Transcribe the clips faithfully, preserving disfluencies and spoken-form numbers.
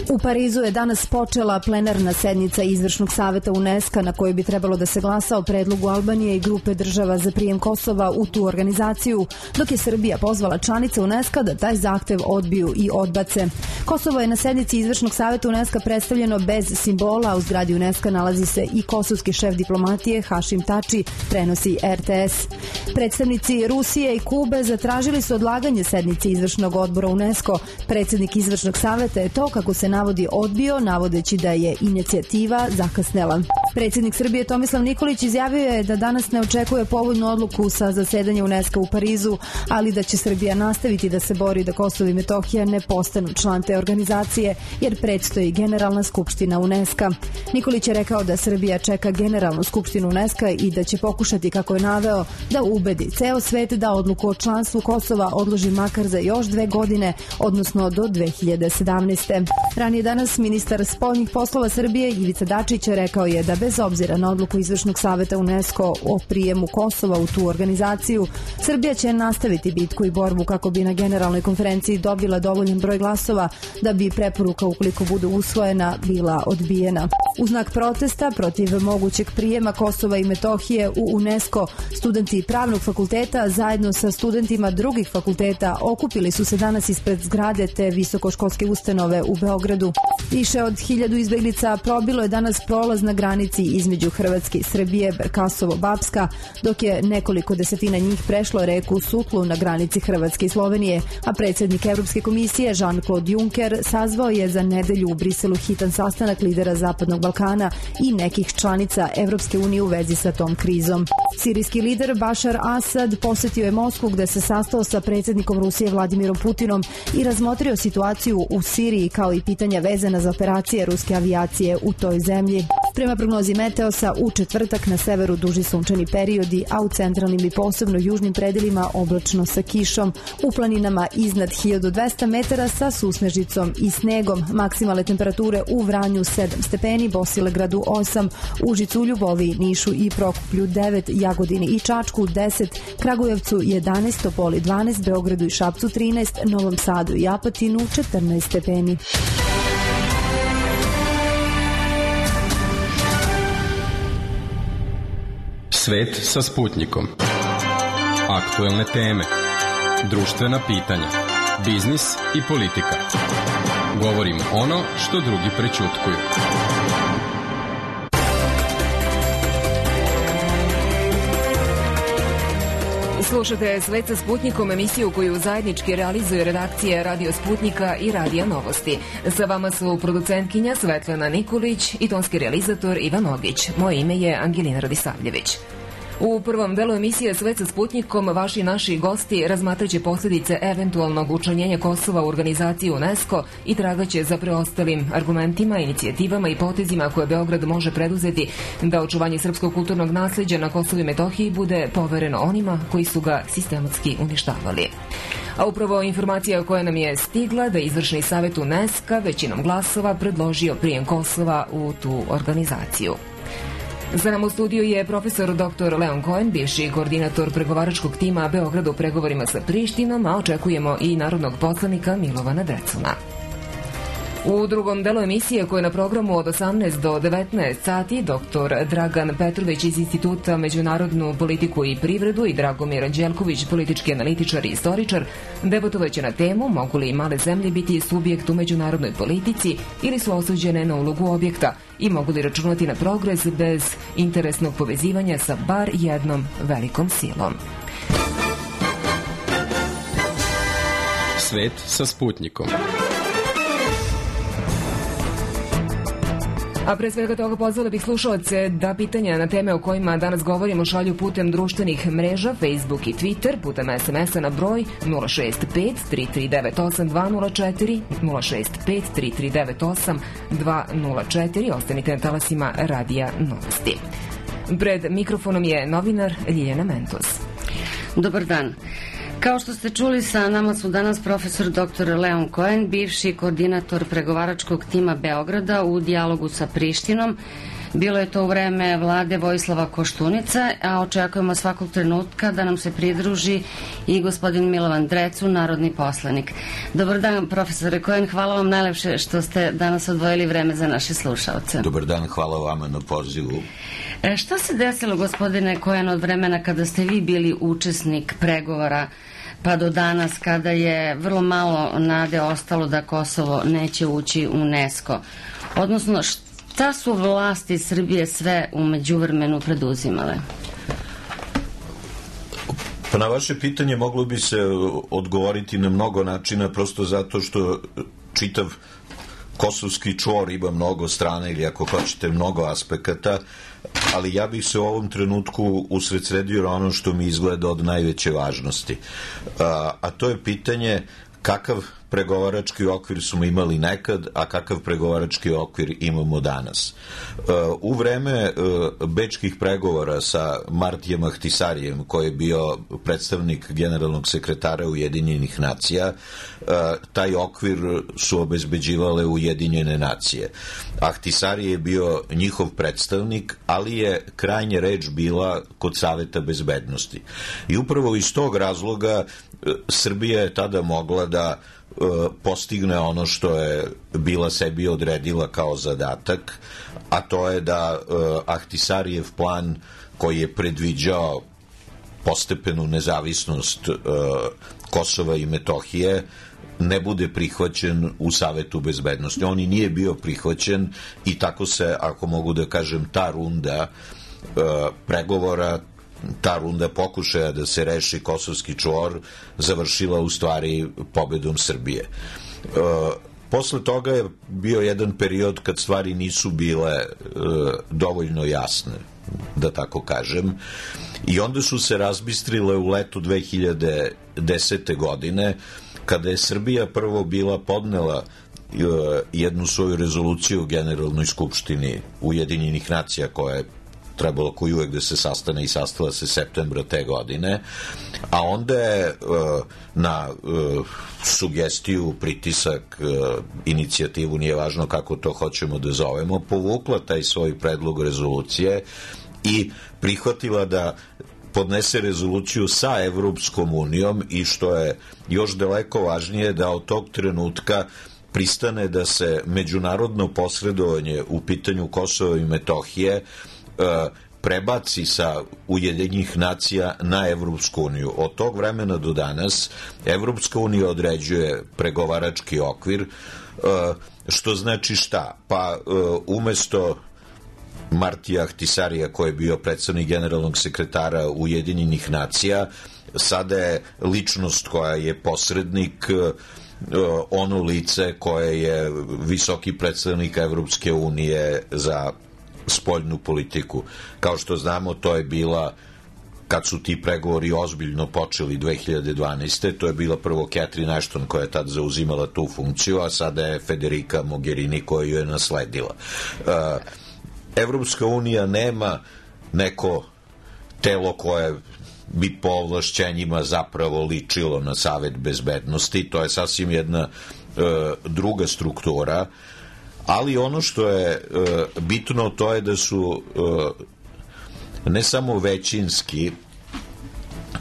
U Parizu je danas počela plenarna sednica Izvršnog saveta UNESCO na kojoj bi trebalo da se glasa o predlogu Albanije i grupe država za prijem Kosova u tu organizaciju, dok je Srbija pozvala članice UNESCO da taj zahtev odbiju i odbace. Kosovo je na sednici Izvršnog saveta UNESCO predstavljeno bez simbola, a u zgradi UNESCO nalazi se i kosovski šef diplomatije Hašim Tači, prenosi R T S. Predstavnici Rusije i Kube zatražili su odlaganje sednice Izvršnog odbora UNESCO. Predsednik Izvršnog saveta je to, kako se navodi, odbio, navodeći da je inicijativa zakasnela. Predsednik Srbije Tomislav Nikolić izjavio je da danas ne očekuje povoljnu odluku sa zasedanja UNESCO u Parizu, ali da će Srbija nastaviti da se bori da Kosovo i Metohija ne postanu član te organizacije, jer predstoji Generalna skupština UNESCO. Nikolić je rekao da Srbija čeka Generalnu skupštinu UNESCO i da će pokušati, kako je naveo, da ubedi ceo svet da odluku o članstvu Kosova odloži makar za još dve godine, odnosno do dve hiljade sedamnaeste. Ranije danas ministar spoljnih poslova Srbije Ivica Dačić rekao je da bez obzira na odluku Izvršnog saveta UNESCO o prijemu Kosova u tu organizaciju, Srbija će nastaviti bitku i borbu kako bi na generalnoj konferenciji dobila dovoljan broj glasova da bi preporuka, ukoliko bude usvojena, bila odbijena. U znak protesta protiv mogućeg prijema Kosova i Metohije u UNESCO, studenti Pravnog fakulteta zajedno sa studentima drugih fakulteta okupili su se danas ispred zgrade te visokoškolske ustanove u Beogradu. Više od hiljadu izbeglica probilo je danas prolaz na granici između Hrvatske i Srbije, Berkasovo-Bapska, dok je nekoliko desetina njih prešlo reku Sutlu na granici Hrvatske i Slovenije, a predsednik Evropske komisije Jean-Claude Juncker sazvao je za nedelju u Briselu hitan sastanak lidera Zapadnog Balkana i nekih članica Evropske unije u vezi sa tom krizom. Sirijski lider Bašar Asad posetio je Moskvu gde se sastao sa predsednikom Rusije Vladimirom Putinom i razmotrio situaciju u Siriji kao i pitanja vezana za operacije ruske avijacije u toj zemlji. Prema prognozi Meteosa, u četvrtak na severu duži sunčani periodi, a u centralnim i posebno južnim predelima oblačno sa kišom, u planinama iznad hiljadu dvesta metara sa susnežicom i snegom. Maksimalne temperature u Vranju sedam stepeni, Bosilegradu osam, Užicu, Ljuboviji, Nišu i Prokuplju devet, Jagodini i Čačku deset, Kragujevcu jedanaest, Topoli dvanaest, Beogradu i Šapcu trinaest, Novom Sadu i Apatinu četrnaest stepeni. Svet sa Sputnjikom. Aktuelne teme, društvena pitanja, biznis i politika. Govorimo ono što drugi prećutkuju. Slušate Svet sa Sputnjikom, emisiju koju zajednički realizuje redakcija Radio Sputnjika i Radija Novosti. Sa vama su producentkinja Svetlana Nikolić i tonski realizator Ivan Ogić. Moje ime je Angelina Radisavljević. U prvom delu emisije Svet sa Sputnjikom vaši naši gosti razmatraće posljedice eventualnog učlanjenja Kosova u organizaciju UNESCO i tragaće za preostalim argumentima, inicijativama i potezima koje Beograd može preduzeti da očuvanje srpskog kulturnog nasleđa na Kosovu i Metohiji bude povereno onima koji su ga sistematski uništavali. A upravo informacija koja nam je stigla da Izvršni savet UNESCO većinom glasova predložio prijem Kosova u tu organizaciju. Za nam u studiju je profesor doktor Leon Cohen, bivši koordinator pregovaračkog tima Beograda u pregovorima sa Prištinom, a očekujemo i narodnog poslanika Milovana Decuna. U drugom delu emisije, koja je na programu od osamnaest do devetnaest sati, doktor Dragan Petrović iz Instituta međunarodnu politiku i privredu i Dragomir Anđelković, politički analitičar i istoričar, debatovaće na temu mogu li male zemlje biti subjekt u međunarodnoj politici ili su osuđene na ulogu objekta i mogu li računati na progres bez interesnog povezivanja sa bar jednom velikom silom. Svet sa Sputnjikom. A pre svega toga pozvala bih slušalce da pitanja na teme o kojima danas govorimo šalju putem društvenih mreža, Facebook i Twitter, putem es em es-a na broj nula šest pet tri tri devet osam dva nula četiri, nula šest pet tri tri devet osam dva nula četiri. Ostanite na talasima Radija Novosti. Pred mikrofonom je novinar Ljiljana Mentos. Dobar dan. Kao što ste čuli, sa nama su danas profesor doktor Leon Cohen, bivši koordinator pregovaračkog tima Beograda u dijalogu sa Prištinom, Bilo je to u vreme vlade Vojislava Koštunica, a očekujemo svakog trenutka da nam se pridruži i gospodin Milovan Drecun, narodni poslanik. Dobar dan, profesore Kojan, hvala vam najlepše što ste danas odvojili vreme za naše slušalce. Dobar dan, hvala vama na pozivu. E, šta se desilo, gospodine Kojan, od vremena kada ste vi bili učesnik pregovora pa do danas, kada je vrlo malo nade ostalo da Kosovo neće ući u UNESCO? Odnosno, šta su vlasti Srbije sve u međuvremenu preduzimale? Pa na vaše pitanje moglo bi se odgovoriti na mnogo načina, prosto zato što čitav kosovski čvor ima mnogo strana ili ako hoćete mnogo aspekata, ali ja bih se u ovom trenutku usredsredio na ono što mi izgleda od najveće važnosti. A, a to je pitanje kakav pregovarački okvir smo imali nekad, a kakav pregovarački okvir imamo danas. U vreme bečkih pregovora sa Martijem Ahtisarijem, koji je bio predstavnik generalnog sekretara Ujedinjenih nacija, taj okvir su obezbeđivale Ujedinjene nacije. Ahtisari je bio njihov predstavnik, ali je krajnja reč bila kod Saveta bezbednosti. I upravo iz tog razloga Srbija je tada mogla da postigne ono što je bila sebi odredila kao zadatak, a to je da Ahtisarijev plan koji je predviđao postepenu nezavisnost Kosova i Metohije ne bude prihvaćen u Savetu bezbednosti. On i nije bio prihvaćen i tako se, ako mogu da kažem, ta runda pregovora, ta runda pokušaja da se reši kosovski čvor završila u stvari pobedom Srbije. E, posle toga je bio jedan period kad stvari nisu bile e, dovoljno jasne, da tako kažem, i onda su se razbistrile u letu dve hiljade desete. godine, kada je Srbija prvo bila podnela e, jednu svoju rezoluciju u Generalnoj skupštini Ujedinjenih nacija koja je trebalo koji uvek da se sastane i sastala se septembra te godine, a onda je na sugestiju, pritisak, inicijativu, nije važno kako to hoćemo da zovemo, povukla taj svoj predlog rezolucije i prihvatila da podnese rezoluciju sa Evropskom unijom i što je još daleko važnije, da od tog trenutka pristane da se međunarodno posredovanje u pitanju Kosova i Metohije prebaci sa Ujedinjenih nacija na Evropsku uniju. Od tog vremena do danas Evropska unija određuje pregovarački okvir, što znači šta? Pa umesto Martija Ahtisarija, koji je bio predstavnik generalnog sekretara Ujedinjenih nacija, sada je ličnost koja je posrednik, ono lice koje je visoki predstavnik Evropske unije za spoljnu politiku. Kao što znamo, to je bila, kad su ti pregovori ozbiljno počeli dve hiljade dvanaeste. to je bila prvo Catherine Ashton koja je tad zauzimala tu funkciju, a sada je Federica Mogherini koja ju je nasledila. Evropska unija nema neko telo koje bi po ovlašćenjima zapravo ličilo na Savet bezbednosti. To je sasvim jedna druga struktura, ali ono što je e, bitno, to je da su e, ne samo većinski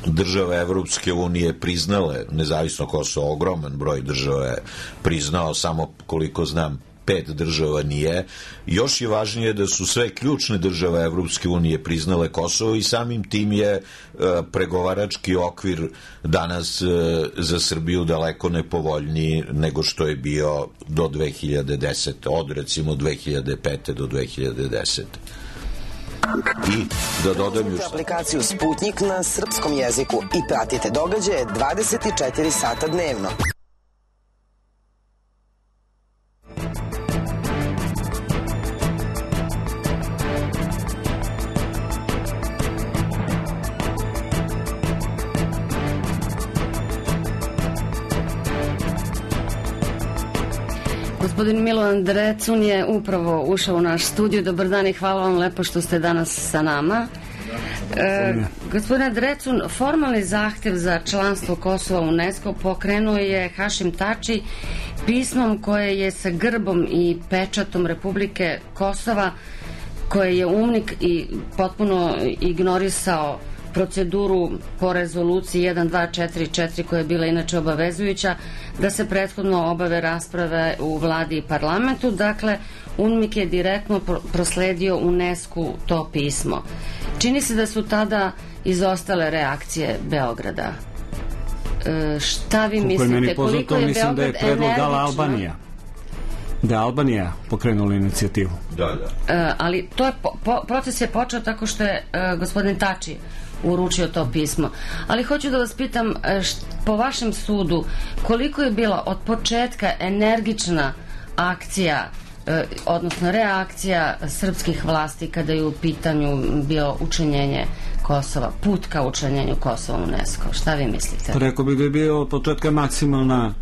države Evropske unije priznale nezavisno Kosovo, ogroman broj država je priznao, samo koliko znam pet država nije. Još je važnije da su sve ključne države Evropske unije priznale Kosovo i samim tim je e, pregovarački okvir danas e, za Srbiju daleko nepovoljniji nego što je bio do dve hiljade desete. Od recimo dve hiljade pete. do dve hiljade desete. I da dodam još aplikaciju Sputnik na srpskom jeziku i pratite događaje dvadeset četiri sata dnevno. Gospodin Milovan Drecun je upravo ušao u naš studiju. Dobar dan i hvala vam lepo što ste danas sa nama. E, gospodine Drecun, formalni zahtev za članstvo Kosova u UNESCO pokrenuo je Hašim Tači pismom koje je sa grbom i pečatom Republike Kosova, koje je UNMIK i potpuno ignorisao proceduru po rezoluciji jedan dva četiri četiri koja je bila inače obavezujuća da se prethodno obave rasprave u vladi i parlamentu. Dakle, UNMIK je direktno prosledio UNESCO to pismo. Čini se da su tada izostale reakcije Beograda. E, šta vi mislite? Koliko je mislim Beograd da je predlog dala energično? Albanija. Da je Albanija pokrenula inicijativu. Da, da. E, ali to je po, po, proces je počeo tako što je e, gospodin Tači uručio to pismo. Ali hoću da vas pitam, št, po vašem sudu, koliko je bila od početka energična akcija, e, odnosno reakcija srpskih vlasti kada je u pitanju bio učinjenje Kosova, put ka učinjenju Kosova u UNESCO? Šta vi mislite? Rekao bih da je bio od početka maksimalna,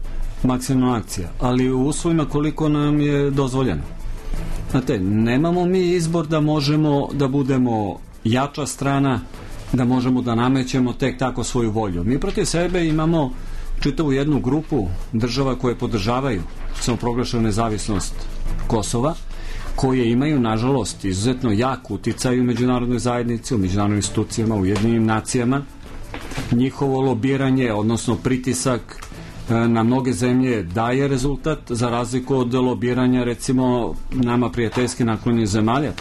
maksimalna akcija, ali u uslovima koliko nam je dozvoljeno. Znate, nemamo mi izbor da možemo da budemo jača strana, da možemo da namećemo tek tako svoju volju. Mi protiv sebe imamo čitavu jednu grupu država koje podržavaju samoproglašenu nezavisnost Kosova, koje imaju, nažalost, izuzetno jak uticaj u međunarodnoj zajednici, u međunarodnim institucijama, u Ujedinjenim nacijama. Njihovo lobiranje, odnosno pritisak na mnoge zemlje daje rezultat, za razliku od lobiranja, recimo, nama prijateljski naklonjenih zemalja,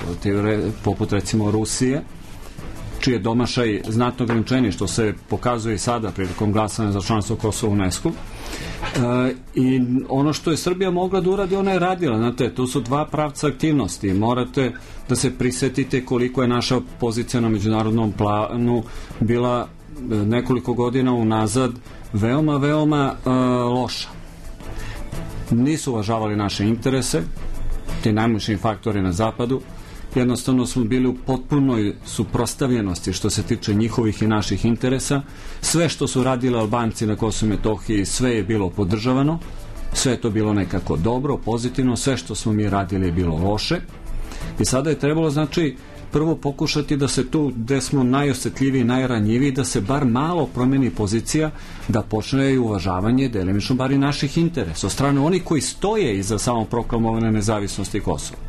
poput, recimo, Rusije, čiji je domašaj znatno ograničeniji, što se pokazuje i sada prilikom glasanja za članstvo Kosova u UNESCO. E, I ono što je Srbija mogla da uradi, ona je radila. Znate, tu su dva pravca aktivnosti. Morate da se prisetite koliko je naša pozicija na međunarodnom planu bila nekoliko godina unazad veoma, veoma e, loša. Nisu uvažavali naše interese, ti najmoćniji faktori na zapadu. Jednostavno smo bili u potpunoj suprotstavljenosti što se tiče njihovih i naših interesa. Sve što su radili Albanci na Kosovu i Metohiji, sve je bilo podržavano, sve je to bilo nekako dobro, pozitivno, sve što smo mi radili je bilo loše. I sada je trebalo, znači, prvo pokušati da se tu, gde smo najosjetljiviji, najranjiviji, da se bar malo promeni pozicija, da počne i uvažavanje delimično bar i naših interesa od strane onih koji stoje iza samoproklamovane nezavisnosti Kosova.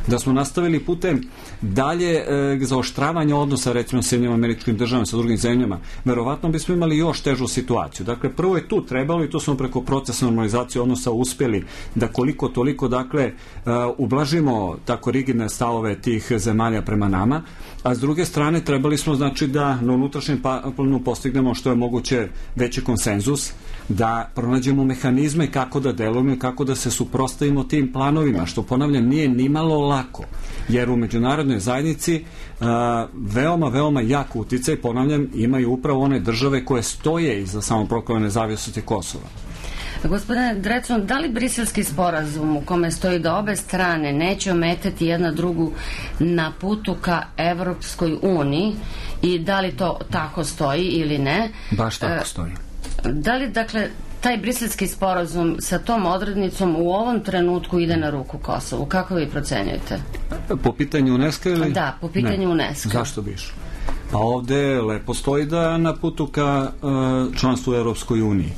Da smo nastavili putem dalje e, zaoštravanja odnosa, recimo s Sjedinjenim Američkim Državama, sa drugim zemljama, verovatno bismo imali još težu situaciju. Dakle, prvo je tu trebalo, i to smo preko procesa normalizacije odnosa uspjeli da koliko toliko, dakle, e, ublažimo tako rigidne stavove tih zemalja prema nama, a s druge strane trebali smo, znači, da na unutrašnjem planu postignemo što je moguće veći konsenzus, da pronađemo mehanizme kako da delujemo i kako da se suprotstavimo tim planovima, što, ponavljam, nije nimalo lako, jer u međunarodnoj zajednici uh, veoma, veoma jak uticaj, ponavljam, imaju upravo one države koje stoje iza samoproklamane nezavisnosti Kosova. Gospodine Drecun, da li briselski sporazum u kome stoji da obe strane neće ometati jedna drugu na putu ka Evropskoj uniji, i da li to tako stoji ili ne? Baš tako stoji. Da li, dakle, taj briselski sporazum sa tom odrednicom u ovom trenutku ide na ruku Kosovu? Kako vi procenjujete? Po pitanju UNESCO ili? Da, po pitanju ne. UNESCO. Zašto biš? Pa ovde lepo stoji da na putu ka uh, članstvu u Evropskoj uniji.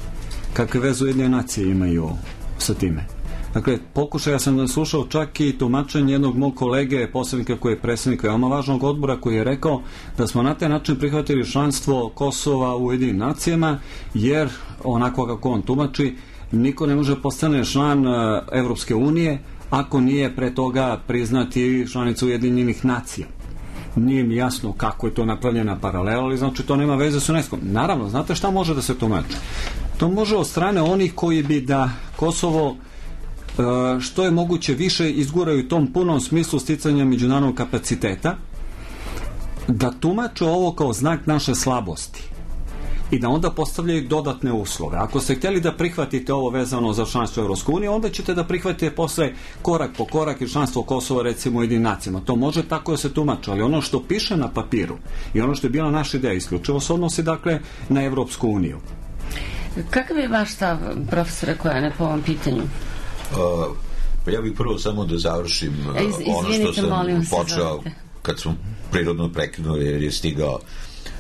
Kakve veze Ujedinjene nacije imaju sa time? Dakle, pokušaj, ja sam slušao čak i tumačenje jednog mog kolege, posrednika koji je predsjednik veoma važnog odbora, koji je rekao da smo na taj način prihvatili članstvo Kosova u Ujedinjenim nacijama, jer, onako kako on tumači, niko ne može postane član uh, Evropske unije ako nije pre toga priznati članicu Ujedinjenih nacija. Nije mi jasno kako je to napravljena paralela, ali znači to nema veze s UNESCO. Naravno, znate šta može da se tumači? To može od strane onih koji bi da Kosovo što je moguće više izguraju u tom punom smislu sticanja međunarodnog kapaciteta, da tumače ovo kao znak naše slabosti i da onda postavljaju dodatne uslove. Ako ste htjeli da prihvatite ovo vezano za članstvo Evropske unije, onda ćete da prihvatite posle korak po korak i članstvo Kosova, recimo, u Ujedinjenim nacijama. To može tako da se tumači, ali ono što piše na papiru i ono što je bila naša ideja isključivo se odnosi, dakle, na Evropsku uniju. Kakav je vaš stav, profesore Kojane, po ovom pitanju? Uh, pa ja bih prvo samo da završim uh, Iz, ono što sam počeo se, kad smo prirodno prekinuli, jer je stigao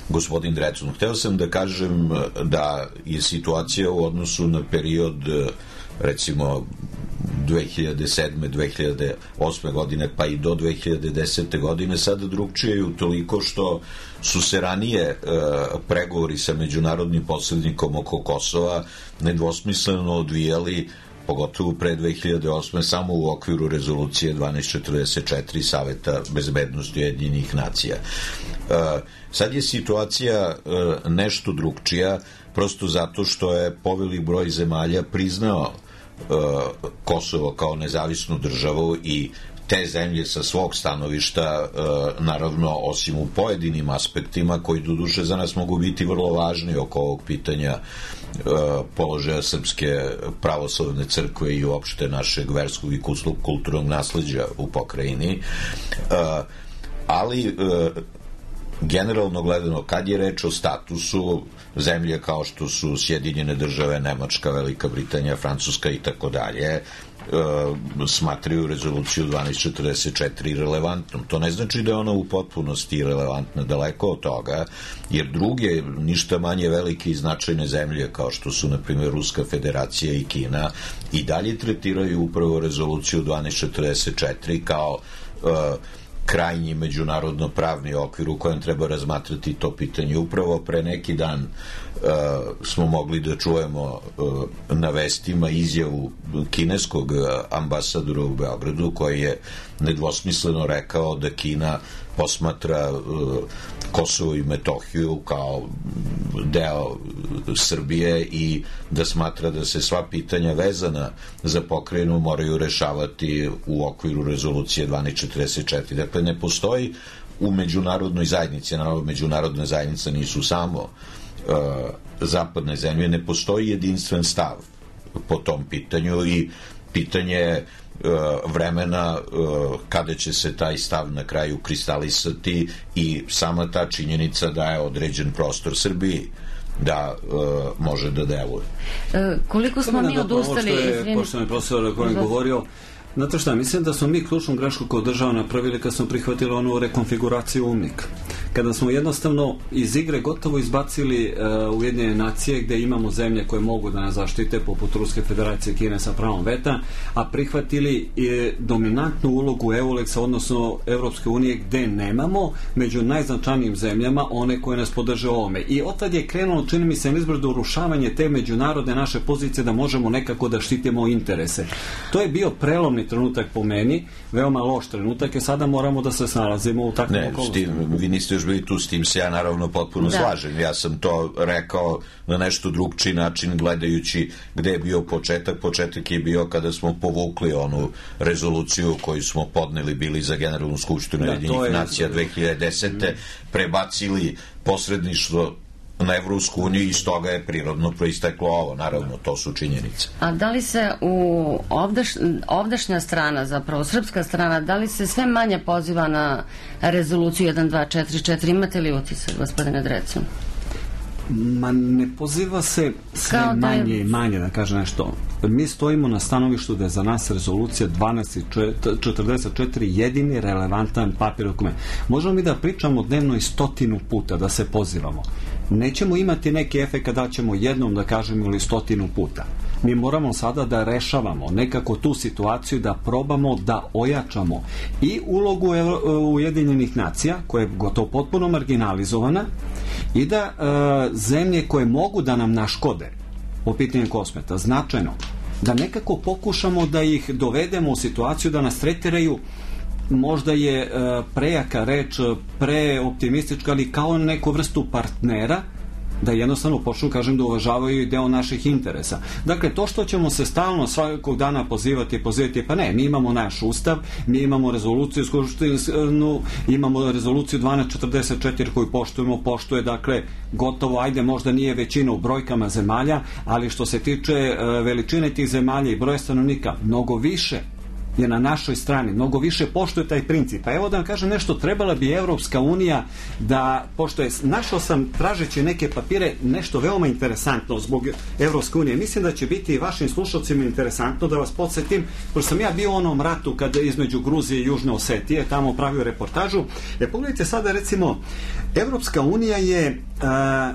gospodin Drecun. Hteo sam da kažem da je situacija u odnosu na period, recimo, dve hiljade sedme. dve hiljade osme. godine pa i do dve hiljade desete. godine sada drugčije utoliko što su se ranije e, pregovori sa međunarodnim posrednikom oko Kosova nedvosmisleno odvijali, pogotovo pre dve hiljade osme. samo u okviru rezolucije dvanaest četrdeset četiri Saveta bezbednosti Ujedinjenih nacija. E, sad je situacija e, nešto drugčija, prosto zato što je povelik broj zemalja priznao e, Kosovo kao nezavisnu državu i te zemlje sa svog stanovišta, e, naravno, osim u pojedinim aspektima koji doduše za nas mogu biti vrlo važni oko ovog pitanja e, položaja Srpske pravoslavne crkve i uopšte našeg verskog i kulturnog nasleđa u pokrajini. E, ali e, generalno gledano, kad je reč o statusu, zemlje kao što su Sjedinjene države, Nemačka, Velika Britanija, Francuska i tako dalje, smatraju rezoluciju dvanaest četrdeset četiri relevantnom. To ne znači da je ona u potpunosti relevantna, daleko od toga, jer druge, ništa manje velike i značajne zemlje, kao što su, na primjer, Ruska federacija i Kina, i dalje tretiraju upravo rezoluciju dvanaest četrdeset četiri kao uh, krajnji međunarodno pravni okvir u kojem treba razmatrati to pitanje. Upravo pre neki dan uh, smo mogli da čujemo uh, na vestima izjavu kineskog ambasadora u Beogradu, koji je nedvosmisleno rekao da Kina posmatra uh, Kosovo i Metohiju kao deo Srbije i da smatra da se sva pitanja vezana za pokrajinu moraju rešavati u okviru rezolucije dvanaest četrdeset četiri. Dakle, ne postoji u međunarodnoj zajednici, naravno međunarodna zajednica nisu samo uh, zapadne zemlje, ne postoji jedinstven stav po tom pitanju i pitanje vremena kada će se taj stav na kraju kristalisati i sama ta činjenica da je određen prostor Srbiji da uh, može da deluje. E, koliko smo mi odustali? Poštovani profesor o kojem govorio, znate šta, mislim da smo mi ključnu grešku kao država napravili kad smo prihvatili onu rekonfiguraciju U N M I K. Kada smo jednostavno iz igre gotovo izbacili uh, Ujedinjene nacije gde imamo zemlje koje mogu da nas zaštite, poput Ruske federacije i Kine sa pravom veta, a prihvatili e, dominantnu ulogu EULEX-a, odnosno Evropske unije, gde nemamo među najznačajnijim zemljama one koje nas podrže ovome. I otad je krenulo, čini mi se, izbrdo urušavanje te međunarodne naše pozicije da možemo nekako da štitimo interese. To je bio prelomni trenutak po meni, veoma loš trenutak, i sada moramo da se snalazimo u takvom okolnostima. Ne, vi niste još bili tu, s tim se ja naravno potpuno da. slažem. Ja sam to rekao na nešto drugčiji način, gledajući gde je bio početak. Početak je bio kada smo povukli onu rezoluciju koju smo podneli bili za Generalnu skupštinu Ujedinjenih nacija dve hiljade desete. Prebacili posredništvo na Evropsku uniju i iz toga je prirodno proisteklo ovo, naravno, to su činjenice. A da li se u ovdaš, ovdašnja strana, zapravo srpska strana, da li se sve manje poziva na rezoluciju jedan dva četiri četiri? Imate li utisak, gospodine Drecu? Ma ne poziva se sve da manje i manje, da kaže nešto. Mi stojimo na stanovištu da je za nas rezolucija dvanaest četrdeset četiri jedini relevantan papir dokument. Možemo mi da pričamo dnevno i stotinu puta, da se pozivamo. Nećemo imati neki efekt da ćemo jednom da kažemo ili stotinu puta. Mi moramo sada da rešavamo nekako tu situaciju, da probamo da ojačamo i ulogu Ujedinjenih nacija, koja je gotovo potpuno marginalizovana, i da e, zemlje koje mogu da nam naškode po pitanju kosmeta, značajno, da nekako pokušamo da ih dovedemo u situaciju da nas tretiraju, možda je e, prejaka reč, preoptimistička, ali kao neku vrstu partnera, da jednostavno počnu, kažem, da uvažavaju i deo naših interesa. Dakle, to što ćemo se stalno svakog dana pozivati, pozivati, pa ne, mi imamo naš ustav, mi imamo rezoluciju skupštinu, imamo rezoluciju dvanaest četrdeset četiri koju poštujemo, poštuje, dakle, gotovo, ajde, možda nije većina u brojkama zemalja, ali što se tiče uh, veličine tih zemalja i broja stanovnika, mnogo više je na našoj strani, mnogo više poštuje taj princip. A evo da vam kažem nešto, trebala bi Evropska unija da, pošto je, našao sam tražeći neke papire, nešto veoma interesantno zbog Evropske unije. Mislim da će biti i vašim slušalcima interesantno, da vas podsjetim, pošto sam ja bio u onom ratu kada između Gruzije i Južne Osetije, tamo pravio reportažu. E, pogledajte sada, recimo, Evropska unija je a,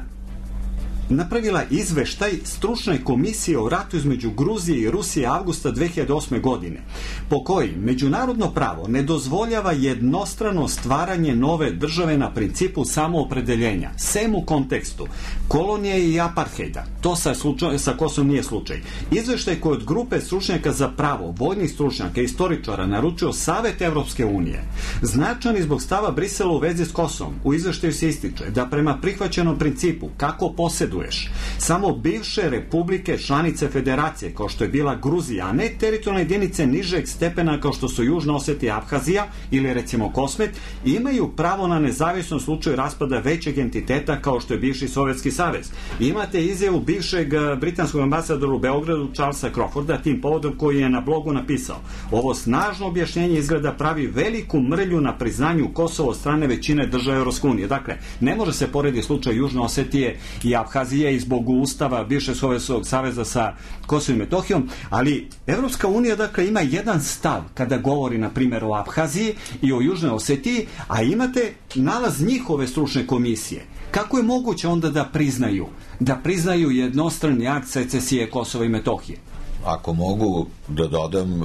napravila izveštaj stručne komisije o ratu između Gruzije i Rusije avgusta dve hiljade osme. godine, po koji međunarodno pravo ne dozvoljava jednostrano stvaranje nove države na principu samoopredeljenja, sem u kontekstu kolonije i aparthejda. To sa, slučaj, sa Kosovom nije slučaj. Izveštaj koji od grupe stručnjaka za pravo, vojnih stručnjaka i istoričara naručio Savet Evropske unije, značan i zbog stava Brisela u vezi s Kosovom. U izveštaju se ističe da prema prihvaćenom principu kako poseduješ samo bivše republike članice federacije, kao što je bila Gruzija, a ne teritorijalne jedinice nižeg stepena kao što su Južna Osetija, Abhazija ili recimo Kosmet, imaju pravo na nezavisnost u slučaju raspada većeg entiteta kao što je bivši Sovjetski savez. Imate izjavu bivšeg britanskog ambasadora u Beogradu Charlesa Crawforda tim povodom koji je na blogu napisao: ovo snažno objašnjenje izgleda pravi veliku mrlju na priznanju Kosova od strane većine država Evropske unije. Dakle, ne može se porediti slučaj Južne Osetije i Abhazije i zbog ustava bivšeg Sovjetskog saveza sa Kosovom i Metohijom, ali Evropska unija dakle ima jedan stav kada govori na primjer o Abhaziji i o Južnoj Osetiji, a imate nalaz njihove stručne komisije. Kako je moguće onda da priznaju da priznaju jednostrani akt secesije Kosova i Metohije? Ako mogu da dodam,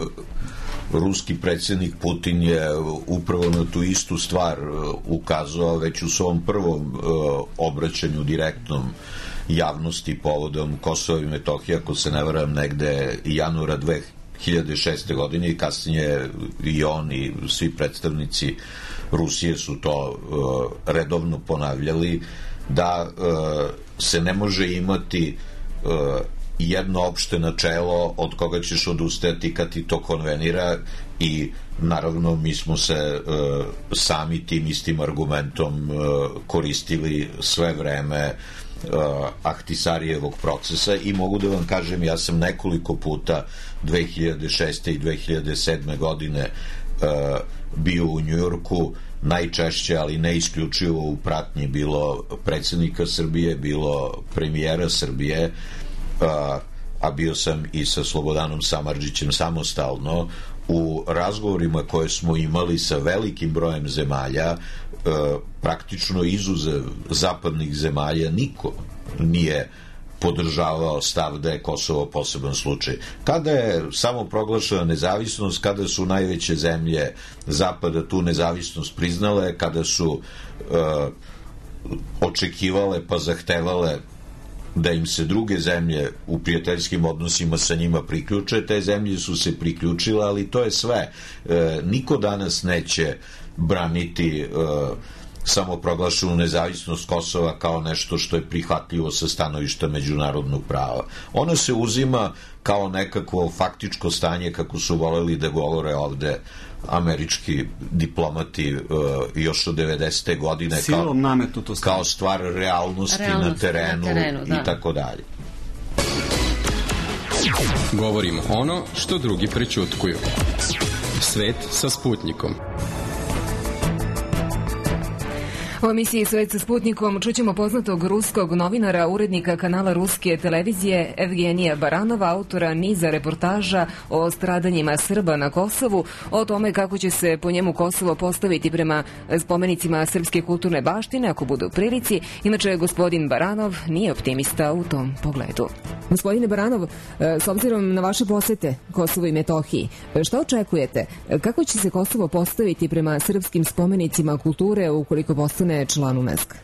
ruski predsjednik Putin je upravo na tu istu stvar ukazao već u svom prvom uh, obraćanju direktnom javnosti povodom Kosova i Metohije, ako se ne varam, negde januara dve hiljade šeste. godine i kasnije i on i svi predstavnici Rusije su to uh, redovno ponavljali, da uh, se ne može imati uh, jedno opšte načelo od koga ćeš odustajati kad ti to konvenira, i naravno mi smo se uh, sami tim istim argumentom uh, koristili sve vreme uh, Ahtisarijevog procesa, i mogu da vam kažem, ja sam nekoliko puta dve hiljade šeste. i dve hiljade sedme. godine uh, bio u Njujorku, najčešće, ali ne isključivo u pratnji bilo predsjednika Srbije, bilo premijera Srbije, a, a bio sam i sa Slobodanom Samardžićem samostalno. U razgovorima koje smo imali sa velikim brojem zemalja, e, praktično izuzev zapadnih zemalja, niko nije podržavao stav da je Kosovo poseban slučaj. Kada je samo proglašena nezavisnost, kada su najveće zemlje Zapada tu nezavisnost priznale, kada su e, očekivale pa zahtevale da im se druge zemlje u prijateljskim odnosima sa njima priključe, te zemlje su se priključile, ali to je sve. E, niko danas neće braniti e, samo proglašenu nezavisnost Kosova kao nešto što je prihvatljivo sa stanovišta međunarodnog prava. Ono se uzima kao nekakvo faktičko stanje, kako su voleli da govore ovde američki diplomati uh, još od devedesete. godine kao, kao stvar realnosti, realnosti na terenu, na terenu da. I tako dalje. Govorimo ono što drugi prećutkuju. Svet sa Sputnikom. U emisiji Svet sa Sputnikom čućemo poznatog ruskog novinara, urednika kanala ruske televizije Evgenija Baranova, autora niza reportaža o stradanjima Srba na Kosovu, o tome kako će se po njemu Kosovo postaviti prema spomenicima srpske kulturne baštine ako budu u prilici. Inače, gospodin Baranov nije optimista u tom pogledu. Gospodine Baranov, s obzirom na vaše posete Kosovu i Metohiji, šta očekujete? Kako će se Kosovo postaviti prema srpskim spomenicima kulture ukoliko postane član UNESCO?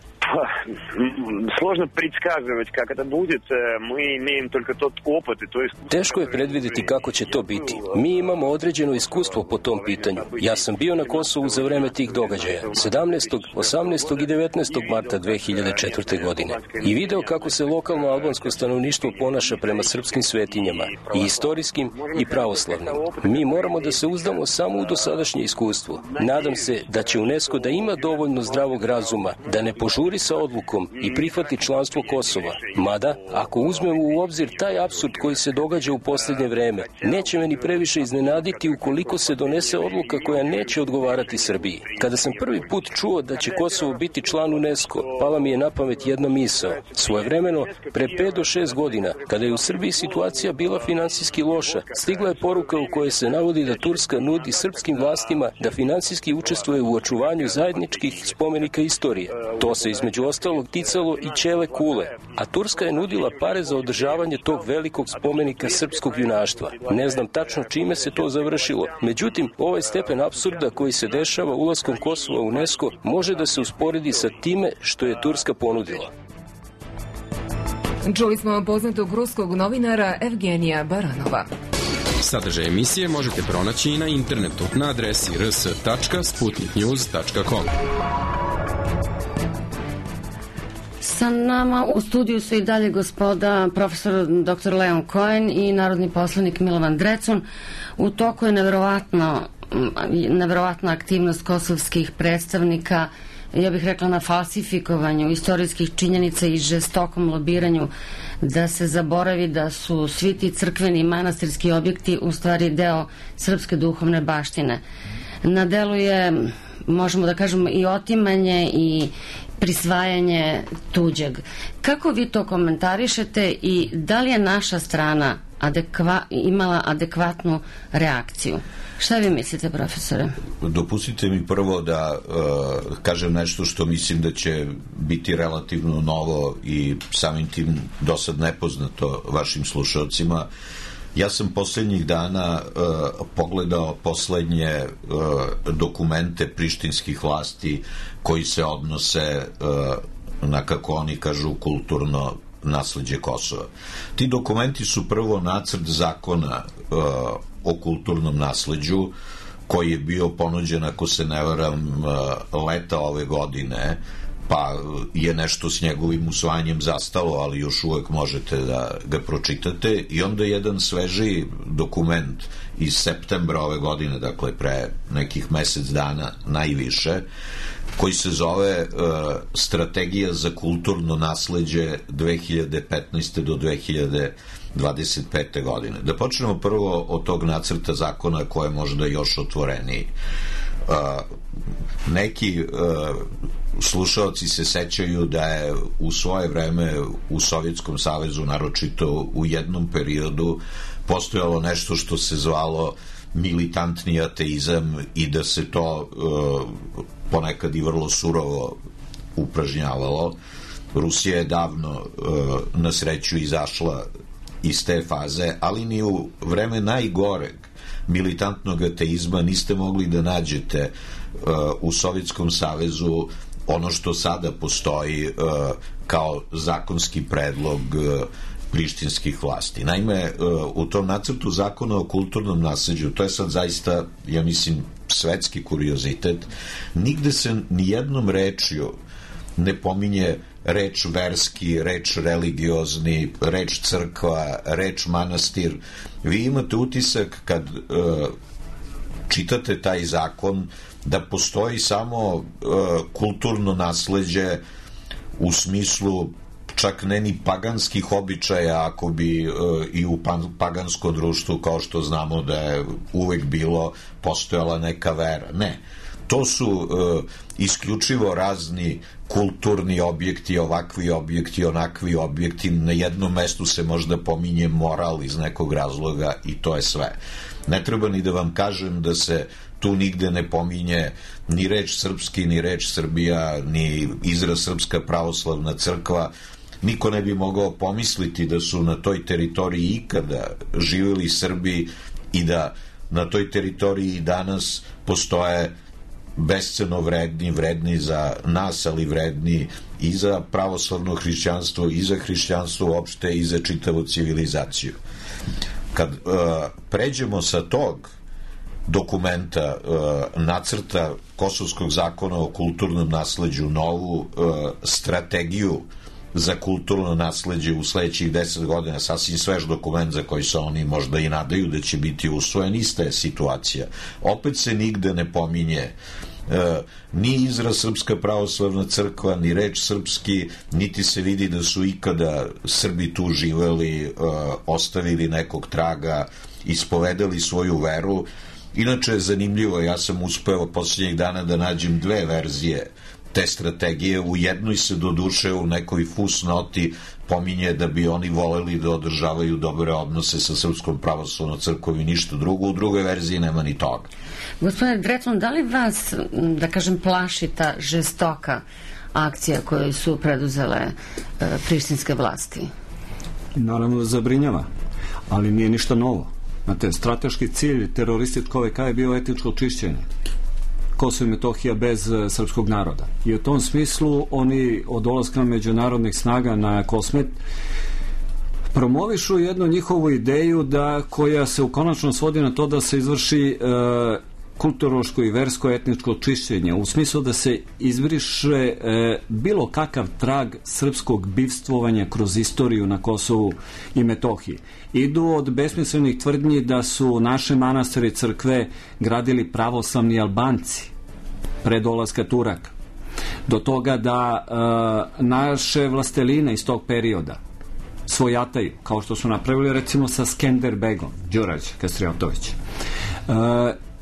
Сложно предсказывать, как это будет. Мы имеем только тот опыт и то искусство. Teško je predvidjeti kako će to biti. Mi imamo određeno iskustvo po tom pitanju. Ja sam bio na Kosovu za vreme tih događaja, sedamnaestog, osamnaestog i devetnaestog marta dve hiljade četvrte. godine. I video kako se lokalno albansko stanovništvo ponaša prema srpskim svetinjama, i istorijskim i pravoslavnim. Mi moramo da se uzdamo samo u dosadašnje iskustvo. Nadam se da će UNESCO da ima dovoljno zdravog razuma, da ne požuri sa odlukom i prihvati članstvo Kosova. Mada, ako uzmemo u obzir taj apsurd koji se događa u posljednje vreme, neće me ni previše iznenaditi ukoliko se donese odluka koja neće odgovarati Srbiji. Kada sam prvi put čuo da će Kosovo biti član UNESCO, pala mi je na pamet jedna misao. Svojevremeno, pre pet do šest godina, kada je u Srbiji situacija bila finansijski loša, stigla je poruka u kojoj se navodi da Turska nudi srpskim vlastima da finansijski učestvuje u očuvanju zajedničkih spomenika istorije. To se između između ostalog ticalo i Ćele kule, a Turska je nudila pare za održavanje tog velikog spomenika srpskog junaštva. Ne znam tačno čime se to završilo. Međutim, ovaj stepen apsurda koji se dešava ulaskom Kosova u UNESCO može da se usporedi sa time što je Turska ponudila. Čuli smo poznatog ruskog novinara Evgenija Baranova. Sadržaj emisije možete pronaći i na internetu na adresi r s tačka sputnik news tačka com. Sa nama u studiju su i dalje gospoda profesor doktor Leon Cohen i narodni poslanik Milovan Drecun. U toku je neverovatno, neverovatna aktivnost kosovskih predstavnika, ja bih rekla na falsifikovanju istorijskih činjenica i žestokom lobiranju da se zaboravi da su svi ti crkveni i manastirski objekti u stvari deo srpske duhovne baštine. Na delu je, možemo da kažemo, i otimanje i prisvajanje tuđeg. Kako vi to komentarišete i da li je naša strana adekva, imala adekvatnu reakciju? Šta vi mislite, profesore? Dopustite mi prvo da uh, kažem nešto što mislim da će biti relativno novo i samim tim dosad nepoznato vašim slušalcima. Ja sam poslednjih dana uh, pogledao poslednje uh, dokumente prištinskih vlasti koji se odnose uh, na, kako oni kažu, kulturno nasleđe Kosova. Ti dokumenti su prvo nacrt zakona uh, o kulturnom nasleđu koji je bio ponuđen, ako se ne varam, uh, leta ove godine, pa je nešto s njegovim usvajanjem zastalo, ali još uvek možete da ga pročitate, i onda jedan svežiji dokument iz septembra ove godine, dakle pre nekih mesec dana najviše, koji se zove uh, Strategija za kulturno nasleđe dve hiljade petnaeste do dve hiljade dvadeset pete godine. Da počnemo prvo od tog nacrta zakona koje je možda još otvoreniji. Uh, neki uh, slušalci se sećaju da je u svoje vreme u Sovjetskom savezu, naročito u jednom periodu, postojalo nešto što se zvalo militantni ateizam i da se to uh, ponekad i vrlo surovo upražnjavalo. Rusija je davno uh, na sreću izašla iz te faze, ali ni u vreme najgoreg militantnog ateizma niste mogli da nađete uh, u Sovjetskom savezu ono što sada postoji uh, kao zakonski predlog uh, prištinskih vlasti. Naime, uh, u tom nacrtu zakona o kulturnom nasleđu, to je sad zaista, ja mislim, svetski kuriozitet, nigde se nijednom rečju ne pominje reč verski, reč religiozni, reč crkva, reč manastir. Vi imate utisak kad uh, čitate taj zakon da postoji samo uh, kulturno nasleđe u smislu čak ne ni paganskih običaja, ako bi uh, i u pagansko društvu, kao što znamo da je uvek bilo, postojala neka vera. Ne. To su uh, isključivo razni kulturni objekti, ovakvi objekti, onakvi objekti. Na jednom mestu se možda pominje moral iz nekog razloga i to je sve. Ne treba ni da vam kažem da se tu nigde ne pominje ni reč srpski, ni reč Srbija, ni izraz Srpska pravoslavna crkva. Niko ne bi mogao pomisliti da su na toj teritoriji ikada živjeli Srbi i da na toj teritoriji danas postoje besceno vredni, vredni za nas, ali vredni i za pravoslavno hrišćanstvo, i za hrišćanstvo uopšte, i za čitavu civilizaciju. Kad uh, pređemo sa tog dokumenta, uh, nacrta Kosovskog zakona o kulturnom nasleđu, novu uh, strategiju za kulturno nasleđe u sledećih deset godina, sasvim svež dokument za koji se oni možda i nadaju da će biti usvojen, ista je situacija. Opet se nigde ne pominje e, ni izraz Srpska pravoslavna crkva, ni reč srpski, niti se vidi da su ikada Srbi tu živeli, e, ostavili nekog traga, ispovedali svoju veru. Inače je zanimljivo, ja sam uspeo posljednjih dana da nađem dve verzije te strategije. U jednoj se doduše u nekoj fusnoti pominje da bi oni voleli da održavaju dobre odnose sa Srpskom pravoslavnom crkvom i ništa drugo. U drugoj verziji nema ni toga. Gospodine Drecun, da li vas, da kažem, plaši ta žestoka akcija koje su preduzele e, prištinske vlasti? Naravno zabrinjava, ali nije ništa novo. Znate, strateški cilj terorističkog O V K je bio etničko čišćenje Kosovo i Metohija bez e, srpskog naroda. I u tom smislu oni od dolaska međunarodnih snaga na Kosmet promovišu jednu njihovu ideju da koja se ukonačno svodi na to da se izvrši e, kulturološko i versko etničko čišćenje, u smislu da se izbriše e, bilo kakav trag srpskog bivstvovanja kroz istoriju na Kosovu i Metohiji. Idu od besmislenih tvrdnji da su naše manastire i crkve gradili pravoslavni Albanci pre dolaska Turaka, do toga da e, naše vlasteline iz tog perioda svojataju, kao što su napravili recimo sa Skenderbegom, Đurađ Kastrijotović. E,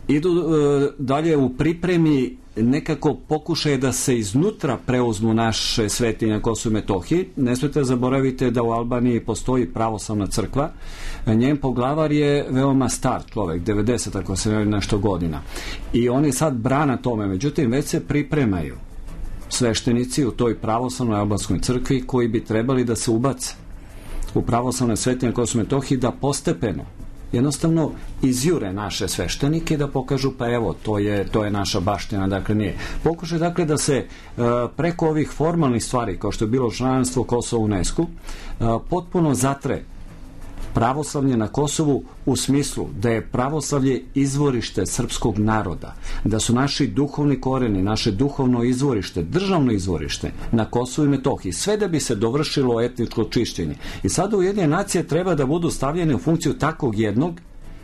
idu e, dalje u pripremi nekako pokušaje da se iznutra preuzmu naše svetinje na Kosovu i Metohiji. Ne smijete zaboravite da u Albaniji postoji pravoslavna crkva. Njen poglavar je veoma star čovek, devedeset ako se ne nešto godina. I oni sad brana tome, međutim već se pripremaju sveštenici u toj pravoslavnoj albanskoj crkvi koji bi trebali da se ubace u pravoslavne svetinje na Kosovu i Metohiji, da postepeno jednostavno izjure naše sveštenike i da pokažu pa evo to je, to je naša baština, dakle nije. Pokušaj dakle da se uh, preko ovih formalnih stvari kao što je bilo članstvo Kosova u UNESCO uh, potpuno zatre pravoslavlje na Kosovu u smislu da je pravoslavlje izvorište srpskog naroda, da su naši duhovni koreni, naše duhovno izvorište, državno izvorište na Kosovu i Metohiji, sve da bi se dovršilo etničko čišćenje. I sada Ujedinjene nacije treba da budu stavljene u funkciju takvog jednog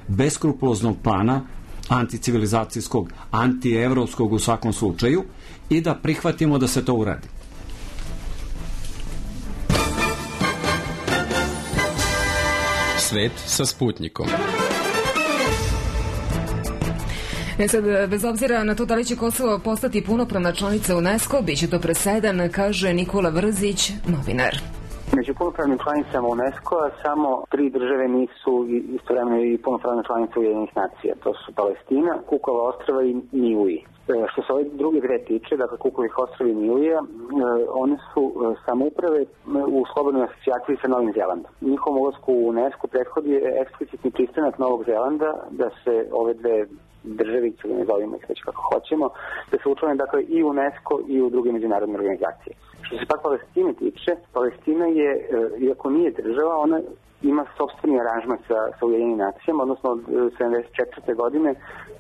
beskrupuloznog plana, anticivilizacijskog, antievropskog u svakom slučaju, i da prihvatimo da se to uradi. Svet sa Sputnikom. E sad, bez obzira na to da li će Kosovo postati punopravna članica UNESCO, bit će to presedan, kaže Nikola Vrzić, novinar. Među punopravnim članicama UNESCO-a samo tri države nisu istovremeno i punopravne članice Ujedinjenih nacija. To su Palestina, Kukova ostrva i Niuji. Što se ove druge dve tiče, dakle Kukovih ostrva i Niuija, one su samouprave u slobodnoj asocijaciji sa Novim Zelandom. Njihovom ulasku u UNESCO prethodi je eksplicitni pristanak Novog Zelanda da se ove dve državice, ili ne zovimo ih već kako hoćemo, da se učlane dakle i UNESCO i u druge međunarodne organizacije. Što se pak Palestine tiče, Palestina je, iako nije država, ona ima sopstveni aranžman sa, sa Ujedinjenim nacijama, odnosno od sedamdeset četvrte godine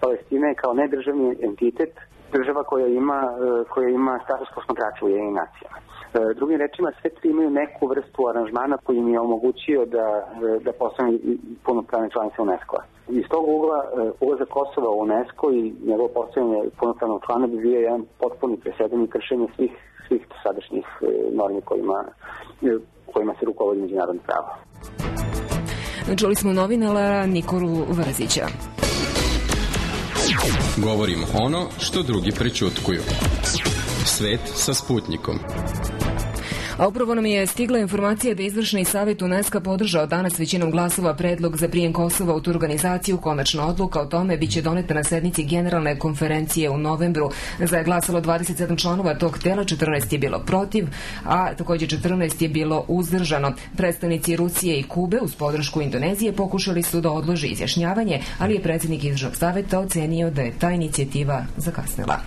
Palestina je kao nedržavni entitet država koja ima, koja ima status posmatrača u Ujedinjenim nacijama. Drugim rečima, sve tri imaju neku vrstu aranžmana koji im je omogućio da, da postane punopravne članice UNESCO-a. Iz tog ugla, ulazak Kosova u UNESCO i njegovo postavljanje punopravnog člana bi bio jedan potpuni presedan i kršenje svih, svih sadašnjih normi kojima, kojima se rukovodi međunarodno pravo. Čuli smo novinara Nikolu Vrzića. Govorimo ono što drugi prećutkuju. Svet sa Sputnikom. A upravo nam je stigla informacija da Izvršni savjet UNESCO podržao danas većinom glasova predlog za prijem Kosova u tu organizaciju. Konačna odluka o tome biće doneta na sednici Generalne konferencije u novembru. Za je glasalo dvadeset sedam članova tog tela, četrnaest je bilo protiv, a također četrnaest je bilo uzdržano. Predstavnici Rusije i Kube uz podršku Indonezije pokušali su da odlože izjašnjavanje, ali je predsjednik Izvršnog savjeta ocenio da je ta inicijativa zakasnila.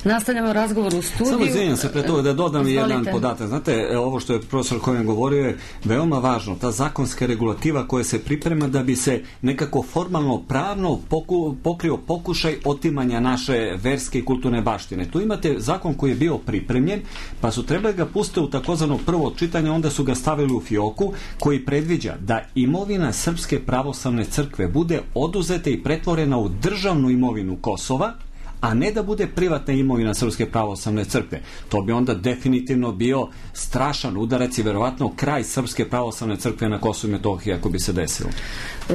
Nastavljamo razgovor u studiju. Samo izvinjam se pre toga da dodam Izvolite. jedan podatak. Znate, ovo što je profesor Kojan govorio je veoma važno. Ta zakonska regulativa koja se priprema da bi se nekako formalno pravno poku, pokrio pokušaj otimanja naše verske i kulturne baštine. Tu imate zakon koji je bio pripremljen, pa su trebali ga pustiti u takozvano prvo čitanje, onda su ga stavili u fioku, koji predviđa da imovina Srpske pravoslavne crkve bude oduzeta i pretvorena u državnu imovinu Kosova, a ne da bude privatna imovina Srpske pravoslavne crkve. To bi onda definitivno bio strašan udarac i verovatno kraj Srpske pravoslavne crkve na Kosovu i Metohiji ako bi se desilo.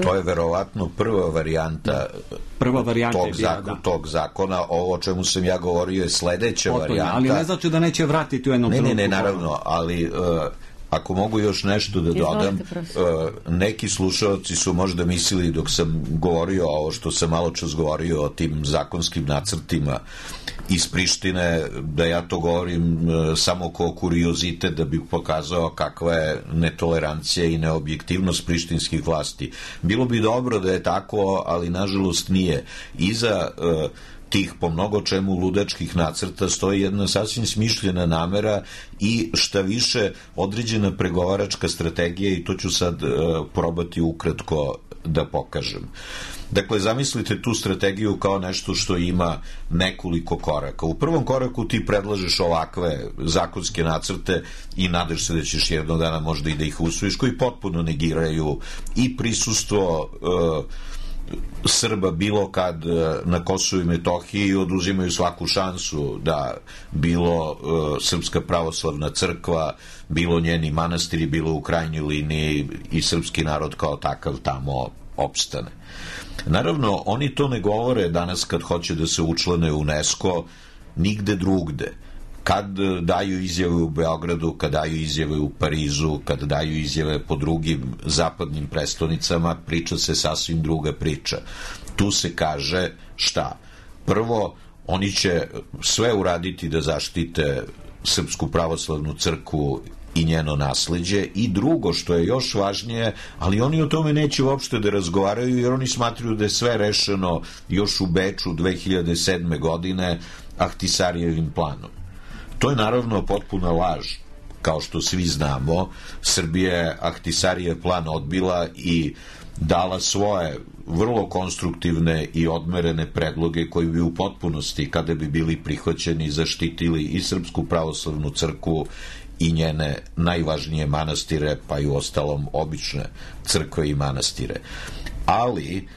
To je verovatno prva varijanta, prva varijanta tog, je bila, zakon, da. tog zakona. Ovo o čemu sam ja govorio je sledeća Otvorno, varijanta. ali ne znači da neće vratiti u jednom ne, trenutku. Ne, ne, naravno, ali uh, ako mogu još nešto da dodam, neki slušalci su možda mislili dok sam govorio ovo što sam malo čas govorio o tim zakonskim nacrtima iz Prištine, da ja to govorim samo kao kuriozitet da bih pokazao kakva je netolerancija i neobjektivnost prištinskih vlasti. Bilo bi dobro da je tako, ali nažalost nije. Iza uh, tih po mnogo čemu ludačkih nacrta stoji jedna sasvim smišljena namera i šta više određena pregovaračka strategija, i to ću sad uh, probati ukratko da pokažem. Dakle, zamislite tu strategiju kao nešto što ima nekoliko koraka. U prvom koraku ti predlažeš ovakve zakonske nacrte i nadaš se da ćeš jednog dana možda i da ih usvojiš, koji potpuno negiraju i prisustvo uh, Srba bilo kad na Kosovu i Metohiji, oduzimaju svaku šansu da bilo uh, Srpska pravoslavna crkva, bilo njeni manastiri, bilo u krajnjoj liniji i srpski narod kao takav tamo opstane. Naravno, oni to ne govore danas kad hoće da se učlane u UNESCO nigde drugde. Kad daju izjave u Beogradu, kad daju izjave u Parizu, kad daju izjave po drugim zapadnim prestonicama, priča se sasvim druga priča. Tu se kaže šta? Prvo, oni će sve uraditi da zaštite Srpsku pravoslavnu crkvu i njeno nasleđe, i drugo što je još važnije, ali oni o tome neće uopšte da razgovaraju, jer oni smatruju da je sve rešeno još u Beču dve hiljade sedme godine Ahtisarijevim planom. To je naravno potpuna laž. Kao što svi znamo, Srbija je Ahtisarijev plan odbila i dala svoje vrlo konstruktivne i odmerene predloge koji bi u potpunosti, kada bi bili prihvaćeni, zaštitili i Srpsku pravoslavnu crkvu i njene najvažnije manastire, pa i u ostalom obične crkve i manastire. Ali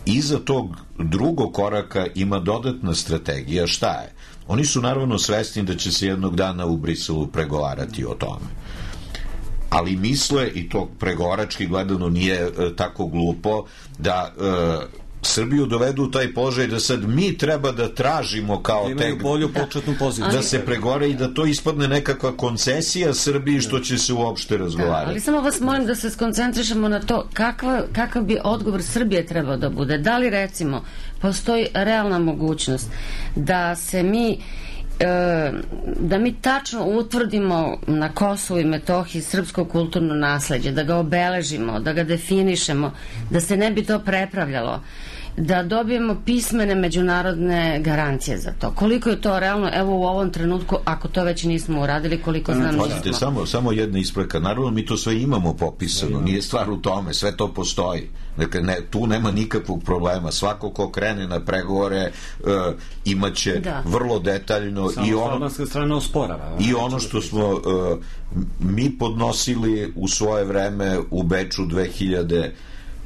iza tog drugog koraka ima dodatna strategija. Šta je? Oni su naravno svesni da će se jednog dana u Briselu pregovarati o tome. Ali misle, i to pregovarački gledano nije e, tako glupo, da e, Srbiju dovedu u taj položaj da sad mi treba da tražimo kao da imaju bolju početnu poziciju. Da se pregovara i da to ispadne nekakva koncesija Srbiji što će se uopšte razgovarati. Da, ali samo vas molim da se skoncentrišemo na to kakva, kakav bi odgovor Srbije trebao da bude. Da li recimo postoji realna mogućnost da se mi da mi tačno utvrdimo na Kosovu i Metohiji srpsko kulturno nasleđe, da ga obeležimo, da ga definišemo, da se ne bi to prepravljalo, da dobijemo pismene međunarodne garancije za to. Koliko je to realno, evo u ovom trenutku, ako to već nismo uradili, koliko znam nismo. Pazite, samo, samo jedna ispreka. Naravno, mi to sve imamo popisano, nije stvar u tome, sve to postoji. Dakle, ne, tu nema nikakvog problema. Svako ko krene na pregovore uh, imaće da. vrlo detaljno samo i ono, strana osporava, i ono što smo uh, mi podnosili u svoje vreme u Beču dve hiljade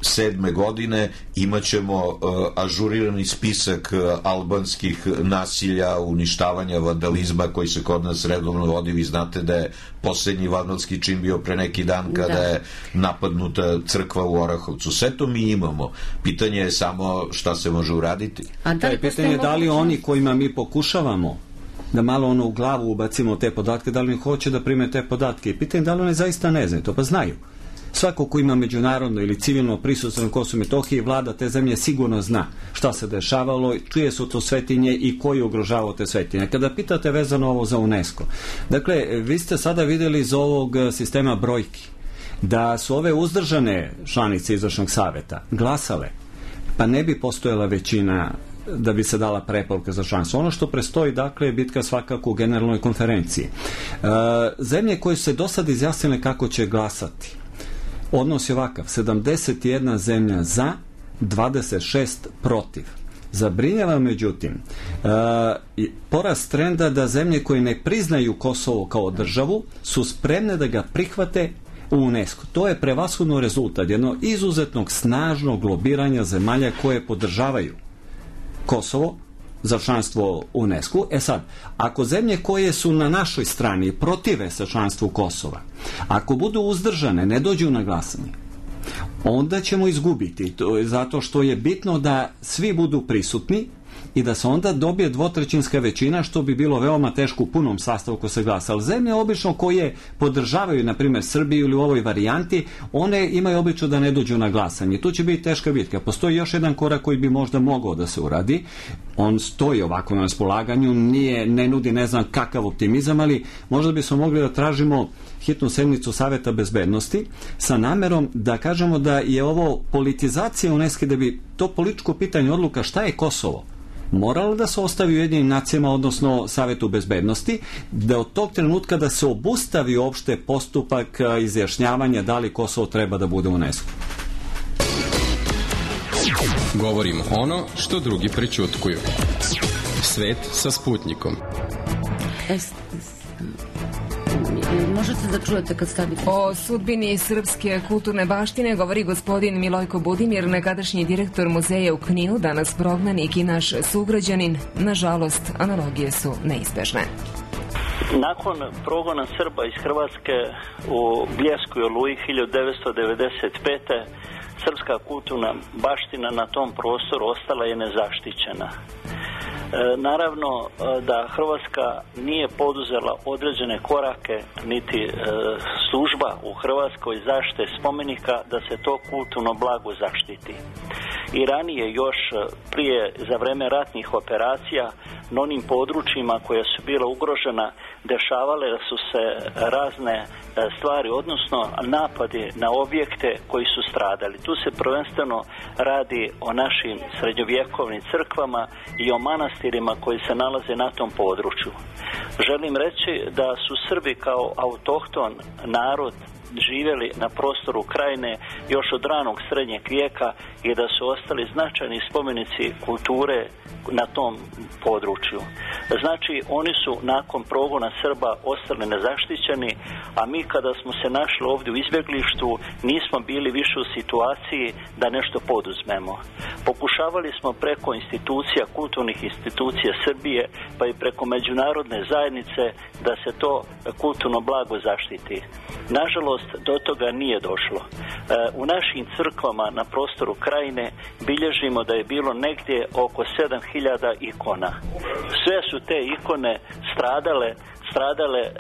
sedme godine, imaćemo uh, ažurirani spisak uh, albanskih nasilja, uništavanja, vandalizma koji se kod nas redovno vodi. Vi znate da je poslednji vandalski čin bio pre neki dan kada da. je napadnuta crkva u Orahovcu. Sve to mi imamo. Pitanje je samo šta se može uraditi. A da li pitanje je da li oni kojima mi pokušavamo da malo ono u glavu ubacimo te podatke, da li oni hoće da prime te podatke, i pitanje da li oni zaista ne znaju to, pa znaju. Svako ko ima međunarodno ili civilno prisustvo na Kosovu i Metohiji, vlada te zemlje sigurno zna šta se dešavalo, čije su to svetinje i koji ugrožavao te svetinje. Kada pitate vezano ovo za UNESCO, dakle, vi ste sada videli iz ovog sistema brojki da su ove uzdržane članice izvršnog saveta glasale, pa ne bi postojala većina da bi se dala preporuka za članstvo. Ono što prestoji, dakle, je bitka svakako u generalnoj konferenciji. E, zemlje koje su se do sad izjasnile kako će glasati, odnos je ovakav: sedamdeset jedna zemlja za, dvadeset šest protiv. Zabrinjava, međutim, uh, porast trenda da zemlje koje ne priznaju Kosovo kao državu su spremne da ga prihvate u UNESCO. To je prevashodno rezultat jednog izuzetnog snažnog lobiranja zemalja koje podržavaju Kosovo za članstvo u UNESCO. E sad, ako zemlje koje su na našoj strani protive sa članstvu Kosova, ako budu uzdržane, ne dođu na glasanje, onda ćemo izgubiti. To je zato što je bitno da svi budu prisutni i da se onda dobije dvotrećinska većina, što bi bilo veoma teško u punom sastavu ko se glasa. Ali zemlje obično koje podržavaju, na primjer Srbiju ili u ovoj varijanti, one imaju obično da ne dođu na glasanje. Tu će biti teška bitka. Postoji još jedan korak koji bi možda mogao da se uradi. On stoji ovako na raspolaganju, nije, ne nudi ne znam kakav optimizam, ali možda bismo mogli da tražimo hitnu sednicu Saveta bezbednosti sa namerom da kažemo da je ovo politizacija UNESCO, da bi to političko pitanje odluka šta je Kosovo moralo da se ostavi u Ujedinjenim nacijama, odnosno Savetu bezbednosti, da od tog trenutka da se obustavi uopšte postupak izjašnjavanja da li Kosovo treba da bude u UNESCO. Govorimo ono što drugi prećutkuju. Svet sa Sputnikom. Možete da čujete kad stavite. O sudbini srpske kulturne baštine govori gospodin Milojko Budimir, nekadašnji direktor muzeja u Kninu, danas prognanik i naš sugrađanin. Nažalost, analogije su neizbežne. Nakon progona Srba iz Hrvatske u Bljesku i Oluji hiljadu devetsto devedeset pete. srpska kulturna baština na tom prostoru ostala je nezaštićena. E, naravno da Hrvatska nije poduzela određene korake, niti e, služba u Hrvatskoj zaštite spomenika da se to kulturno blago zaštiti. I ranije još prije za vreme ratnih operacija na onim područjima koja su bila ugrožena dešavale da su se razne stvari, odnosno napadi na objekte koji su stradali. Tu se prvenstveno radi o našim srednjovjekovnim crkvama i o manastirima koji se nalaze na tom području. Želim reći da su Srbi kao autohton narod živjeli na prostoru Krajine još od ranog srednjeg vijeka i da su ostali značajni spomenici kulture na tom području. Znači, oni su nakon progona Srba ostali nezaštićeni, a mi kada smo se našli ovdje u izbjeglištu nismo bili više u situaciji da nešto poduzmemo. Pokušavali smo preko institucija, kulturnih institucija Srbije, pa i preko međunarodne zajednice da se to kulturno blago zaštiti. Nažalost, do toga nije došlo. U našim crkvama na prostoru Krajine bilježimo da je bilo negdje oko sedam hiljada ikona. Sve su te ikone stradale, stradale, e,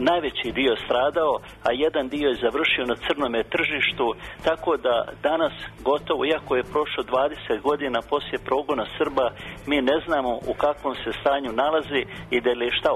najveći dio stradao, a jedan dio je završio na crnome tržištu, tako da danas gotovo, iako je prošlo dvadeset godina poslije progona Srba, mi ne znamo u kakvom se stanju nalazi i da li je šta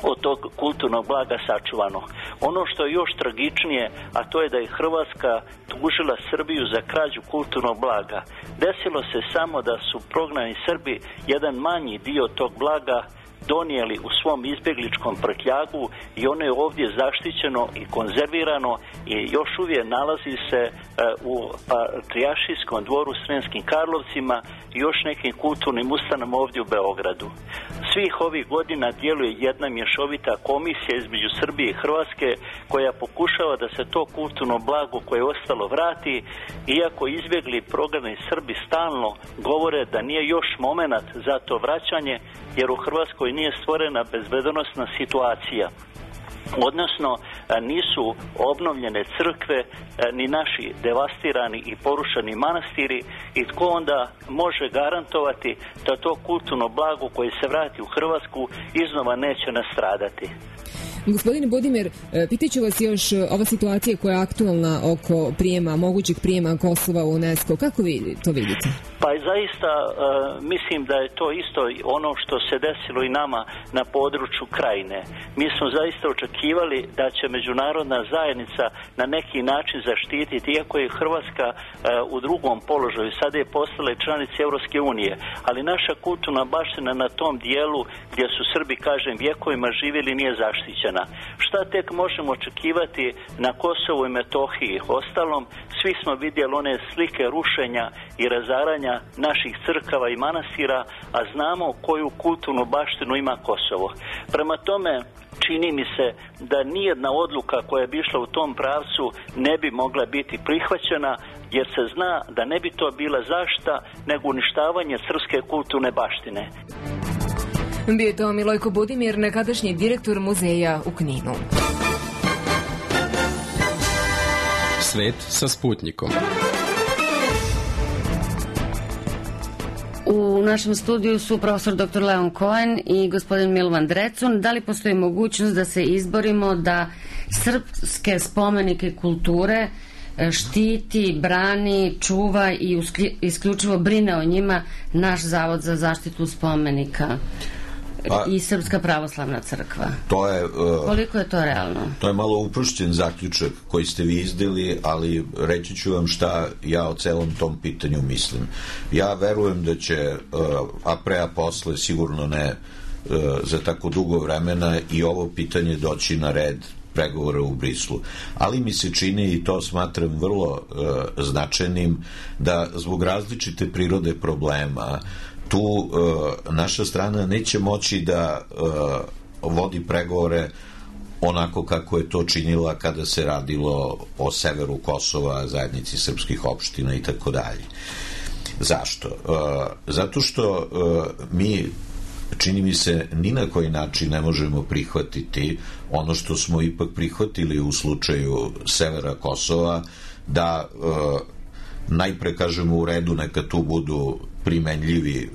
od tog kulturnog blaga sačuvano. Ono što je još tragičnije, a to je da je Hrvatska tužila Srbiju za krađu kulturnog blaga. Desilo se samo da su prognani Srbi jedan manji dio tog blaga donijeli u svom izbjegličkom prtljagu i ono je ovdje zaštićeno i konzervirano i još uvijek nalazi se e, u Patrijaršijskom dvoru u Sremskim Karlovcima i još nekim kulturnim ustanovama ovdje u Beogradu. Svih ovih godina djeluje jedna mješovita komisija između Srbije i Hrvatske koja pokušava da se to kulturno blago koje je ostalo vrati, iako izbjegli prognani Srbi stalno govore da nije još momenat za to vraćanje, jer u Hrvatskoj nije stvorena bezbednosna situacija. Odnosno, nisu obnovljene crkve, ni naši devastirani i porušeni manastiri i tko onda može garantovati da to kulturno blago koje se vrati u Hrvatsku iznova neće nastradati. Gospodine Budimir, pitaću vas još ova situacija koja je aktualna oko prijema, mogućeg prijema Kosova u UNESCO. Kako vi to vidite? Pa zaista uh, mislim da je to isto ono što se desilo i nama na području Krajine. Mi smo zaista očekivali da će međunarodna zajednica na neki način zaštititi, iako je Hrvatska uh, u drugom položaju, sada je postala članica Europske unije, ali naša kulturna baština na tom dijelu gdje su Srbi, kažem, vjekovima živjeli nije zaštićena. Šta tek možemo očekivati na Kosovu i Metohiji? Ostalom, svi smo vidjeli one slike rušenja i razaranja naših crkava i manastira, a znamo koju kulturnu baštinu ima Kosovo. Prema tome, čini mi se da nijedna odluka koja bi išla u tom pravcu ne bi mogla biti prihvaćena, jer se zna da ne bi to bila zaštita, nego uništavanje srpske kulturne baštine. Bio je to Milojko Budimir, nekadašnji direktor muzeja u Kninu. Svet sa Sputnikom. U našem studiju su profesor doktor Leon Cohen i gospodin Milovan Drecun. Da li postoji mogućnost da se izborimo da srpske spomenike kulture štiti, brani, čuva i isključivo brine o njima naš Zavod za zaštitu spomenika pa, i Srpska pravoslavna crkva? To je, uh, koliko je to realno? To je malo uprošćen zaključak koji ste vi izdali, ali reći ću vam šta ja o celom tom pitanju mislim. Ja verujem da će uh, a pre a posle, sigurno ne uh, za tako dugo vremena, i ovo pitanje doći na red pregovora u Brislu. Ali mi se čini, i to smatram vrlo uh, značajnim, da zbog različite prirode problema tu uh, naša strana neće moći da uh, vodi pregovore onako kako je to činila kada se radilo o severu Kosova, zajednici srpskih opština i tako dalje. Zašto? Uh, zato što uh, mi, čini mi se, ni na koji način ne možemo prihvatiti ono što smo ipak prihvatili u slučaju severa Kosova, da e, najpre kažemo u redu, neka tu budu primenljivi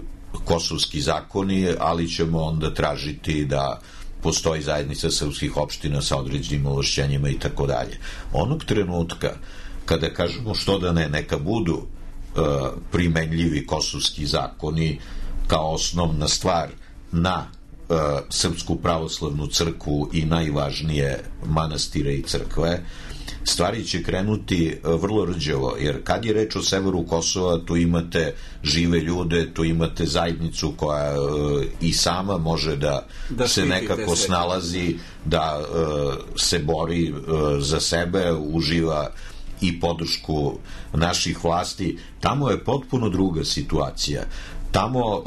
kosovski zakoni, ali ćemo onda tražiti da postoji zajednica srpskih opština sa određenim ovlašćenjima i tako dalje. Onog trenutka kada kažemo što da ne, neka budu e, primenljivi kosovski zakoni kao osnovna stvar na e, Srpsku pravoslavnu crkvu i najvažnije manastire i crkve, stvari će krenuti vrlo rđavo, jer kad je reč o severu Kosova, tu imate žive ljude, tu imate zajednicu koja e, i sama može da, da se nekako snalazi, da e, se bori e, za sebe, uživa i podršku naših vlasti. Tamo je potpuno druga situacija. Tamo e,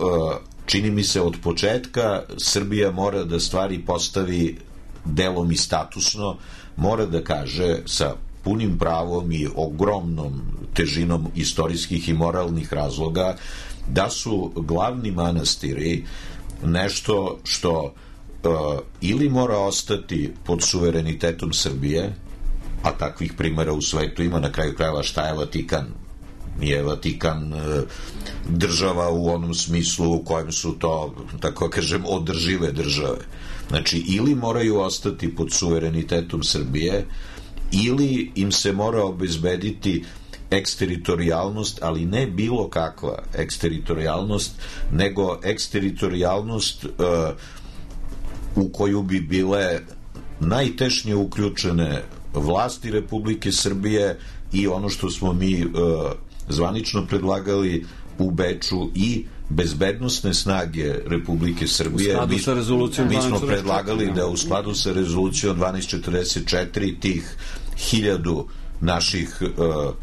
čini mi se od početka Srbija mora da stvari postavi delom i statusno, mora da kaže sa punim pravom i ogromnom težinom istorijskih i moralnih razloga da su glavni manastiri nešto što uh, ili mora ostati pod suverenitetom Srbije, a takvih primjera u svetu ima, na kraju krajeva šta je Vatikan? Nije Vatikan e, država u onom smislu u kojem su to, tako kažem, održive države. Znači, ili moraju ostati pod suverenitetom Srbije, ili im se mora obezbediti eksteritorijalnost, ali ne bilo kakva eksteritorijalnost, nego eksteritorijalnost e, u koju bi bile najtešnje uključene vlasti Republike Srbije i ono što smo mi e, zvanično predlagali u Beču i bezbednosne snage Republike Srbije. Mi, mi smo predlagali da u skladu sa rezolucijom dvanaest četrdeset četiri tih hiljadu naših uh,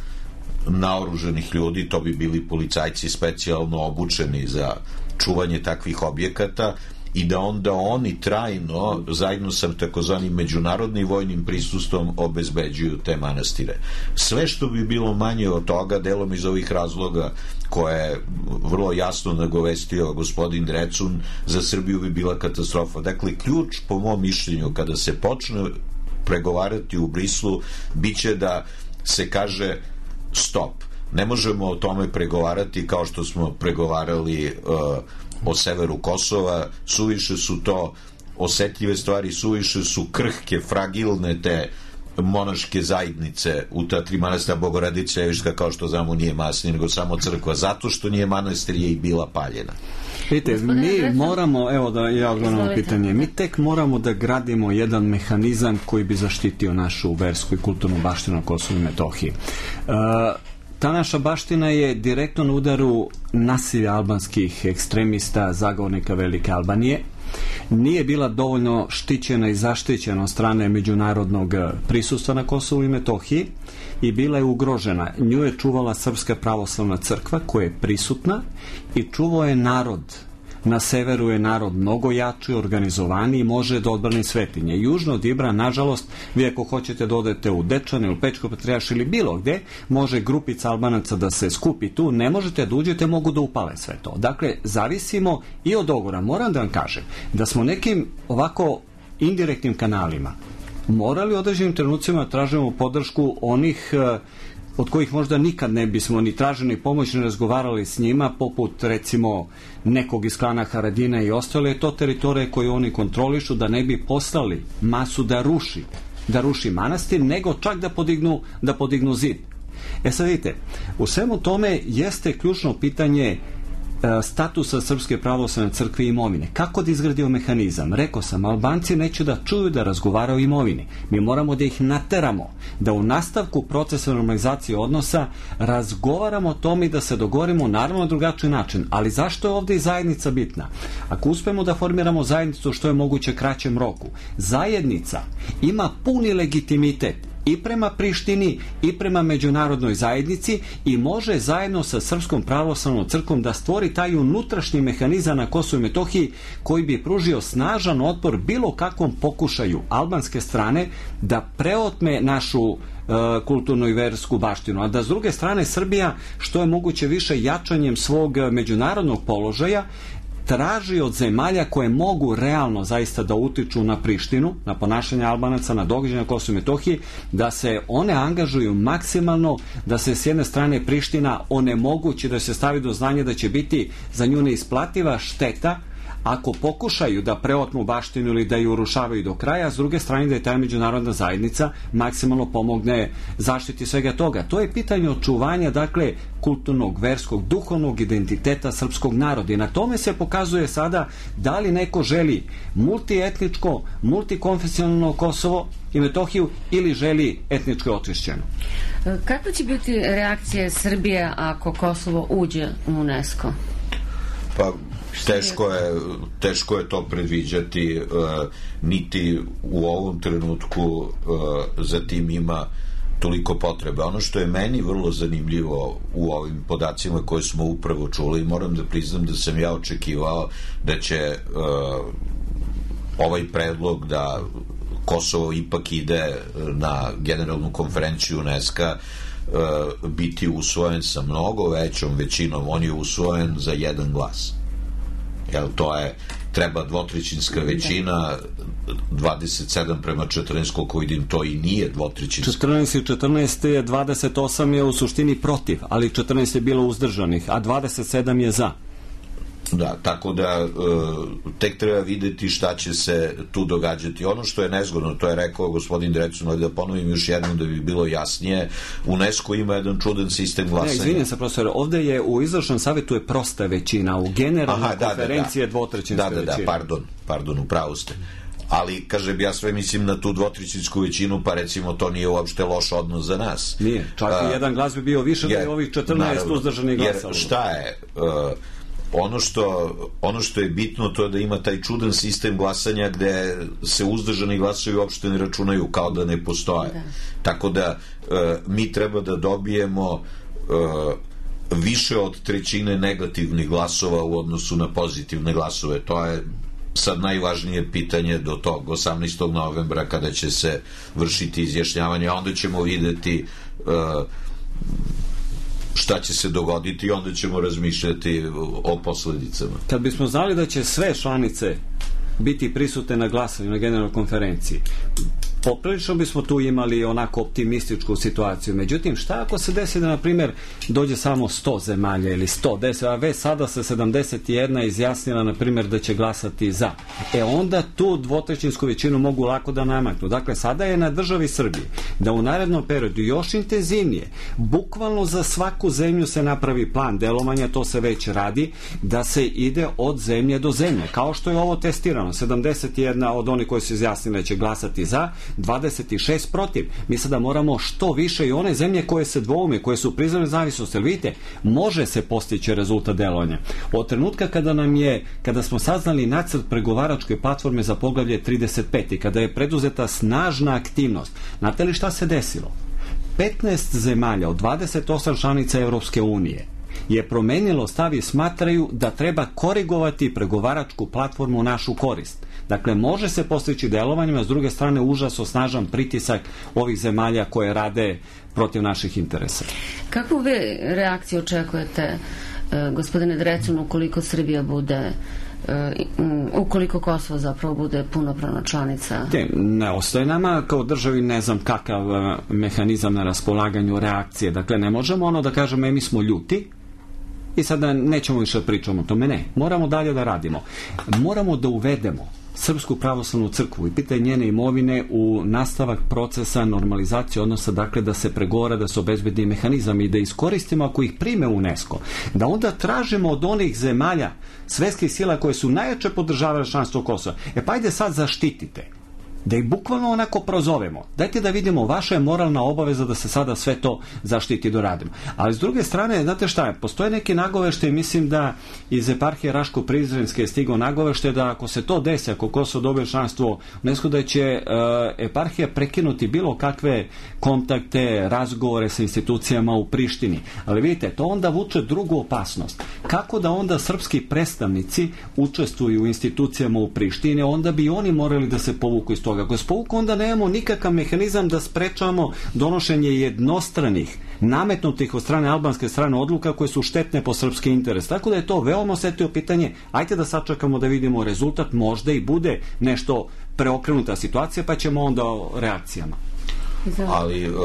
naoruženih ljudi, to bi bili policajci specijalno obučeni za čuvanje takvih objekata, i da onda oni trajno zajedno sa takozvanim međunarodnim vojnim prisustvom obezbeđuju te manastire. Sve što bi bilo manje od toga, delom iz ovih razloga koje je vrlo jasno nagovestio gospodin Drecun, za Srbiju bi bila katastrofa. Dakle, ključ po mom mišljenju kada se počne pregovarati u Brislu biće da se kaže stop. Ne možemo o tome pregovarati kao što smo pregovarali uh, o severu Kosova, suviše su to osetljive stvari, suviše su krhke, fragilne te monaške zajednice u ta tri manastira. Bogorodica Ljeviška, kao što znamo, nije manastir, nego samo crkva, zato što nije manastir je i bila paljena. Vidite, mi moramo, evo da ja odgovorim pitanje, mi tek moramo da gradimo jedan mehanizam koji bi zaštitio našu versku i kulturnu baštinu na Kosovu i Metohiji. Uh, Ta naša baština je direktno na udaru nasilja albanskih ekstremista, zagovornika Velike Albanije. Nije bila dovoljno štićena i zaštićena od strane međunarodnog prisustva na Kosovu i Metohiji i bila je ugrožena. Nju je čuvala Srpska pravoslavna crkva koja je prisutna i čuvao je narod. Na severu je narod mnogo jači, organizovaniji i može da odbrani svetinje. Južno od Ibra, nažalost, vi ako hoćete da odete u Dečane ili Pečko Patrijarš ili bilo gde, može grupica Albanaca da se skupi tu, ne možete da uđete, mogu da upale sve to. Dakle, zavisimo i od dogovora. Moram da vam kažem da smo nekim ovako indirektnim kanalima morali u određenim trenucima tražimo podršku onih od kojih možda nikad ne bismo ni tražili pomoć, ni razgovarali s njima, poput recimo nekog iz klana Haradina i ostale, je to teritorije koje oni kontrolišu, da ne bi poslali masu da ruši, da ruši manastir, nego čak da podignu, da podignu zid. E sad vidite, u svemu tome jeste ključno pitanje statusa Srpske pravoslavne crkve i imovine. Kako da izgradio mehanizam? Rekao sam, Albanci neće da čuju da razgovaraju o imovini. Mi moramo da ih nateramo, da u nastavku procesa normalizacije odnosa razgovaramo o tome i da se dogovorimo naravno na drugačiji način. Ali zašto je ovde i zajednica bitna? Ako uspemo da formiramo zajednicu što je moguće kraćem roku, zajednica ima puni legitimitet i prema Prištini i prema međunarodnoj zajednici i može zajedno sa Srpskom pravoslavnom crkvom da stvori taj unutrašnji mehanizam na Kosovu i Metohiji koji bi pružio snažan otpor bilo kakvom pokušaju albanske strane da preotme našu uh, kulturnu i versku baštinu, a da s druge strane Srbija što je moguće više jačanjem svog međunarodnog položaja traži od zemalja koje mogu realno zaista da utiču na Prištinu, na ponašanje Albanaca, na događaje na Kosovu i Metohiji, da se one angažuju maksimalno, da se s jedne strane Priština onemogući, da se stavi do znanja da će biti za nju neisplativa šteta ako pokušaju da preotmu baštinu ili da ju urušavaju do kraja, a s druge strane da je ta međunarodna zajednica maksimalno pomogne zaštiti svega toga. To je pitanje očuvanja, dakle, kulturnog, verskog, duhovnog identiteta srpskog naroda i na tome se pokazuje sada da li neko želi multietničko, multikonfesionalno Kosovo i Metohiju ili želi etničko očišćeno. Kakva će biti reakcija Srbije ako Kosovo uđe u UNESCO? Pa teško je, teško je to predviđati, uh, niti u ovom trenutku uh, za tim ima toliko potrebe. Ono što je meni vrlo zanimljivo u ovim podacima koje smo upravo čuli, moram da priznam da sam ja očekivao da će uh, ovaj predlog da Kosovo ipak ide na generalnu konferenciju UNESCO uh, biti usvojen sa mnogo većom većinom. On je usvojen za jedan glas. Jel, to je, treba dvotrećinska većina, dvadeset sedam prema četrnaest, koliko vidim, to i nije dvotrećinska. četrnaest i četrnaest je, dvadeset osam je u suštini protiv, ali četrnaest je bilo uzdržanih, a dvadeset sedam je za. Da, tako da uh, tek treba videti šta će se tu događati. Ono što je nezgodno, to je rekao gospodin Drecun, ali da ponovim još jednom da bi bilo jasnije, UNESCO ima jedan čudan sistem glasanja. Ne, izvinjam se, profesor, ovde je u izvršnom savjetu je prosta većina, u generalnoj konferenciji je dvotrećinska većina. Da, da, da, pardon, pardon, upravo ste. Ali, kažem, ja sve mislim na tu dvotrećinsku većinu, pa recimo to nije uopšte loš odnos za nas. Nije, čak i jedan glas bi bio više da je ovih četrnaest uzdržanih glasalo. Jer šta je... Uh, Ono što, ono što je bitno to je da ima taj čudan sistem glasanja gde se uzdržani glasovi uopšte ne računaju, kao da ne postoje. Da. Tako da e, mi treba da dobijemo e, više od trećine negativnih glasova u odnosu na pozitivne glasove. To je sad najvažnije pitanje do tog osamnaestog novembra kada će se vršiti izjašnjavanje, a onda ćemo videti e, šta će se dogoditi i onda ćemo razmišljati o posledicama. Kad bismo znali da će sve članice biti prisutne na glasanju na generalnoj konferenciji, poprilično bismo tu imali onako optimističku situaciju. Međutim, šta ako se desi da, na primjer, dođe samo sto zemalja ili sto deset, a već sada se sedamdeset jedna izjasnila, na primjer, da će glasati za. E onda tu dvotrećinsku većinu mogu lako da namaknu. Dakle, sada je na državi Srbiji da u narednom periodu još intenzivnije, bukvalno za svaku zemlju se napravi plan delovanja, to se već radi, da se ide od zemlje do zemlje. Kao što je ovo testirano, sedamdeset jedna od onih koji su izjasnili da će glasati za, dvadeset šest protiv. Mi sada moramo što više i one zemlje koje se dvoume, koje su priznale nezavisnost, jer vidite, može se postići rezultat delovanja. Od trenutka kada nam je, kada smo saznali nacrt pregovaračke platforme za poglavlje trideset pet i kada je preduzeta snažna aktivnost, znate li šta se desilo? petnaest zemalja od dvadeset osam članica Evropske unije je promenilo stav i smatraju da treba korigovati pregovaračku platformu u našu korist. Dakle, može se postići delovanjem, a s druge strane užasno snažan pritisak ovih zemalja koje rade protiv naših interesa. Kakvu vi reakciju očekujete, gospodine Drecun, ukoliko Srbija bude ukoliko Kosovo zapravo bude punopravna članica? Te, ne ostaje nama kao državi ne znam kakav mehanizam na raspolaganju reakcije. Dakle, ne možemo ono da kažemo e, mi smo ljuti i sada nećemo više pričamo o tome. Ne, moramo dalje da radimo. Moramo da uvedemo Srpsku pravoslavnu crkvu i pitanje njene imovine u nastavak procesa normalizacije odnosa, dakle da se pregovara, da se obezbedi mehanizam i da iskoristimo ako ih prime UNESCO, da onda tražimo od onih zemalja svetskih sila koje su najjače podržavale članstvo Kosova, e pa ajde sad zaštitite, da ih bukvalno onako prozovemo. Dajte da vidimo, vaša je moralna obaveza da se sada sve to zaštiti do radimo. Ali s druge strane, znate šta je, postoje neki nagovešte, mislim da iz eparhije Raško-Prizrenske je stigao nagovešte da ako se to desi, ako Kosovo dobije članstvo UNESCO, da će uh, eparhija prekinuti bilo kakve kontakte, razgovore sa institucijama u Prištini. Ali vidite, to onda vuče drugu opasnost. Kako da onda srpski predstavnici učestvuju u institucijama u Prištini, onda bi oni morali da se povuku iz toga. Ako se povuku, onda nemamo nikakav mehanizam da sprečamo donošenje jednostranih, nametnutih od strane albanske strane odluka koje su štetne po srpski interes. Tako da je to veoma osetljivo pitanje. Ajde da sačekamo da vidimo rezultat, možda i bude nešto preokrenuta situacija, pa ćemo onda o reakcijama. Ali uh,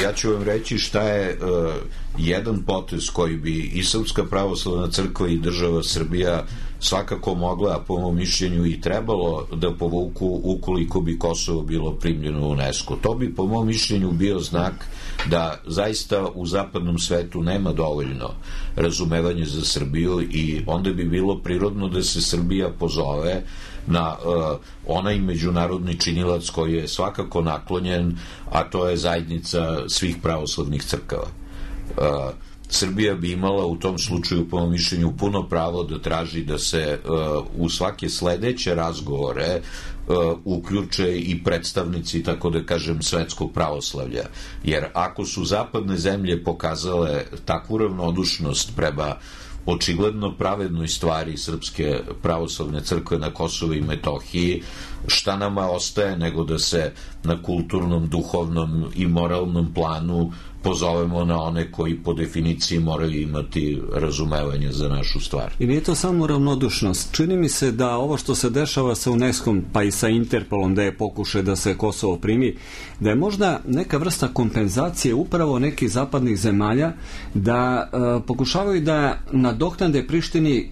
ja ću vam reći šta je uh, jedan potez koji bi i Srpska pravoslavna crkva i država Srbija svakako mogla, a po mom mišljenju i trebalo da povuku ukoliko bi Kosovo bilo primljeno u UNESCO. To bi po mom mišljenju bio znak da zaista u zapadnom svetu nema dovoljno razumevanja za Srbiju i onda bi bilo prirodno da se Srbija pozove na uh, onaj međunarodni činilac koji je svakako naklonjen, a to je zajednica svih pravoslavnih crkava. Uh, Srbija bi imala u tom slučaju, po mom mišljenju, puno pravo da traži da se uh, u svake sledeće razgovore uh, uključe i predstavnici, tako da kažem, svetskog pravoslavlja. Jer ako su zapadne zemlje pokazale takvu ravnodušnost prema očigledno pravednoj stvari Srpske pravoslavne crkve na Kosovu i Metohiji, šta nama ostaje nego da se na kulturnom, duhovnom i moralnom planu pozovemo na one koji po definiciji moraju imati razumevanje za našu stvar. I nije to samo ravnodušnost. Čini mi se da ovo što se dešava sa UNESCO-om, pa i sa Interpolom, da je pokušaj da se Kosovo primi, da je možda neka vrsta kompenzacije upravo nekih zapadnih zemalja da e, pokušavaju da nadoknade Prištini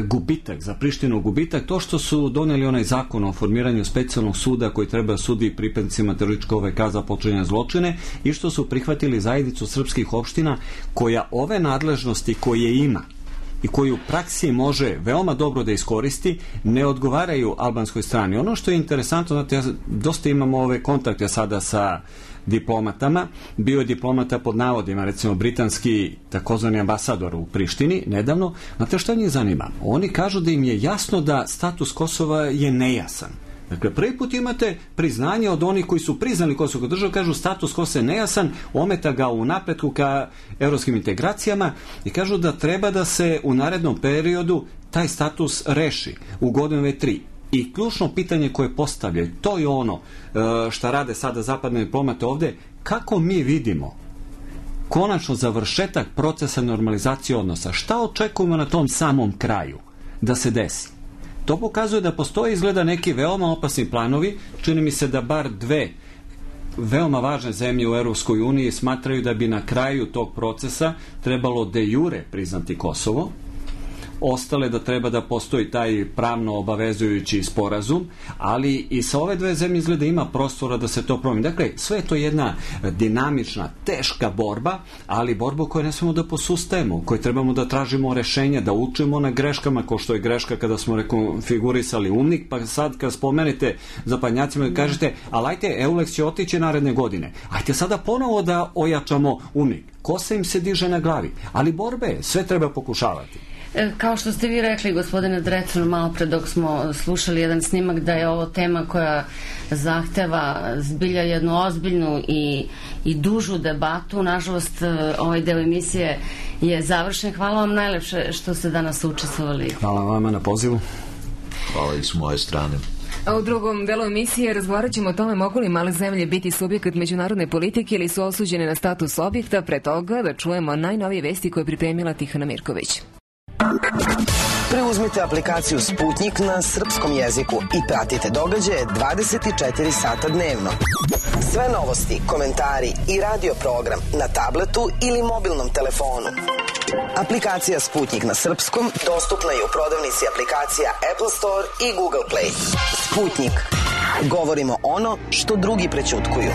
gubitak, za Prištinu gubitak, to što su doneli onaj zakon o formiranju specijalnog suda koji treba sudi pripadnicima terorističke O V K za počinjene zločine i što su prihvatili zajednicu srpskih opština koja ove nadležnosti koje ima i koju u praksi može veoma dobro da iskoristi, ne odgovaraju albanskoj strani. Ono što je interesantno, znate, ja dosta imamo ove kontakte sada sa diplomatama, bio je diplomata pod navodima, recimo britanski takozvani ambasador u Prištini nedavno. Znate šta njih zanima? Oni kažu da im je jasno da status Kosova je nejasan. Dakle, prvi put imate priznanje od onih koji su priznali Kosovo kao državu, kažu status Kosova je nejasan, ometa ga u napretku ka evropskim integracijama i kažu da treba da se u narednom periodu taj status reši u godinu dve tri. I ključno pitanje koje postavljaju, to je ono šta rade sada zapadne diplomate ovde, kako mi vidimo konačno završetak procesa normalizacije odnosa, šta očekujemo na tom samom kraju da se desi. To pokazuje da postoje izgleda neki veoma opasni planovi, čini mi se da bar dve veoma važne zemlje u Europskoj uniji smatraju da bi na kraju tog procesa trebalo de jure priznati Kosovo, ostale da treba da postoji taj pravno obavezujući sporazum, ali i sa ove dve zemlje izgleda ima prostora da se to promeni. Dakle, sve je to jedna dinamična, teška borba, ali borba koju ne smemo da posustajemo, koju trebamo da tražimo rešenja, da učimo na greškama, kao što je greška kada smo rekonfigurisali UNMIK, pa sad kad spomenete zapadnjacima da kažete, ali ajte, EULEX će otići naredne godine. Ajte sada ponovo da ojačamo UNMIK. Kosa im se diže na glavi, ali borbe sve treba pokušavati. Kao što ste vi rekli, gospodine Drecun, malo pre dok smo slušali jedan snimak, da je ovo tema koja zahteva zbilja jednu ozbiljnu i, i dužu debatu. Nažalost, ovaj deo emisije je završen. Hvala vam najlepše što ste danas učestvovali. Hvala vama na pozivu. Hvala i s moje strane. A u drugom delu emisije razgovarat ćemo o tome mogu li male zemlje biti subjekat međunarodne politike ili su osuđene na status objekta. Pre toga da čujemo najnovije vesti koje je pripremila Tihana Mirković. Preuzmite aplikaciju Sputnik na srpskom jeziku i pratite događaje dvadeset četiri sata dnevno. Sve novosti, komentari i radio program na tabletu ili mobilnom telefonu. Aplikacija Sputnik na srpskom dostupna je u prodavnici aplikacija Apple Store i Google Play. Sputnik. Govorimo ono što drugi prećutkuju.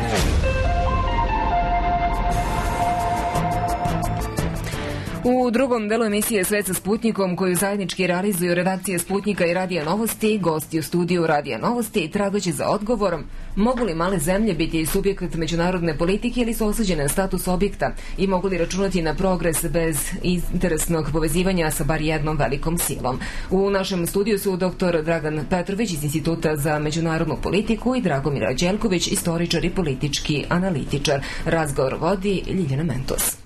U drugom delu emisije Svet sa Sputnikom, koju zajednički realizuju redakcije Sputnika i Radija Novosti, gosti u studiju Radija Novosti tragoći za odgovorom mogu li male zemlje biti subjekt međunarodne politike ili su osuđene na status objekta i mogu li računati na progres bez interesnog povezivanja sa bar jednom velikom silom. U našem studiju su doktor Dragan Petrović iz Instituta za međunarodnu politiku i Dragomir Đelković, istoričar i politički analitičar. Razgovor vodi Ljiljana Mentos.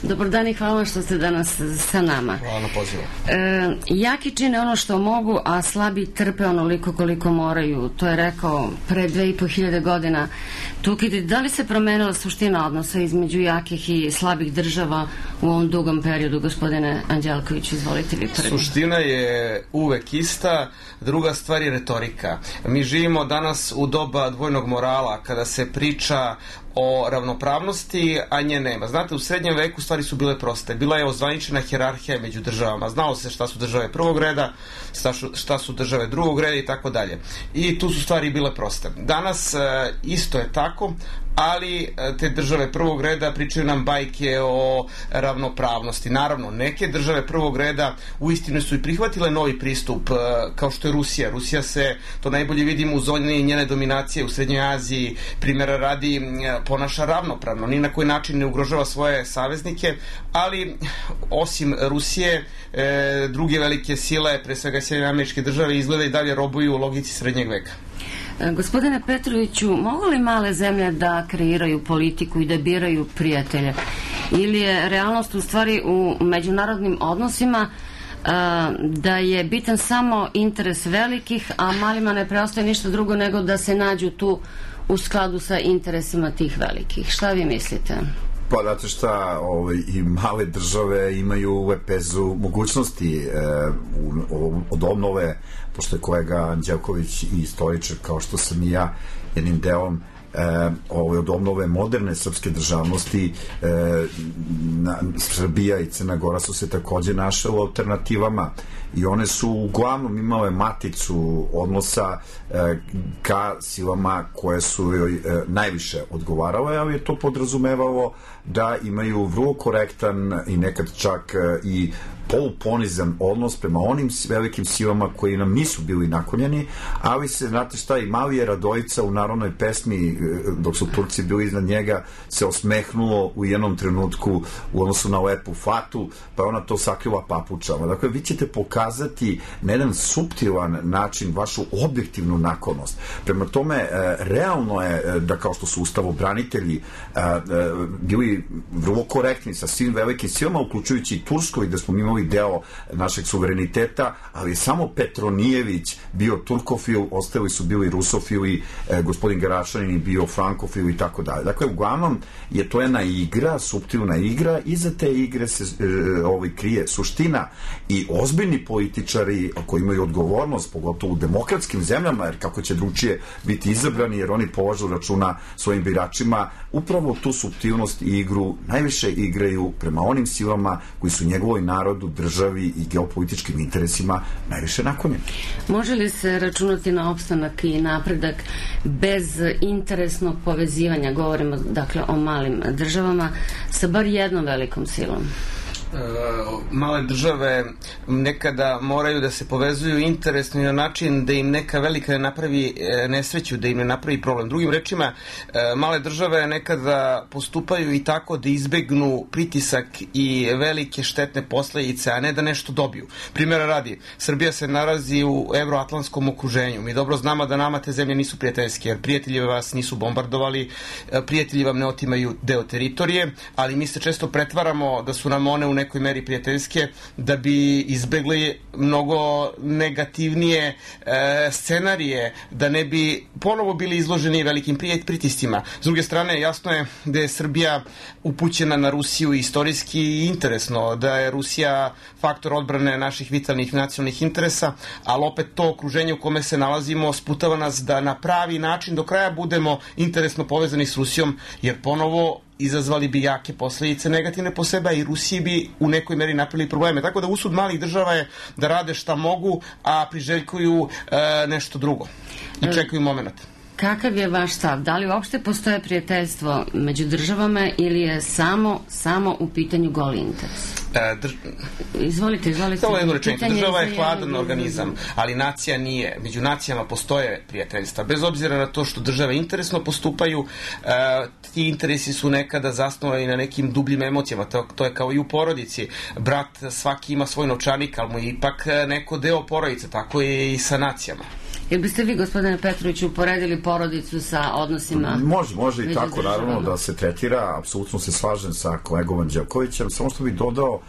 Dobar dan i hvala vam što ste danas sa nama. Hvala na pozivu. E, jaki čine ono što mogu, a slabi trpe onoliko koliko moraju. To je rekao pre dve i po hiljade godina Tukidid. Da li se promenila suština odnosa između jakih i slabih država u ovom dugom periodu, gospodine Anđelković? Izvolite vi prvi. Suština je uvek ista, druga stvar je retorika. Mi živimo danas u doba dvojnog morala, kada se priča o ravnopravnosti, a nje nema. Znate, u srednjem veku stvari su bile proste. Bila je ozvaničena hijerarhija među državama. Znalo se šta su države prvog reda, šta su države drugog reda i tako dalje. I tu su stvari bile proste. Danas isto je tako, ali te države prvog reda pričaju nam bajke o ravnopravnosti. Naravno, neke države prvog reda uistinu su i prihvatile novi pristup, kao što je Rusija. Rusija se, to najbolje vidimo u zoni njene dominacije u Srednjoj Aziji, primjera radi, ponaša ravnopravno, ni na koji način ne ugrožava svoje saveznike, ali osim Rusije, e, druge velike sile, pre svega Sjedinjene Američke Države, izgleda i dalje robuju u logici srednjeg veka. Gospodine Petroviću, mogu li male zemlje da kreiraju politiku i da biraju prijatelje? Ili je realnost u stvari u međunarodnim odnosima da je bitan samo interes velikih, a malima ne preostaje ništa drugo nego da se nađu tu u skladu sa interesima tih velikih? Šta vi mislite? Pa, znate šta, ovaj, i male države imaju u lepezu mogućnosti e, u, od obnove, pošto je kolega Anđelković i istoričar, kao što sam i ja, jednim delom E, ovaj, od obnove moderne srpske državnosti, e, na, Srbija i Crna Gora su se takođe našle u alternativama i one su uglavnom imale maticu odnosa e, ka silama koje su joj e, najviše odgovarale, ali je to podrazumevalo da imaju vrlo korektan i nekad čak e, i poluponizan odnos prema onim velikim silama koji nam nisu bili naklonjeni, ali se, znate šta, i mali je Radojica u narodnoj pesmi, dok su Turci bili iznad njega, se osmehnulo u jednom trenutku u odnosu na lepu Fatu, pa je ona to sakrila papučama. Dakle, vi ćete pokazati na jedan suptilan način vašu objektivnu naklonost. Prema tome, realno je da, kao što su ustavobranitelji bili vrlo korektni sa svim velikim silama, uključujući i Tursku, i da smo imali deo našeg suvereniteta, ali samo Petronijević bio turkofil, ostali su bili rusofili, eh, gospodin Garašanin bio frankofil i tako dalje. Dakle, uglavnom je to jedna igra, suptilna igra, i za te igre se eh, ovaj, krije suština, i ozbiljni političari koji imaju odgovornost, pogotovo u demokratskim zemljama, jer kako će drugčije biti izabrani, jer oni polažu računa svojim biračima, upravo tu suptilnost i igru najviše igraju prema onim silama koji su njegovoj narodu, državi i geopolitičkim interesima najviše naklonjeni. Može li se računati na opstanak i napredak bez interesnog povezivanja, govorimo dakle o malim državama, sa bar jednom velikom silom? Male države nekada moraju da se povezuju interesno na način da im neka velika ne napravi nesreću, da im ne napravi problem. Drugim rečima, male države nekada postupaju i tako da izbegnu pritisak i velike štetne posledice, a ne da nešto dobiju. Primjera radi, Srbija se nalazi u evroatlantskom okruženju. Mi dobro znamo da nama te zemlje nisu prijateljske, jer prijatelji vas nisu bombardovali, prijatelji vam ne otimaju deo teritorije, ali mi se često pretvaramo da su nam one u nekoj meri prijateljske, da bi izbegli mnogo negativnije e, scenarije, da ne bi ponovo bili izloženi velikim pritiscima. S druge strane, jasno je da je Srbija upućena na Rusiju istorijski i interesno, da je Rusija faktor odbrane naših vitalnih nacionalnih interesa, ali opet to okruženje u kome se nalazimo sputava nas da na pravi način do kraja budemo interesno povezani s Rusijom, jer ponovo izazvali bi jake posledice negativne po sebe i Rusiji bi u nekoj meri napravili probleme. Tako da usud malih država je da rade šta mogu, a priželjkuju e, nešto drugo i čekaju moment. Kakav je vaš stav? Da li uopšte postoje prijateljstvo među državama ili je samo, samo u pitanju goli interes? E, drž... Izvolite, izvolite. Samo jednu rečenicu. Država je hladan organizam, ali nacija nije. Među nacijama postoje prijateljstva. Bez obzira na to što države interesno postupaju, e, ti interesi su nekada zasnovani na nekim dubljim emocijama. To, to je kao i u porodici. Brat svaki ima svoj novčanik, ali mu je ipak neko deo porodice. Tako je i sa nacijama. Jel biste vi, gospodine Petroviću, uporedili porodicu sa odnosima? Može, može i tako, naravno, da se tretira. Apsolutno se slažem sa kolegom Anđelkovićem. Samo što bih dodao,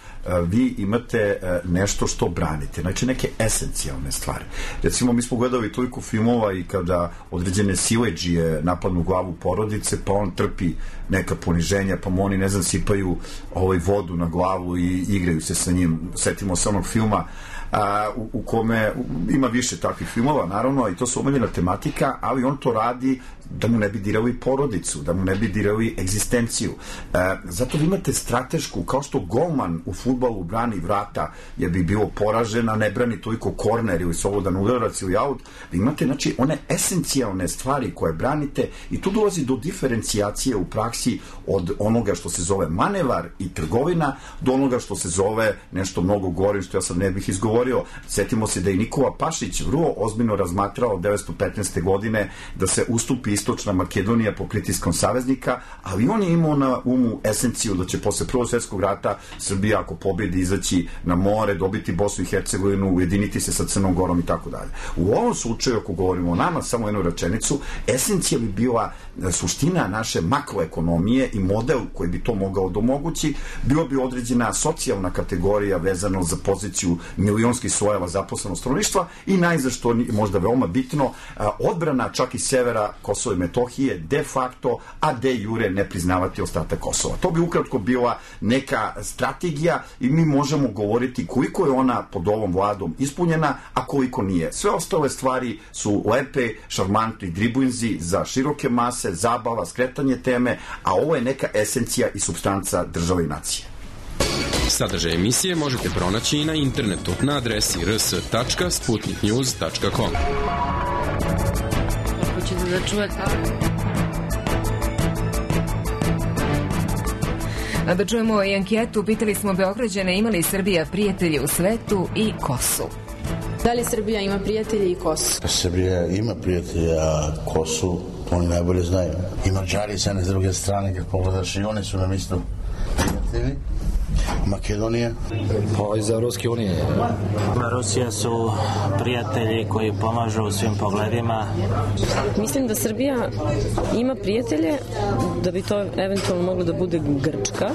vi imate nešto što branite, znači neke esencijalne stvari. Recimo, mi smo gledali toliko filmova i kada određene sileđije napadnu glavu porodice, pa on trpi neka poniženja, pa mu oni, ne znam, sipaju ovaj vodu na glavu i igraju se sa njim. Setimo se onog filma A, u, u kome ima više takvih filmova, naravno, i to su omiljena tematika, ali on to radi da mu ne bi dirali porodicu, da mu ne bi dirali egzistenciju. E, zato vi imate stratešku, kao što golman u fudbalu brani vrata, jer bi bilo poražen, a ne brani toliko korner ili slobodan udarac ili aut, vi imate, znači, one esencijalne stvari koje branite i tu dolazi do diferencijacije u praksi od onoga što se zove manevar i trgovina do onoga što se zove nešto mnogo gore, što ja sad ne bih izgovorio. Setimo se da je Nikola Pašić vrlo ozbiljno razmatrao devetsto petnaeste. godine da se ustupi Istočna Makedonija po pritiskom saveznika, ali on je imao na umu esenciju da će posle Prvog svjetskog rata Srbija, ako pobedi, izaći na more, dobiti Bosnu i Hercegovinu, ujediniti se sa Crnom Gorom i tako dalje. U ovom slučaju, ako govorimo o nama, samo jednu rečenicu, esencija bi bila suština naše makroekonomije i model koji bi to mogao domogući, bilo bi određena socijalna kategorija vezano za poziciju milionskih slojeva zaposlenog stanovništva i najzad, što možda veoma bitno, odbrana čak i severa Kosova i Metohije de facto, a de jure ne priznavati ostatak Kosova. To bi ukratko bila neka strategija i mi možemo govoriti koliko je ona pod ovom vladom ispunjena, a koliko nije. Sve ostale stvari su lepe, šarmantni driblinzi za široke mase, zabava, skretanje teme, a ovo je neka esencija i supstanca države i nacije. Sadržaj emisije možete pronaći i na internetu na adresi r s tačka sputnik news tačka com. Hoćete da čujete? A da čujemo i anketu, pitali smo Beograđane ima li Srbija prijatelje u svetu i Kosu. Da li Srbija ima prijatelje i Kosu? Srbija ima prijatelje, a Kosu oni najbolje znaju. I Mađari sa jedne s druge strane, kad pogledaš, i oni su nam isto prijatelji. Makedonija? Pa iz Evropske unije. Rusija su prijatelji koji pomažu u svim pogledima. Mislim da Srbija ima prijatelje, da bi to eventualno moglo da bude Grčka,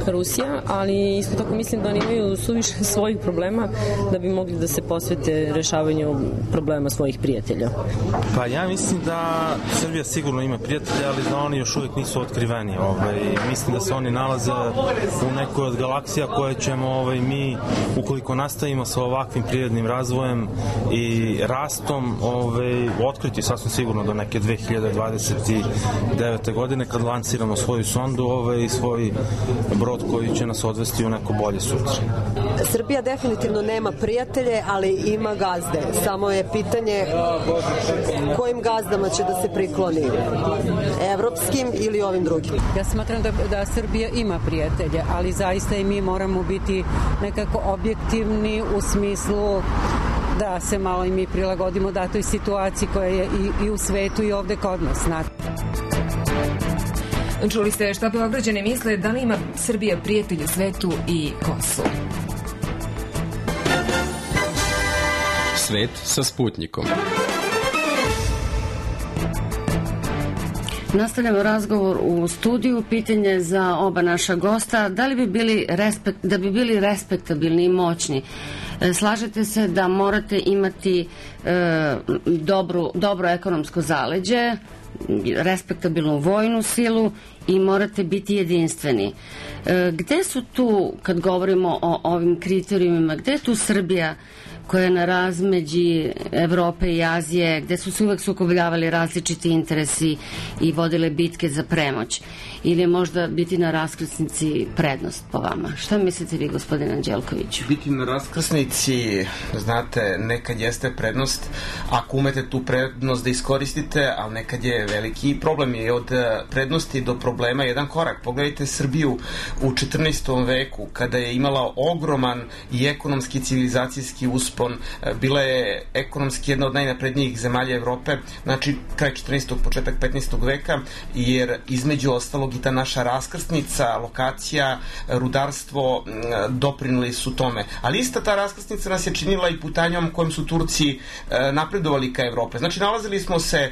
Rusija, ali isto tako mislim da oni imaju suviše svojih problema da bi mogli da se posvete rešavanju problema svojih prijatelja. Pa ja mislim da Srbija sigurno ima prijatelja, ali da oni još uvijek nisu otkriveni. Ovaj, mislim da se oni nalaze u nekoj od galaksija koje ćemo ovaj, mi, ukoliko nastavimo sa ovakvim prirodnim razvojem i rastom, ovaj, otkriti sasvim sigurno do neke dve hiljade dvadeset devete. godine kad lanciramo svoju sondu ovaj, i svoj brod koji će nas odvesti u neko bolje sutra. Srbija definitivno nema prijatelje, ali ima gazde. Samo je pitanje kojim gazdama će da se prikloni. Evropskim ili ovim drugim? Ja smatram da, da Srbija ima prijatelje, ali zaista i mi moramo biti nekako objektivni u smislu da se malo i mi prilagodimo datoj situaciji koja je i, i u svetu i ovde kod nas. Čuli ste šta Beograđani misle, da li ima Srbija prijatelj u svetu i Kosovo? Svet sa Sputnikom. Nastavljamo razgovor u studiju. Pitanje za oba naša gosta. Da li bi bili respekt, da bi bili respektabilni i moćni? Slažete se da morate imati e, dobru, dobro ekonomsko zaleđe, respektabilnu vojnu silu i morate biti jedinstveni. E, gde su tu, kad govorimo o ovim kriterijumima, gde je tu Srbija koja je na razmeđi Evrope i Azije, gde su se uvek sukobljavali različiti interesi i vodile bitke za premoć? Ili je možda biti na raskrsnici prednost po vama? Šta mislite vi, gospodine Anđelkoviću? Biti na raskrsnici, znate, nekad jeste prednost ako umete tu prednost da iskoristite, ali nekad je veliki problem. Je od prednosti do problema jedan korak. Pogledajte Srbiju u četrnaestom veku, kada je imala ogroman i ekonomski civilizacijski uspon, bila je ekonomski jedna od najnaprednijih zemalja Evrope, znači kraj četrnaestog početak petnaestog veka, jer između ostalog i ta naša raskrsnica, lokacija, rudarstvo doprinuli su tome. Ali ista ta raskrsnica nas je činila i putanjom kojom su Turci napredovali ka Evrope. Znači nalazili smo se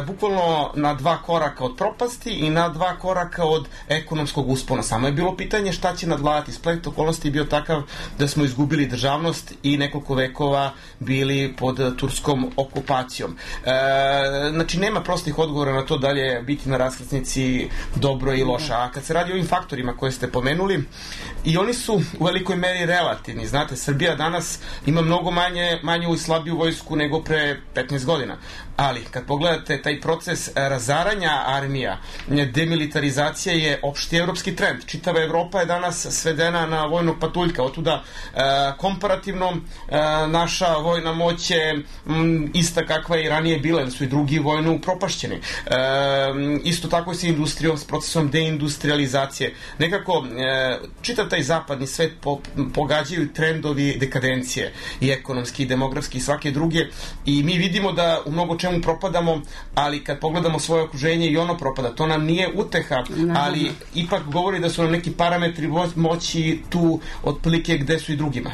bukvalno na dva koraka od propasti i na dva koraka od ekonomskog uspona. Samo je bilo pitanje šta će nadvladati. Splet okolnosti je bio takav da smo izgubili državnost i nekoliko vekova bili pod turskom okupacijom. E, znači nema prostih odgovora na to da li je biti na raskrsnici dobro i loša. A kad se radi o ovim faktorima koje ste pomenuli, i oni su u velikoj meri relativni. Znate, Srbija danas ima mnogo manje, manju i slabiju vojsku nego pre petnaest godina. Ali kad pogledate taj proces razaranja armija, demilitarizacija je opšti evropski trend. Čitava Evropa je danas svedena na vojnog patuljka. Otuda e, komparativno e, naša vojna moć je m, ista kakva je i ranije bila, jer su i drugi vojno upropašćeni. E, isto tako se industrijom, s procesom deindustrializacije. Nekako e, čitav taj zapadni svet po, pogađaju trendovi dekadencije i ekonomski, i demografski i svake druge, i mi vidimo da u mnogo čemu propadamo, ali kad pogledamo svoje okruženje i ono propada. To nam nije uteha, ali ipak govori da su nam neki parametri moći tu otprilike gde su i drugima.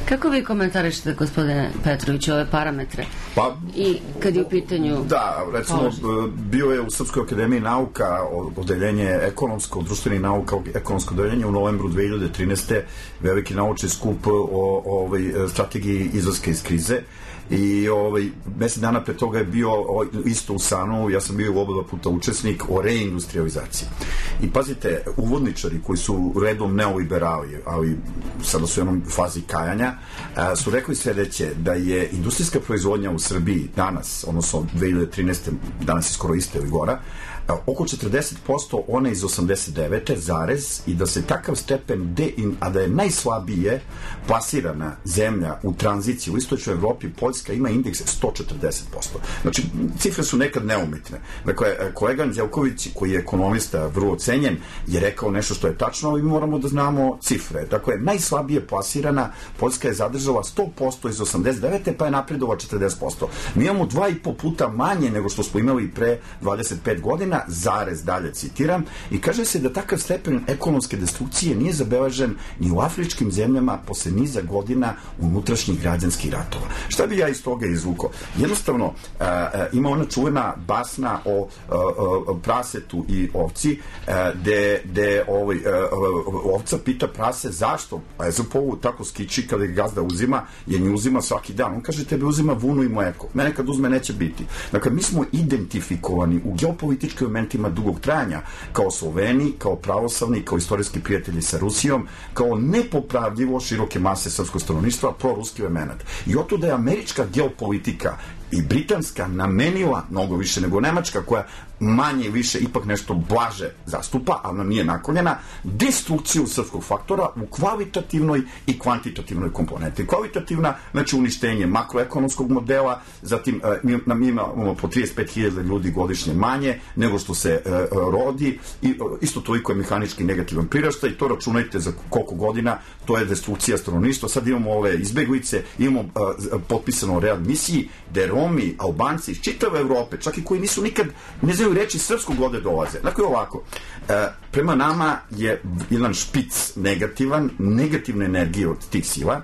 Kako vi komentarišete, gospodine Petrović, ove parametre? Pa, i kad je u pitanju... Da, recimo, položaj. Bio je u Srpskoj akademiji nauka odeljenje ekonomsko, društvenih nauka, ekonomsko odeljenje u novembru dve hiljade trinaeste. veliki naučni skup o, o ovoj strategiji izlaska iz krize. I ovaj, mesec dana pre toga je bio o, isto u Sanu, ja sam bio u oba puta učesnik o reindustrializaciji. I pazite, uvodničari koji su redom neoliberali, ali sada su u jednom fazi kajanja, a, su rekli sledeće, da je industrijska proizvodnja u Srbiji danas, odnosno dve hiljade trinaeste. danas je skoro iste ili gora, oko četrdeset posto one iz osamdeset devete zarez, i da se takav stepen de, a da je najslabije plasirana zemlja u tranziciji u istočnoj Evropi, Poljska ima indeks sto četrdeset posto. Znači, cifre su nekad neumitne. Dakle, kolega Anđelković, koji je ekonomista vrlo cenjen, je rekao nešto što je tačno, ali mi moramo da znamo cifre. Dakle, najslabije plasirana Poljska je zadržala sto posto iz osamdeset devete. pa je napredovao četrdeset posto. Mi imamo dva i po puta manje nego što smo imali pre dvadeset pet godina, zarez, dalje citiram, i kaže se da takav stepen ekonomske destrukcije nije zabeležen ni u afričkim zemljama posle niza godina unutrašnjih građanskih ratova. Šta bi ja iz toga izvukao? Jednostavno, a, a, ima ona čuvena basna o a, a, prasetu i ovci, a, de, de ovaj, a, ovca pita prase zašto Ezopovu tako skiči kada ga gazda uzima, jer nju uzima svaki dan. On kaže, tebe uzima vunu i mleko. Mene kad uzme neće biti. Dakle, mi smo identifikovani u geopolitičkoj momentima dugog trajanja kao Sloveni, kao pravoslavni, kao istorijski prijatelji sa Rusijom, kao nepopravljivo široke mase srpskog stanovništva, proruski element. I otuda je američka geopolitika i britanska namenila mnogo više nego nemačka, koja manje i više ipak nešto blaže zastupa, ali nam nije naklonjena, destrukciju srpskog faktora u kvalitativnoj i kvantitativnoj komponenti. Kvalitativna, znači uništenje makroekonomskog modela, zatim mi, nam imamo po trideset pet hiljada ljudi godišnje manje nego što se e, rodi, i isto toliko je mehanički negativan priraštaj, i to računajte za koliko godina, to je destrukcija stanovništva. Sad imamo ove izbeglice, imamo e, potpisano o readmisiji, gde Romi, Albanci iz čitave Evrope, čak i koji nisu nikad, ne znaju reći srpskog, ovde dolaze. Dakle, ovako, e, prema nama je jedan špic negativan, negativne energije od tih sila.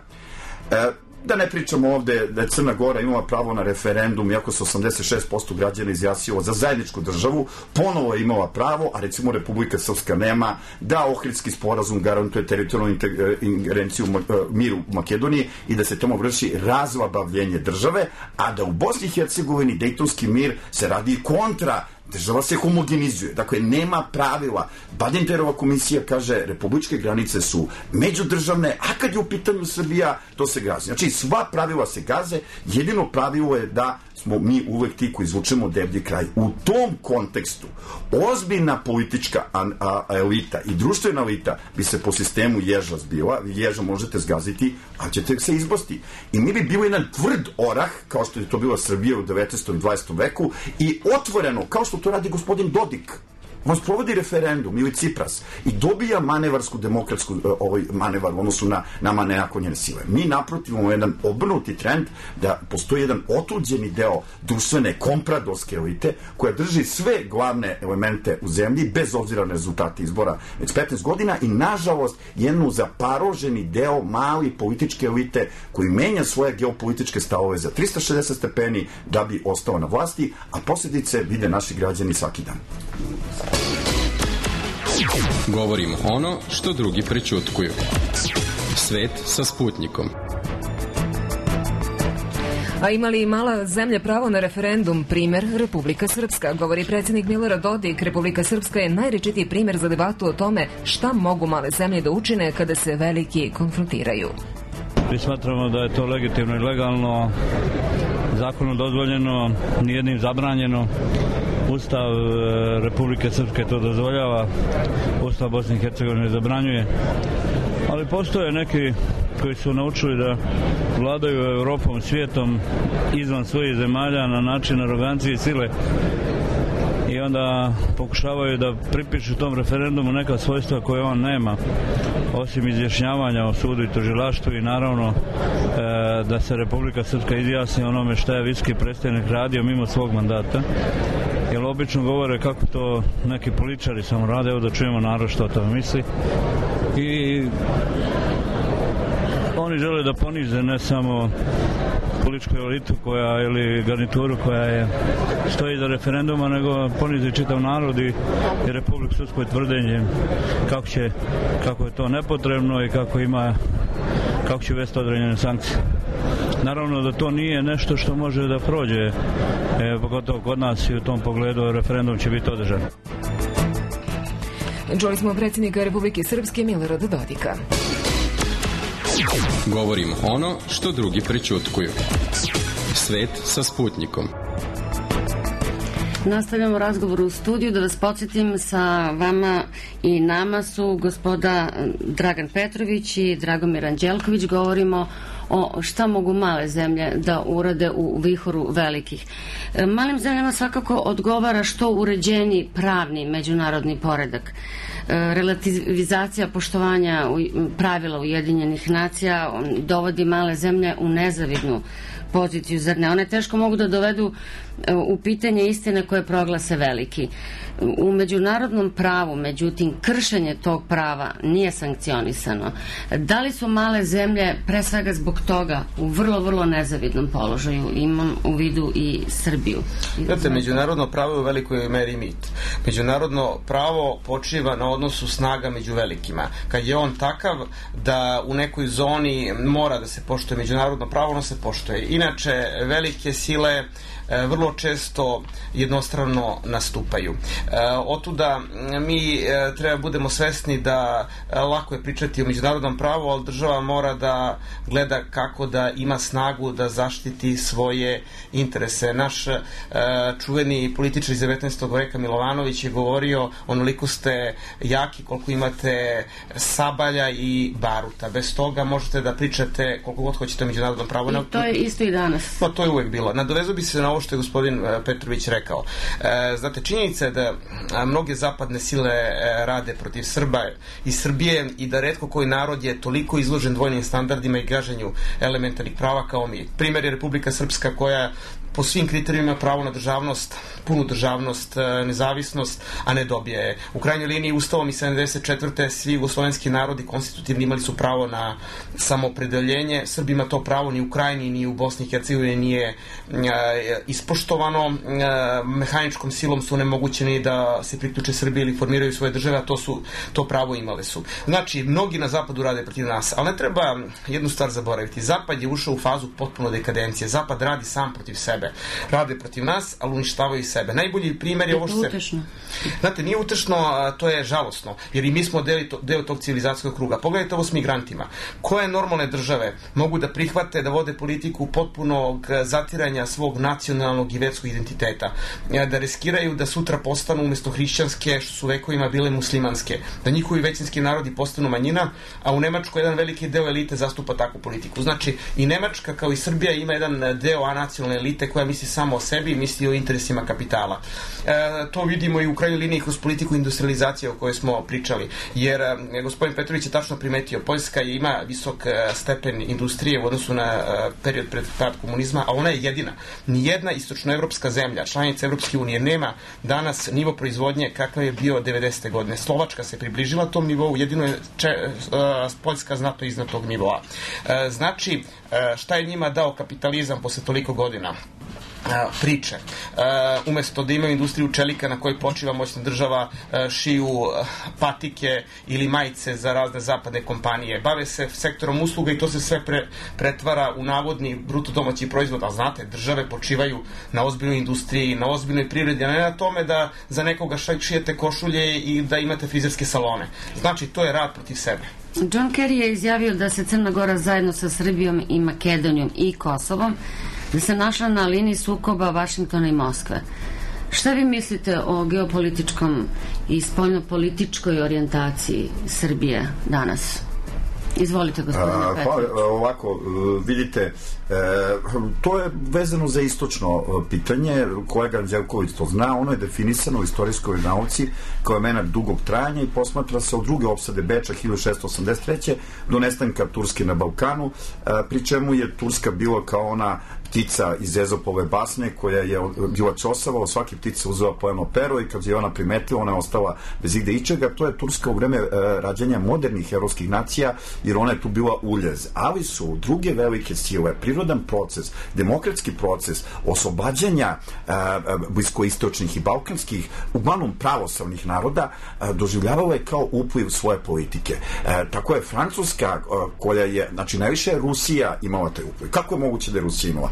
E, Da ne pričamo ovde da je Crna Gora imala pravo na referendum, iako se osamdeset šest posto građana izjasnilo za zajedničku državu, ponovo je imala pravo, a recimo Republika Srpska nema, da Ohridski sporazum garantuje teritorijalnu ingerenciju miru u Makedoniji i da se tamo vrši razlabavljenje države, a da u Bosni i Hercegovini Dejtonski mir se radi kontra, država se homogenizuje, dakle nema pravila. Badinterova komisija kaže republičke granice su međudržavne, a kad je u pitanju Srbija, to se gazi. Znači sva pravila se gaze, jedino pravilo je da smo mi uvek ti koji izvučemo deblji kraj. U tom kontekstu ozbiljna politička a, a, elita i društvena elita bi se po sistemu ježa zbila, ježa možete zgaziti, a ćete se izbosti. I mi bi bilo jedan tvrd orah, kao što je to bila Srbija u devetnaestom i dvadesetom veku, i otvoreno, kao što to radi gospodin Dodik. On sprovodi referendum ili Cipras i dobija manevarsku demokratsku ovaj manevar u odnosu na nama nenaklonjene sile. Mi naprotiv imamo jedan obrnuti trend da postoji jedan otuđeni deo društvene kompradorske elite koja drži sve glavne elemente u zemlji bez obzira na rezultate izbora već petnaest godina i nažalost jednu zaparoženi deo mali političke elite koji menja svoje geopolitičke stavove za trista šezdeset stepeni da bi ostao na vlasti, a posljedice vide naši građani svaki dan. Govorimo ono što drugi prećutkuju. Svet sa Sputnikom. A ima li mala zemlja pravo na referendum? Primer Republika Srpska. Govori predsjednik Milorad Dodik. Republika Srpska je najrečitiji primer za debatu o tome šta mogu male zemlje da učine kada se veliki konfrontiraju. Mi smatramo da je to legitimno i legalno, zakonom dozvoljeno, nijednim zabranjeno. Ustav Republike Srpske to dozvoljava, Ustav Bosne i Hercegovine zabranjuje, ali postoje neki koji su naučili da vladaju Europom, svijetom izvan svojih zemalja na način arogancije i sile i onda pokušavaju da pripišu tom referendumu neka svojstva koje on nema, osim izjašnjavanja o sudu i tužilaštvu i naravno e, da se Republika Srpska izjasni onome šta je viski predstavnik radio mimo svog mandata. Jer obično govore kako to neki političari samo rade, evo da čujemo narod što o tome misli. I oni žele da ponize ne samo političku elitu koja, ili garnituru koja je stoji za referenduma, nego ponize čitav narod i, i Republiku Srpsku tvrdenje kako, će, kako je to nepotrebno i kako ima kako će uvesti određene sankcije. Naravno da to nije nešto što može da prođe, e, pogotovo kod nas i u tom pogledu referendum će biti održan. Čuli smo predsjednika Republike Srpske Milorada Dodika. Govorimo ono što drugi prećutkuju. Svet sa Sputnikom. Nastavljamo razgovor u studiju. Da vas podsjetim, sa vama i nama su gospoda Dragan Petrović i Dragomir Anđelković. Govorimo o šta mogu male zemlje da urade u vihoru velikih. Malim zemljama svakako odgovara što uređeni pravni međunarodni poredak. Relativizacija poštovanja pravila Ujedinjenih nacija dovodi male zemlje u nezavidnu poziciju, zar ne? One teško mogu da dovedu u pitanje istine koje proglase veliki. U međunarodnom pravu, međutim, kršenje tog prava nije sankcionisano. Da li su male zemlje, pre svega zbog toga, u vrlo, vrlo nezavidnom položaju? Imam u vidu i Srbiju. Znate, međunarodno pravo je u velikoj meri mit. Međunarodno pravo počiva na odnosu snaga među velikima. Kad je on takav da u nekoj zoni mora da se poštuje međunarodno pravo, ono se poštuje. Inače, velike sile vrlo često jednostrano nastupaju. Otuda mi treba budemo svesni da lako je pričati o međunarodnom pravu, ali država mora da gleda kako da ima snagu da zaštiti svoje interese. Naš čuveni političar iz devetnaestog veka Milovanović je govorio, onoliko ste jaki koliko imate sabalja i baruta. Bez toga možete da pričate koliko god hoćete o međunarodnom pravu. I to je isto i danas. Pa to je uvek bilo. Nadovezu bi se na ovo što je gospodin Petrović rekao. E, znate, činjenica je da mnoge zapadne sile rade protiv Srba i Srbije i da retko koji narod je toliko izložen dvojnim standardima i gaženju elementarnih prava kao mi. Primjer je Republika Srpska koja po svim kriterijima pravo na državnost, punu državnost, nezavisnost, a ne dobije je. U krajnjoj liniji Ustavom iz sedamdeset četvrte svi jugoslovenski narodi konstitutivni imali su pravo na samoopredeljenje. Srbima to pravo ni u Krajini ni u Bosni i Hercegovini nije ispoštovano. Mehaničkom silom su onemogućeni da se priključe Srbiji ili formiraju svoje države, a to, su, to pravo imale su. Znači, mnogi na zapadu rade protiv nas, ali ne treba jednu stvar zaboraviti. Zapad je ušao u fazu potpuno dekadencije. Zapad radi sam protiv sebe. Rade protiv nas, ali uništavaju sebe. Najbolji primjer je ovo što se... Utešno. Znate, nije utešno, to je žalosno, jer i mi smo deo, deo tog civilizacijskog kruga. Pogledajte ovo s migrantima. Koje normalne države mogu da prihvate da vode politiku potpunog zatiranja svog nacionalnog i verskog identiteta? Da riskiraju da sutra postanu umjesto hrišćanske, što su vekovima bile muslimanske. Da njihovi većinski narodi postanu manjina, a u Nemačkoj jedan veliki deo elite zastupa takvu politiku. Znači, i Nemačka kao i Srbija ima jedan deo anacionalne elite koja misli samo o sebi i misli o interesima kapitala. E, to vidimo i u krajnjoj liniji kroz politiku industrializacije o kojoj smo pričali. Jer e, gospodin Petrović je tačno primetio, Poljska je, ima visok e, stepen industrije u odnosu na e, period pred pad komunizma, a ona je jedina. Nijedna istočnoevropska zemlja, članica Evropske unije, nema danas nivo proizvodnje kakav je bio devedesete godine. Slovačka se približila tom nivou, jedino je če, e, Poljska znatno iznad tog nivoa. E, znači, e, šta je njima dao kapitalizam posle toliko godina? Priče. Uh, umjesto da imaju industriju čelika na kojoj počiva moćna država, uh, šiju uh, patike ili majice za razne zapadne kompanije. Bave se sektorom usluga i to se sve pre, pretvara u navodni bruto domaći proizvod. A znate, države počivaju na ozbiljnoj industriji, na ozbiljnoj privredi, a ne na tome da za nekoga šijete košulje i da imate frizerske salone. Znači, to je rad protiv sebe. John Kerry je izjavio da se Crna Gora zajedno sa Srbijom i Makedonijom i Kosovom da se našla na liniji sukoba Vašingtona i Moskve. Šta vi mislite o geopolitičkom i spoljnopolitičkoj orijentaciji Srbije danas? Izvolite, gospodine Petrović. Pa, ovako, vidite, e, to je vezano za istočno pitanje, kolega Anđelković to zna, ono je definisano u istorijskoj nauci kao element dugog trajanja i posmatra se od druge opsade Beča hiljadu šessto osamdeset treće do nestanka Turske na Balkanu, e, pri čemu je Turska bila kao ona ptica iz Ezopove basne koja je bila čosava, od svake ptice uzela po jedno pero i kad je ona primetila, ona je ostala bez igde ičega. To je Turska u vreme e, rađanja modernih evropskih nacija, jer ona je tu bila uljez. Ali su druge velike sile, prirodan proces, demokratski proces oslobađanja e, bliskoistočnih i balkanskih, uglavnom pravoslavnih naroda, e, doživljavale kao upliv svoje politike. E, tako je Francuska, e, koja je, znači najviše je Rusija imala taj upliv. Kako je moguće da je Rusija imala?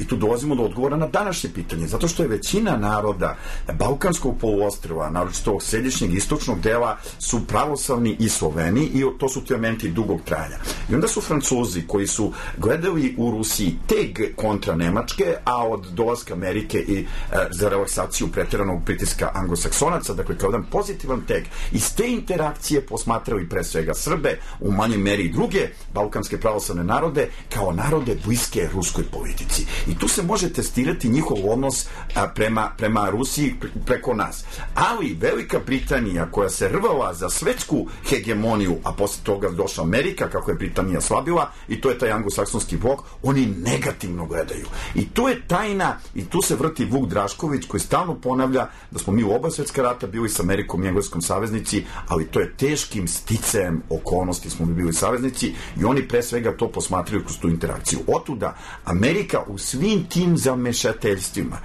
I tu dolazimo do odgovora na današnje pitanje, zato što je većina naroda Balkanskog poluostrva, naročito ovog središnjeg istočnog dela, su pravoslavni i Sloveni i to su ti elementi dugog trajanja. I onda su Francuzi koji su gledali u Rusiji teg kontra Nemačke, a od dolaska Amerike i e, za relaksaciju pretjeranog pritiska anglosaksonaca, dakle kao jedan pozitivan teg, iz te interakcije posmatrali pre svega Srbe, u manjoj meri i druge balkanske pravoslavne narode, kao narode bliske ruskoj politici. I tu se može testirati njihov odnos a, prema, prema Rusiji preko nas. Ali Velika Britanija, koja se rvala za svetsku hegemoniju, a posle toga došla Amerika, kako je Britanija slabila, i to je taj anglosaksonski blok, oni negativno gledaju. I to je tajna, i tu se vrti Vuk Drašković, koji stalno ponavlja da smo mi u oba svetska rata bili s Amerikom i engleskom saveznici, ali to je teškim sticajem okolnosti smo mi bili saveznici i oni pre svega to posmatraju kroz tu interakciju. Otuda Amerika u svim tim zamešateljstvima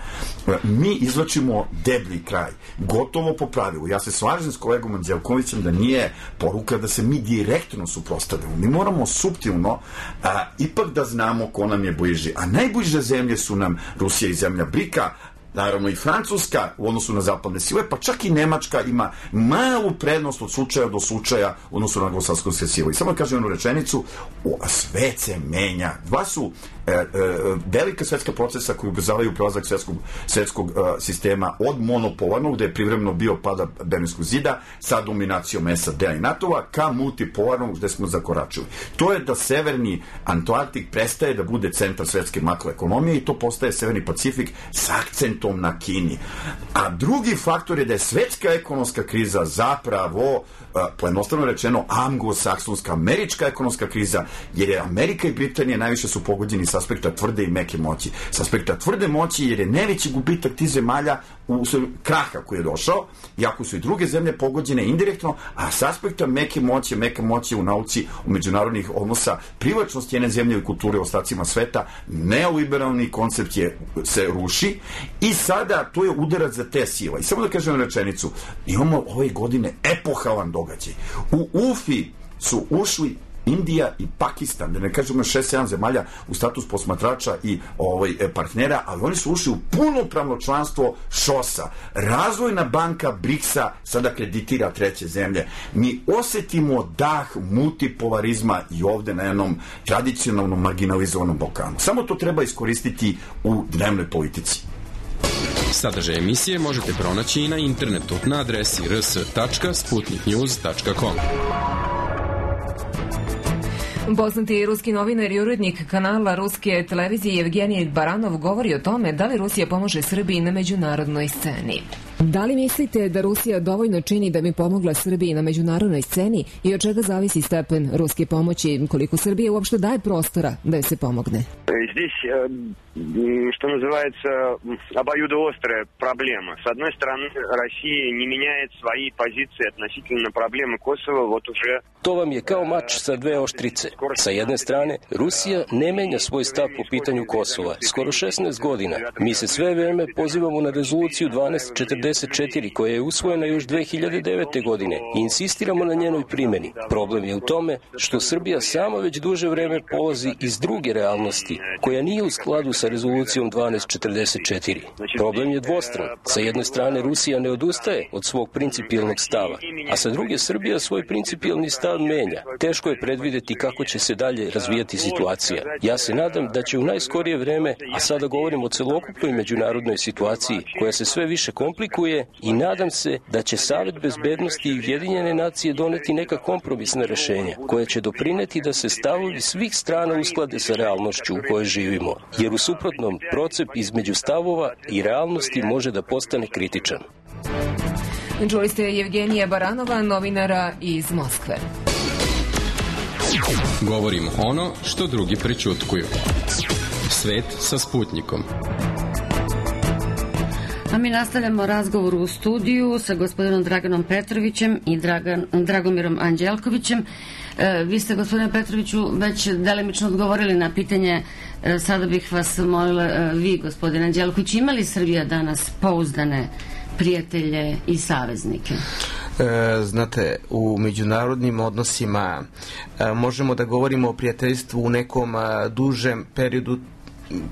mi izvlačimo deblji kraj, gotovo po pravilu. Ja se slažem s kolegom Anđelkovićem da nije poruka da se mi direktno suprotstavljamo. Mi moramo suptilno a, ipak da znamo ko nam je bliži. A najbliže zemlje su nam Rusija i zemlja Brika, naravno i Francuska u odnosu na zapadne sile, pa čak i Nemačka ima malu prednost od slučaja do slučaja u odnosu na anglosaksonske sile. I samo kažem jednu rečenicu, o, svet se menja. Dva su e, e, velika svetska procesa koji ubrzavaju prelazak svetskog, svetskog e, sistema od monopolarnog, gde je privremeno bio pada Berlinskog zida, sa dominacijom S A D-a i NATO-a, ka multipolarnog, gde smo zakoračili. To je da severni Atlantik prestaje da bude centar svetske makroekonomije i to postaje severni Pacifik sa akcentom akcentom na Kini. A drugi faktor je da je svetska ekonomska kriza zapravo, pojednostavno rečeno, anglosaksonska, američka ekonomska kriza, jer je Amerika i Britanija najviše su pogođeni s aspekta tvrde i meke moći. S aspekta tvrde moći, jer je najveći gubitak tih zemalja u kraha koji je došao, iako su i druge zemlje pogođene indirektno, a s aspekta meke moći, meke moći u nauci, u međunarodnih odnosa, privlačnost jedne zemlje i kulture u ostacima sveta, neoliberalni koncept je, se ruši i sada to je udarac za te sile. I samo da kažem rečenicu, imamo ove godine epohalan događaj. U U F I su ušli Indija i Pakistan, da ne kažemo šest sedam zemalja u status posmatrača i ovaj, partnera, ali oni su ušli u punopravno članstvo šosa. Razvojna banka briksa sada kreditira treće zemlje. Mi osetimo dah multipolarizma i ovde na jednom tradicionalnom marginalizovanom Balkanu. Samo to treba iskoristiti u dnevnoj politici. Sadržaj emisije možete pronaći i na internetu na adresi r s tačka sputnik news tačka com. Poznati ruski novinar i urednik kanala ruske televizije Evgenij Baranov govori o tome da li Rusija pomaže Srbiji na međunarodnoj sceni. Da li mislite da Rusija dovoljno čini da bi pomogla Srbiji na međunarodnoj sceni i od čega zavisi stepen ruske pomoći, koliko Srbija uopšte daje prostora da joj se pomogne? Здесь, что называется, обоюдоострая проблема. С одной стороны, Россия не меняет свои позиции относительно проблемы Косово вот уже... To vam je kao mač sa dve oštrice. Sa jedne strane, Rusija ne menja svoj stav po pitanju Kosova. Skoro šesnaest godina. Mi se sve vreme pozivamo na rezoluciju dvanaest četrdeset četiri koja je usvojena još dve hiljade devete. godine i insistiramo na njenoj primjeni. Problem je u tome što Srbija sama već duže vreme polazi iz druge realnosti koja nije u skladu sa rezolucijom dvanaest četrdeset četiri. Problem je dvostran. Sa jedne strane Rusija ne odustaje od svog principijelnog stava, a sa druge Srbija svoj principijelni stav menja. Teško je predvideti kako će se dalje razvijati situacija. Ja se nadam da će u najskorije vreme, a sada govorim o celokupnoj međunarodnoj situaciji koja se sve više komplikuje, i nadam se da će Savet bezbednosti i Ujedinjene nacije doneti neka kompromisna rešenja koja će doprineti da se stavovi svih strana usklade sa realnošću u kojoj živimo, jer u suprotnom procep između stavova i realnosti može da postane kritičan. Čuli ste Evgenija Baranova, novinara iz Moskve. Govorimo ono što drugi prećutkuju. Svet sa Sputnikom. A mi nastavljamo razgovor u studiju sa gospodinom Draganom Petrovićem i Dragan, Dragomirom Anđelkovićem. E, vi ste, gospodine Petroviću, već delimično odgovorili na pitanje. E, sada bih vas molila, e, vi, gospodine Anđelković, ima li Srbija danas pouzdane prijatelje i saveznike? E, znate, u međunarodnim odnosima e, možemo da govorimo o prijateljstvu u nekom a, dužem periodu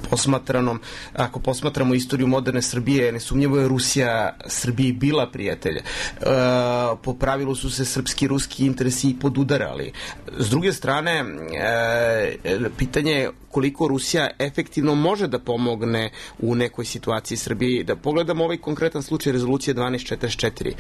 posmatranom. Ako posmatramo istoriju moderne Srbije, nesumnjivo je Rusija Srbiji bila prijatelj. E, po pravilu su se srpski i ruski interesi podudarali. S druge strane, e, pitanje je koliko Rusija efektivno može da pomogne u nekoj situaciji Srbiji. Da pogledamo ovaj konkretan slučaj rezolucije dvanaest četrdeset četiri.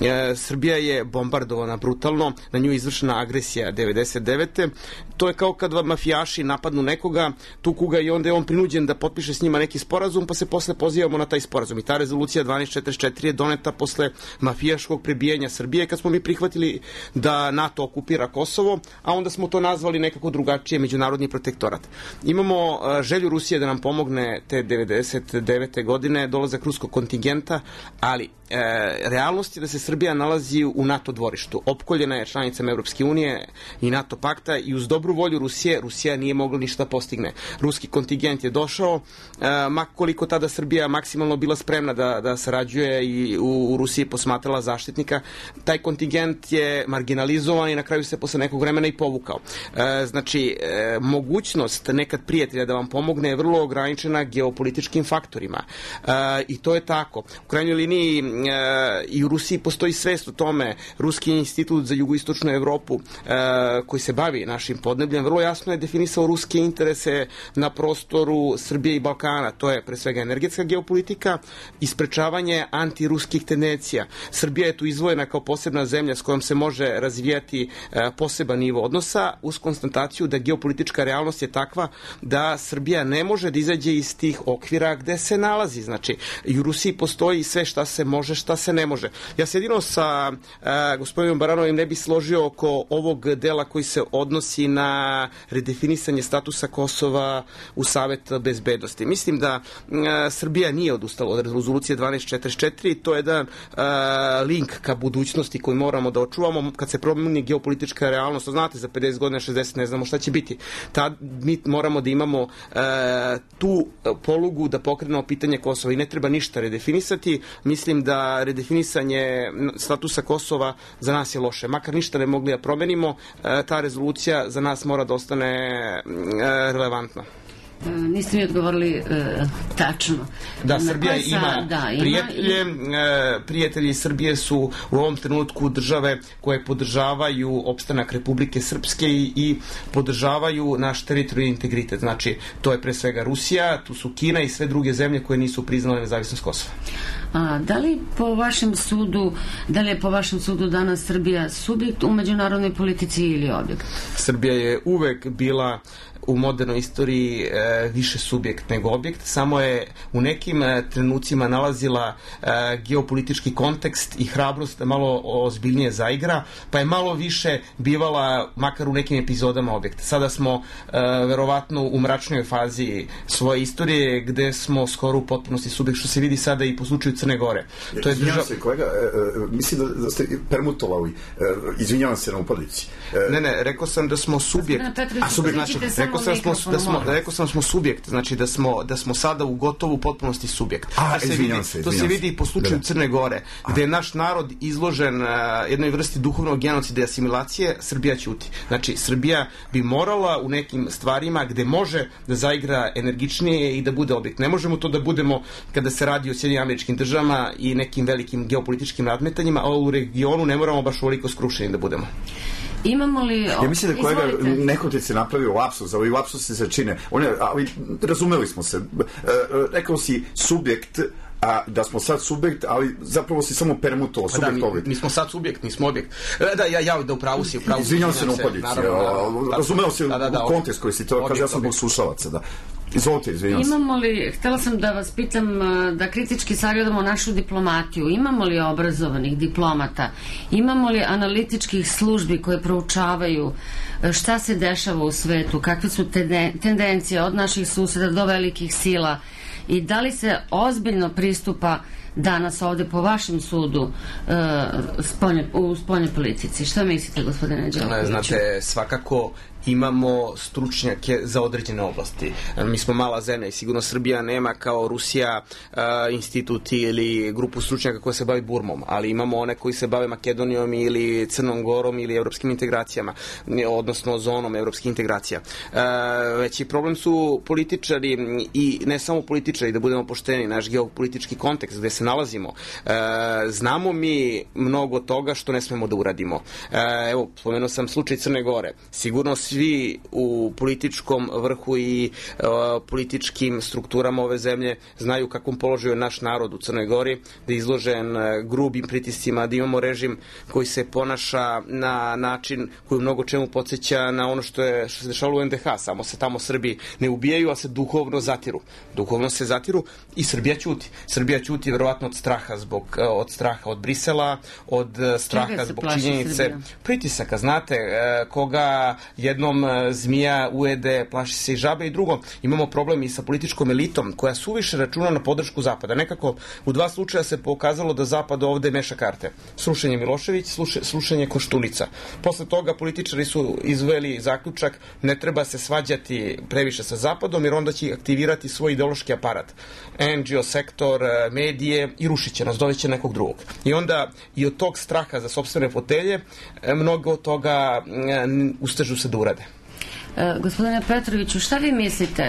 E, Srbija je bombardovana brutalno, na nju je izvršena agresija devedeset devete. To je kao kad mafijaši napadnu nekoga, tuku ga i onda je on prinuđen da potpiše s njima neki sporazum, pa se posle pozivamo na taj sporazum. I ta rezolucija dvanaest četrdeset četiri je doneta posle mafijaškog prebijanja Srbije, kad smo mi prihvatili da NATO okupira Kosovo, a onda smo to nazvali nekako drugačije, međunarodni protektorat. Imamo želju Rusije da nam pomogne te devedeset devete. godine, dolazak ruskog kontingenta, ali e, realnost je da se Srbija nalazi u NATO dvorištu. Opkoljena je članicama Evropske unije i NATO pakta i uz dobru volju Rusije, Rusija nije mogla ništa postigne. Ruski kontingent je došao, e, makoliko tada Srbija maksimalno bila spremna da, da sarađuje i u, u Rusiji posmatrala zaštitnika, taj kontingent je marginalizovan i na kraju se posle nekog vremena i povukao. E, znači, e, mogućnost nekad prijatelja da vam pomogne je vrlo ograničena geopolitičkim faktorima. E, I to je tako. U krajnjoj liniji e, i u Rusiji postoji svest o tome. Ruski institut za jugoistočnu Evropu e, koji se bavi našim podnebljem vrlo jasno je definisao ruske interese na prostoru prostoru Srbije i Balkana. To je pre svega energetska geopolitika i sprečavanje antiruskih tendencija. Srbija je tu izdvojena kao posebna zemlja s kojom se može razvijati poseban nivo odnosa uz konstataciju da geopolitička realnost je takva da Srbija ne može da izađe iz tih okvira gde se nalazi. Znači, i u Rusiji postoji sve šta se može, šta se ne može. Ja se jedino sa uh, gospodinom Baranovim ne bi složio oko ovog dela koji se odnosi na redefinisanje statusa Kosova u Savet bezbednosti. Mislim da uh, Srbija nije odustala od rezolucije dvanaest četrdeset četiri, to je jedan uh, link ka budućnosti koji moramo da očuvamo kad se promeni geopolitička realnost. Znate, za pedeset godina, šezdeset ne znamo šta će biti. Tad mi moramo da imamo uh, tu polugu da pokrenemo pitanje Kosova i ne treba ništa redefinisati. Mislim da redefinisanje statusa Kosova za nas je loše. Makar ništa ne mogli da promenimo, ta rezolucija za nas mora da ostane relevantna. Niste mi odgovorili e, tačno. Da, Srbija sa, ima da, prijatelje. Ima... E, prijatelji Srbije su u ovom trenutku države koje podržavaju opstanak Republike Srpske i, i podržavaju naš teritorijalni integritet. Znači, to je pre svega Rusija, tu su Kina i sve druge zemlje koje nisu priznale nezavisnost Kosova. A, da li po vašem sudu, da li je po vašem sudu danas Srbija subjekt u međunarodnoj politici ili objekt? Srbija je uvek bila u modernoj istoriji e, više subjekt nego objekt, samo je u nekim e, trenucima nalazila e, geopolitički kontekst i hrabrost da malo ozbiljnije zaigra, pa je malo više bivala, makar u nekim epizodama, objekt. Sada smo e, verovatno u mračnoj fazi svoje istorije, gde smo skoro u potpunosti subjekt, što se vidi sada i po slučaju Crne Gore. To je držav... se, kolega, e, e, mislim da, da ste permutovali. E, izvinjavam se na upadici. E, ne, ne, rekao sam da smo subjekt. A subjekt znači, rekao sam smo, da smo, rekao sam smo subjekt, znači da smo, da smo sada u gotovu potpunosti subjekt. A, to se vidi, se, to se vidi i po slučaju Crne Gore, gde je naš narod izložen uh, jednoj vrsti duhovnog genocida i asimilacije, Srbija ćuti. Znači, Srbija bi morala u nekim stvarima gde može da zaigra energičnije i da bude objekt. Ne možemo to da budemo kada se radi o Sjedinjenim Američkim Državama i nekim velikim geopolitičkim nadmetanjima, a u regionu ne moramo baš ovoliko skrušeni da budemo. Imamo li... Ja mislim da kolega nehotice se napravio lapsus, ali lapsus se čine. One, ali razumeli smo se. E, rekao si subjekt, a da smo sad subjekt, ali zapravo si samo permutovao subjekt da, mi, mi smo sad subjekt, nismo objekt. Da, ja, ja da upravu si, upravu si. Izvinjam se na upadici. Razumeo si da, da, da, u kontekst koji si to, kaže ja sam bog slušalaca, da. Izvolite, izvinjam se. Imamo li, htjela sam da vas pitam, da kritički sagledamo našu diplomatiju, imamo li obrazovanih diplomata, imamo li analitičkih službi koje proučavaju šta se dešava u svetu, kakve su tendencije od naših suseda do velikih sila i da li se ozbiljno pristupa danas ovde po vašem sudu uh, spolje, u spoljnoj politici? Šta mislite, gospodine Đelkoviću? Znate, svakako imamo stručnjake za određene oblasti. Mi smo mala zemlja i sigurno Srbija nema kao Rusija uh, institut ili grupu stručnjaka koja se bavi Burmom, ali imamo one koji se bave Makedonijom ili Crnom Gorom ili evropskim integracijama, odnosno zonom evropskih integracija. Uh, veći problem su političari i ne samo političari, da budemo pošteni, naš geopolitički kontekst gde se nalazimo. Uh, znamo mi mnogo toga što ne smemo da uradimo. Uh, evo, spomenuo sam slučaj Crne Gore. Sigurno svi u političkom vrhu i uh, političkim strukturama ove zemlje znaju kakvom položaju je naš narod u Crnoj Gori, da je izložen uh, grubim pritiscima, da imamo režim koji se ponaša na način koji u mnogo čemu podsjeća na ono što je što se dešavalo u en de ha, samo se tamo Srbi ne ubijaju, a se duhovno zatiru. Duhovno se zatiru i Srbija ćuti. Srbija ćuti verovatno od straha zbog uh, od straha od Brisela, od uh, straha zbog činjenice Srbija? Pritisaka, znate, uh, koga jednom zmija ujede, plaši se i žabe, i drugo, imamo problem i sa političkom elitom koja suviše računa na podršku Zapada. Nekako u dva slučaja se pokazalo da Zapad ovde meša karte. Slušanje Milošević, sluše, slušanje Koštunica. Posle toga političari su izveli zaključak, ne treba se svađati previše sa Zapadom, jer onda će aktivirati svoj ideološki aparat. en ge o sektor, medije i rušit će nas, doveće nekog drugog. I onda i od tog straha za sopstvene fotelje mnogo od toga ustežu se da urade. E, gospodine Petroviću, šta vi mislite?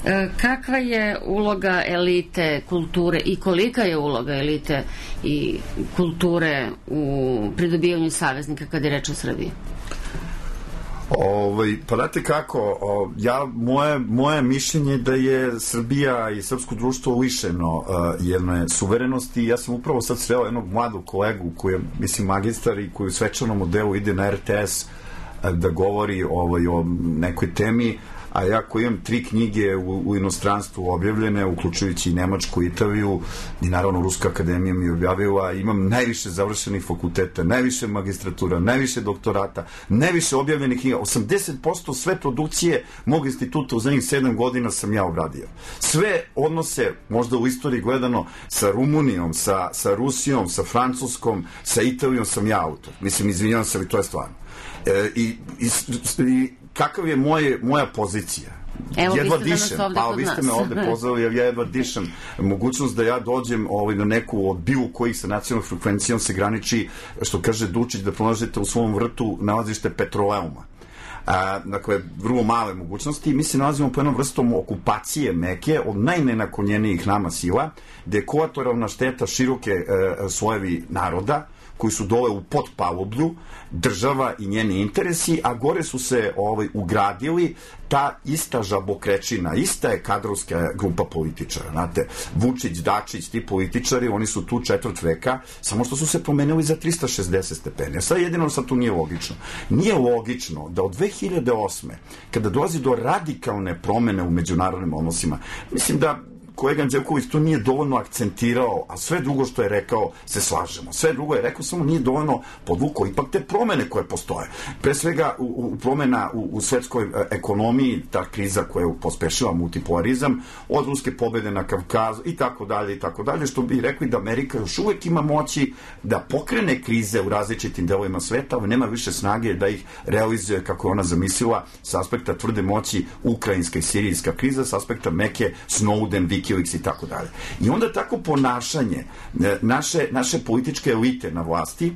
E, kakva je uloga elite kulture i kolika je uloga elite i kulture u pridobijanju saveznika kad je reč o Srbiji? Ovaj, pa date kako, o, ja, moje, moje mišljenje da je Srbija i srpsko društvo lišeno uh, jedne suverenosti. Ja sam upravo sad sreo jednog mladog kolegu koji je, mislim, magistar i koji u svečanom modelu ide na R T S uh, da govori ovaj, o nekoj temi, a ja koji imam tri knjige u, u inostranstvu objavljene, uključujući i Nemačku, Italiju i naravno Ruska akademija mi je objavila, imam najviše završenih fakulteta, najviše magistratura, najviše doktorata, najviše objavljenih knjiga, osamdeset posto sve produkcije mog instituta u zadnjih sedam godina sam ja obradio. Sve odnose, možda u istoriji gledano, sa Rumunijom, sa, sa Rusijom, sa Francuskom, sa Italijom sam ja autor. Mislim, izvinjavam se, ali to je stvarno. E, i, i, i kakav je moje, moja pozicija? Evo, jedva vi ste dišem, pa vi ste me ovde pozvali, jer ja jedva dišem. Mogućnost da ja dođem ovaj, na neku od bilo kojih sa nacionalnom frekvencijom se graniči, što kaže Dučić, da pronađete u svom vrtu nalazište petroleuma. A, dakle, vrlo male mogućnosti. Mi se nalazimo po jednom vrstom okupacije meke od najnenaklonjenijih nama sila, gde je kolateralna šteta široke e, slojevi naroda, koji su dole u potpalublju, država i njeni interesi, a gore su se ovaj, ugradili ta ista žabokrečina, ista je kadrovska grupa političara. Znate, Vučić, Dačić, ti političari, oni su tu četvrt veka, samo što su se promenili za trista šezdeset stepeni. Sad jedino sad tu nije logično. Nije logično da od dve hiljade osme, kada dolazi do radikalne promene u međunarodnim odnosima, mislim da kolega Anđelković to nije dovoljno akcentirao, a sve drugo što je rekao se slažemo. Sve drugo je rekao, samo nije dovoljno podvukao ipak te promene koje postoje. Pre svega u, u promena u, u svetskoj e, ekonomiji, ta kriza koja pospešila multipolarizam, od ruske pobede na Kavkazu i tako dalje i tako dalje, što bi rekli da Amerika još uvek ima moći da pokrene krize u različitim delovima sveta, ali nema više snage da ih realizuje kako je ona zamislila sa aspekta tvrde moći ukrajinska i sirijska kriza, sa aspekta meke Snowden, Wikileaks i tako dalje. I onda tako ponašanje naše, naše političke elite na vlasti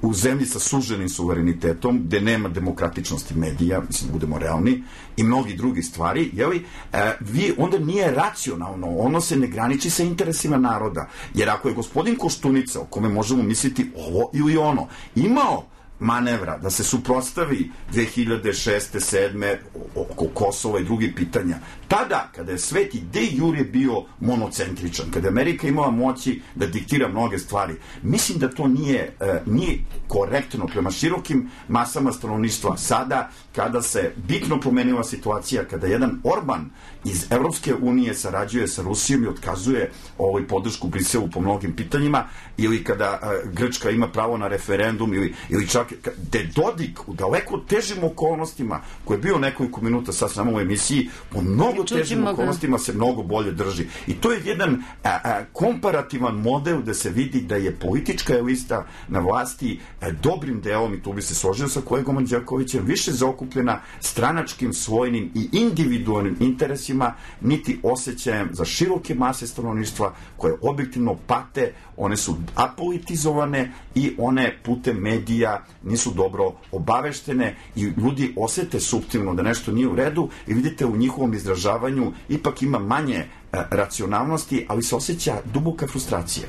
u zemlji sa suženim suverenitetom, gde nema demokratičnosti medija, mislim, budemo realni, i mnogi drugi stvari, jeli, e, vi, onda nije racionalno, ono se ne graniči sa interesima naroda, jer ako je gospodin Koštunica, o kome možemo misliti ovo ili ono, imao manevra da se suprotstavi dve hiljade šeste sedme oko Kosova i drugih pitanja. Tada, kada je svet i de jure bio monocentričan, kada je Amerika imala moći da diktira mnoge stvari, mislim da to nije, e, nije korektno prema širokim masama stanovništva. Sada, kada se bitno promenila situacija, kada jedan Orban iz Evropske unije sarađuje sa Rusijom i otkazuje ovaj podršku Briselu po mnogim pitanjima, ili kada e, Grčka ima pravo na referendum, ili, ili čak gde Dodik u daleko težim okolnostima, koji je bio nekoliko minuta sad samo u emisiji, po mnogo težim okolnostima se mnogo bolje drži. I to je jedan a, a, komparativan model da se vidi da je politička elita na vlasti a, dobrim delom, i tu bi se složio sa kolegom Anđelkovićem, više zaokupljena stranačkim, svojnim i individualnim interesima, niti osjećajem za široke mase stanovništva koje objektivno pate, one su apolitizovane i one putem medija nisu dobro obaveštene i ljudi osete suptilno da nešto nije u redu i vidite u njihovom izražavanju ipak ima manje e, racionalnosti, ali se osjeća duboka frustracija.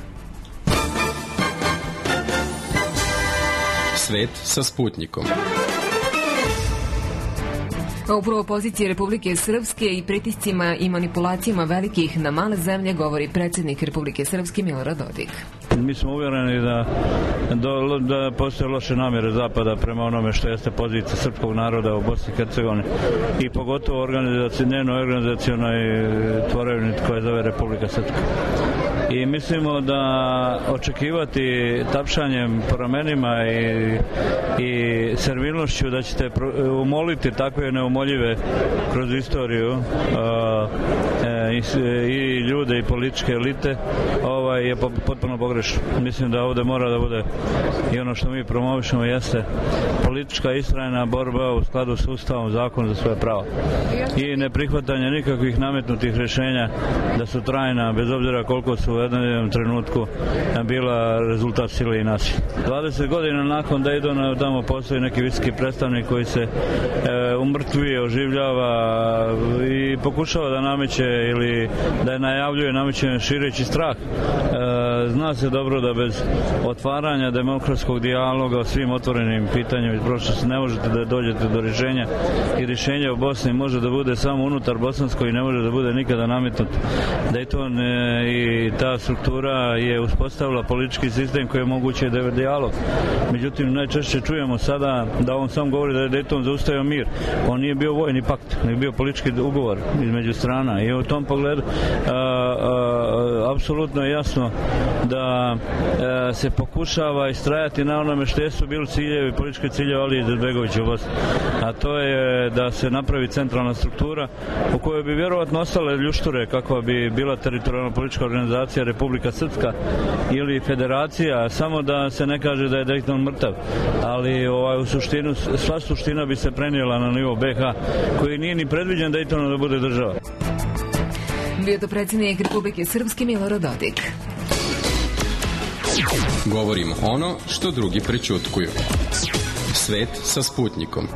Svet sa Sputnikom. Upravo pozicije Republike Srpske i pritiscima i manipulacijama velikih na male zemlje govori predsjednik Republike Srpske Milorad Dodik. Mi smo uvjereni da, da, da postoje loše namjere Zapada prema onome što jeste pozicija srpskog naroda u Bosni i Hercegovini i pogotovo njeno organizacionoj tvorevini koja zove Republika Srpska. I mislimo da očekivati tapšanjem po ramenima i, i servilnošću da ćete umoliti takve neumoljive kroz istoriju uh, i, i ljude i političke elite ovaj, je potpuno pogrešno. Mislim da ovde mora da bude i ono što mi promovišemo jeste politička istrajna borba u skladu s Ustavom, zakon za svoje pravo i neprihvatanje nikakvih nametnutih rješenja da su trajna, bez obzira koliko su u jednom trenutku bila rezultat sile i nasilja. dvadeset godina nakon Daytona tamo postoji neki visoki predstavnik koji se e, umrtvuje, oživljava i pokušava da nameće ili da je najavljuje nameće šireći strah. E, zna se dobro da bez otvaranja demokratskog dijaloga o svim otvorenim pitanjima iz prošlosti ne možete da dođete do rješenja i rješenje u Bosni može da bude samo unutar bosansko i ne može da bude nikada nametnut. Dayton i ta struktura je uspostavila politički sistem koji je moguće da je dijalog. Međutim, najčešće čujemo sada da on sam govori da je Dayton zaustavio mir. On nije bio vojni pakt, nego bio politički ugovor između strana i u tom pogledu a, a, apsolutno je jasno da a, se pokušava istrajati na onome što su bili ciljevi, politički ciljevi Alije Izetbegovića u Bosni. A to je da se napravi centralna struktura u kojoj bi vjerovatno ostale ljušture kakva bi bila teritorijalna politička organizacija Republika Srpska ili federacija, samo da se ne kaže da je Dayton mrtav, ali ovaj, u suštinu, sva suština bi se prenijela na nivo be ha koji nije ni predviđen Daytonom da bude država. Bio to predsjednik Republike Srpske Milorad Dodik. Govorimo ono što drugi prećutkuju. Svet sa Sputnikom.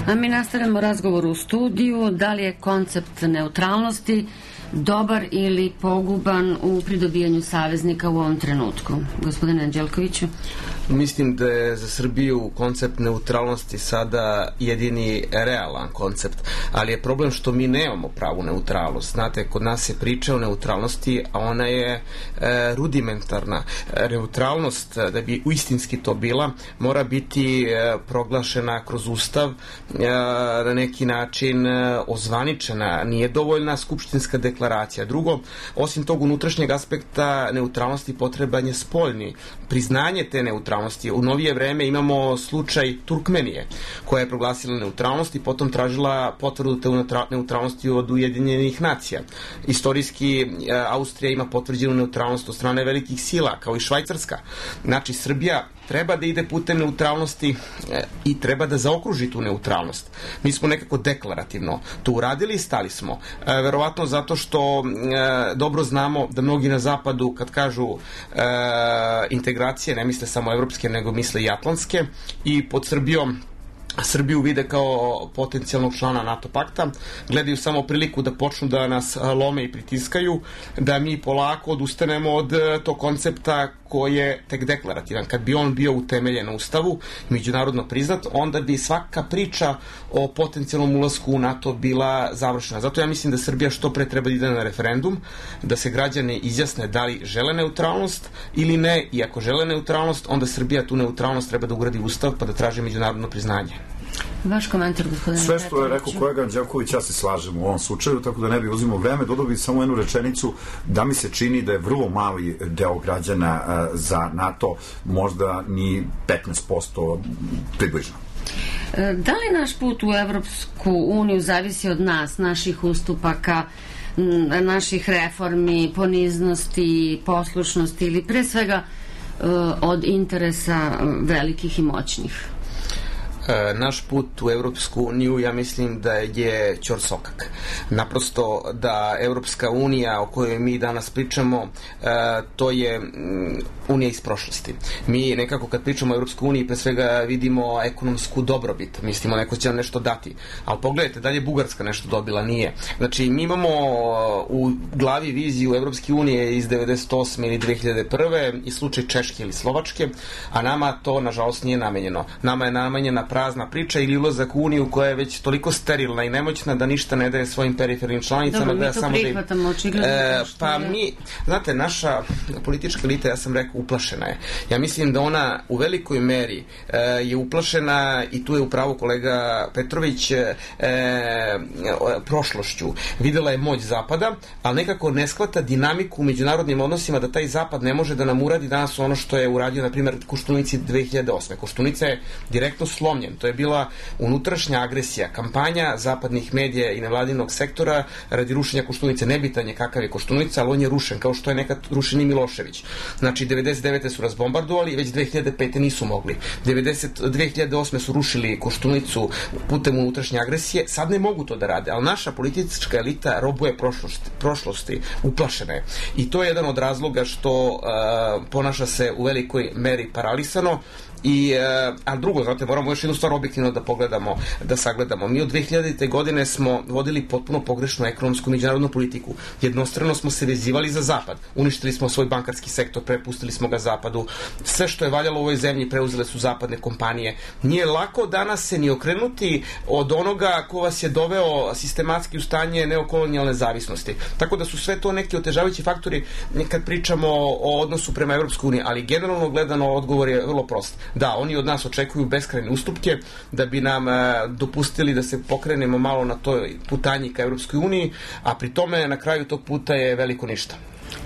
A mi nastavljamo razgovor u studiju. Da li je koncept neutralnosti dobar ili poguban u pridobijanju saveznika u ovom trenutku? Gospodine Anđelkoviću. Mislim da je za Srbiju koncept neutralnosti sada jedini realan koncept, ali je problem što mi nemamo pravu neutralnost. Znate, kod nas se priča o neutralnosti, a ona je e, rudimentarna. Neutralnost, da bi uistinski to bila, mora biti e, proglašena kroz Ustav, e, na neki način e, ozvaničena. Nije dovoljna skupštinska deklaracija. Drugo, osim tog unutrašnjeg aspekta neutralnosti potreban je spoljni. Priznanje te neutralnosti. U novije vreme imamo slučaj Turkmenije, koja je proglasila neutralnost i potom tražila potvrdu te neutralnosti od Ujedinjenih nacija. Istorijski Austrija ima potvrđenu neutralnost od strane velikih sila, kao i Švajcarska. Znači, Srbija treba da ide putem neutralnosti i treba da zaokruži tu neutralnost. Mi smo nekako deklarativno to uradili i stali smo. E, verovatno zato što e, dobro znamo da mnogi na zapadu kad kažu e, integracije, ne misle samo evropske, nego misle i atlantske, i pod Srbijom Srbiju vide kao potencijalnog člana NATO pakta, gledaju samo priliku da počnu da nas lome i pritiskaju, da mi polako odustanemo od tog koncepta koji je tek deklarativan. Kad bi on bio utemeljen u Ustavu, međunarodno priznat, onda bi svaka priča o potencijalnom ulasku u NATO bila završena. Zato ja mislim da Srbija što pre treba da ide na referendum, da se građani izjasne da li žele neutralnost ili ne, i ako žele neutralnost, onda Srbija tu neutralnost treba da ugradi u Ustav pa da traži međunarodno priznanje. Vaš komentar, gospodine Sve što je rekao kolega Anđelković, ja se slažem u ovom slučaju, tako da ne bi uzimao vreme. Dodao bih samo jednu rečenicu, da mi se čini da je vrlo mali deo građana uh, za NATO, možda ni petnaest posto približno. Da li naš put u Evropsku uniju zavisi od nas, naših ustupaka, naših reformi, poniznosti, poslušnosti ili pre svega uh, od interesa velikih i moćnih? Naš put u Evropsku uniju, ja mislim da je ćorsokak. Naprosto da Evropska unija o kojoj mi danas pričamo, to je unija iz prošlosti. Mi nekako kad pričamo o Evropskoj uniji pre svega vidimo ekonomsku dobrobit, mislimo neko će nam nešto dati, ali pogledajte, da li je Bugarska nešto dobila? Nije. Znači, mi imamo u glavi viziju Evropske unije iz devedeset osme ili dve hiljade prve i slučaj Češke ili Slovačke, a nama to nažalost nije namenjeno. Nama je namenjena prazna priča ili ulazak u uniju koja je već toliko sterilna i nemoćna da ništa ne daje svojim perifernim članicama. Dobro, da mi to samo prihvatamo, da očigledno. E, pa mi, znate, naša politička elita, ja sam rekao, uplašena je. Ja mislim da ona u velikoj meri e, je uplašena, i tu je upravo kolega Petrović, e, prošlošću. Videla je moć Zapada, ali nekako ne shvata dinamiku u međunarodnim odnosima, da taj Zapad ne može da nam uradi danas ono što je uradio, na primjer, Koštunici dve hiljade osme. Koštunica je direktno slomljen sklonjen. To je bila unutrašnja agresija, kampanja zapadnih medija i nevladinog sektora radi rušenja Koštunice. Nebitan je kakav je Koštunica, ali on je rušen, kao što je nekad rušen i Milošević. Znači, devedeset devete su razbombardovali, već dve hiljade pete nisu mogli. dve hiljade osme su rušili Koštunicu putem unutrašnje agresije, sad ne mogu to da rade, ali naša politička elita robuje prošlosti, prošlosti uplašena je. I to je jedan od razloga što uh, ponaša se u velikoj meri paralisano. I, a drugo, znate, moramo još jednu stvar objektivno da pogledamo, da sagledamo. Mi od dve hiljadite godine smo vodili potpuno pogrešnu ekonomsku međunarodnu politiku. Jednostrano smo se vezivali za zapad. Uništili smo svoj bankarski sektor, prepustili smo ga zapadu. Sve što je valjalo u ovoj zemlji preuzele su zapadne kompanije. Nije lako danas se ni okrenuti od onoga ko vas je doveo sistematski u stanje neokolonijalne zavisnosti. Tako da su sve to neki otežavajući faktori kad pričamo o odnosu prema Evropskoj uniji, ali generalno gledano odgovor je vrlo prost. Da, oni od nas očekuju beskrajne ustupke da bi nam e, dopustili da se pokrenemo malo na toj putanji ka Evropskoj uniji, a pri tome na kraju tog puta je veliko ništa.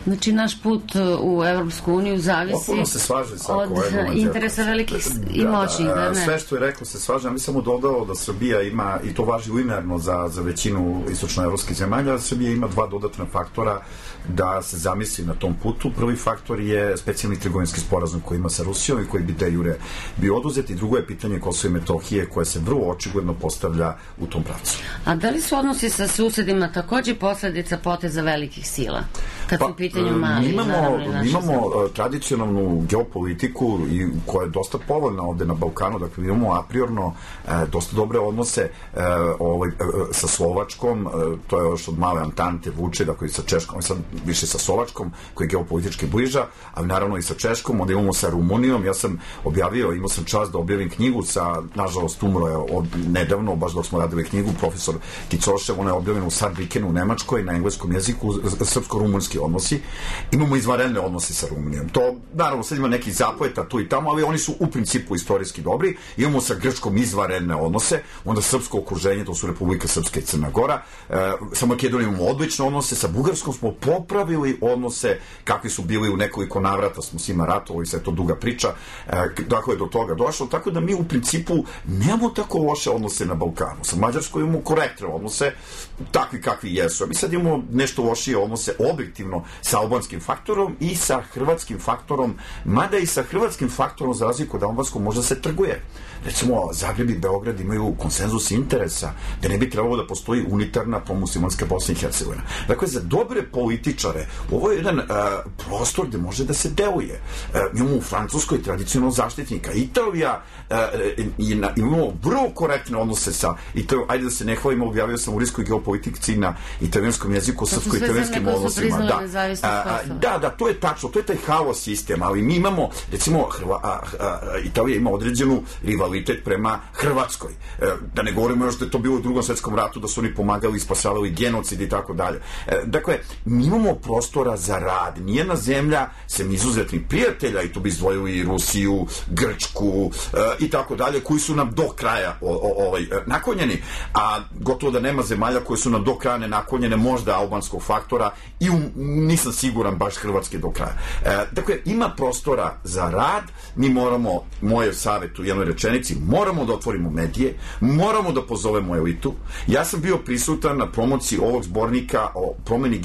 Znači, naš put u Evropsku uniju zavisi se od interesa velikih i moćnih. Da, da, da, sve što je rekao se slažem. Mi sam mu dodao da Srbija ima, i to važi linearno za, za većinu istočnoevropskih zemalja, Srbija ima dva dodatna faktora da se zamisli na tom putu. Prvi faktor je specijalni trgovinski sporazum koji ima sa Rusijom i koji bi de jure bio oduzet, i drugo je pitanje Kosova i Metohije koje se vrlo očigledno postavlja u tom pravcu. A da li su odnosi sa susedima takođe posledica poteza velikih sila? Kad pa, su pitanju mali, imamo, naravno, imamo uh, tradicionalnu geopolitiku i koja je dosta povoljna ovde na Balkanu, dakle imamo a priorno uh, dosta dobre odnose uh, ovaj, uh, sa Slovačkom, uh, to je još od male Antante vuče, dakle i sa Češkom, sad više sa Slovačkom, koja je geopolitički bliža, ali naravno i sa Češkom, onda imamo sa Rumunijom. Ja sam objavio, imao sam čast da objavim knjigu sa, nažalost umro je od nedavno, baš dok smo radili knjigu, profesor Kicošev, ona je objavljena u Saarbrückenu u Nemačkoj na engleskom jeziku, srpsko-rumunski odnosi. Imamo izvanredne odnose sa Rumunijom. To, naravno, sad ima nekih zapleta tu i tamo, ali oni su u principu istorijski dobri. Imamo sa Grčkom izvanredne odnose, onda srpsko okruženje, to su Republika Srpska i Crna Gora. E, sa Makedonijom imamo odlične odnose, sa Bugarskom smo popravili odnose kakvi su bili u nekoliko navrata, smo s njima ratovali, sve to duga priča, e, dakle je do toga došlo, tako da mi u principu nemamo tako loše odnose na Balkanu. Sa Mađarskom imamo korektne odnose, takvi kakvi jesu. A mi sad imamo nešto lošije odnose objektivno sa albanskim faktorom i sa hrvatskim faktorom, mada i sa hrvatskim faktorom za razliku od albanskog možda se trguje. Recimo, Zagreb i Beograd imaju konsenzus interesa da ne bi trebalo da postoji unitarna promuslimanska Bosna i Hercegovina. Dakle, za dobre političare ovo je jedan uh, prostor gde može da se deluje. Uh, imamo u Francuskoj tradicionalno zaštitnika. Italija, uh, na, imamo vrlo korektne odnose sa Italijom. Ajde da se ne hvalimo, objavio sam u riskoj geopolitici na italijanskom jeziku, srpsko-italijanskim odnosima. Da. Uh, da, da, to je tačno, to je taj haos sistem, ali mi imamo, recimo, Hrva, a, a, Italija ima određenu rivalitet prema Hrvatskoj. E, da ne govorimo još da je to bilo u drugom svetskom ratu, da su oni pomagali i spasavali genocid i tako dalje. E, dakle, mi imamo prostora za rad. Nijedna zemlja, sem izuzetnih prijatelja, i tu bi izdvojili i Rusiju, Grčku e, i tako dalje, koji su nam do kraja o, o, ovaj, naklonjeni, a gotovo da nema zemalja koje su nam do kraja nenaklonjene, možda albanskog faktora, i um, nisam siguran baš Hrvatske do kraja. E, dakle, ima prostora za rad, mi moramo, moje savjet u jednoj rečenici, moramo da otvorimo medije, moramo da pozovemo elitu. Ja sam bio prisutan na promociji ovog zbornika o promeni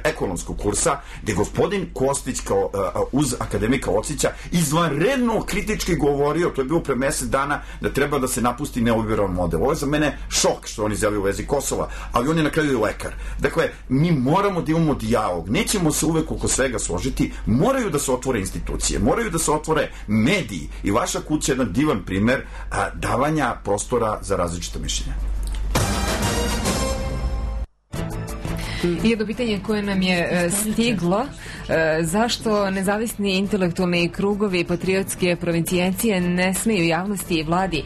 ekonomskog kursa, gde gospodin Kostić kao uh, uz akademika Ocića izvanredno kritički govorio, to je bilo pre mesec dana, da treba da se napusti neoliberalan model. Ovo je za mene šok što on izjavio u vezi Kosova, ali on je na kraju i lekar. Dakle, mi moramo da imamo dijalog, nećemo se uvek oko svega složiti, moraju da se otvore institucije, moraju da se otvore mediji, i vaša kuća je jedan divan primer a, davanja prostora za različite mišljenja. I jedno pitanje koje nam je stiglo, zašto nezavisni intelektualni krugovi i patriotske provincijencije ne smeju javnosti i vladi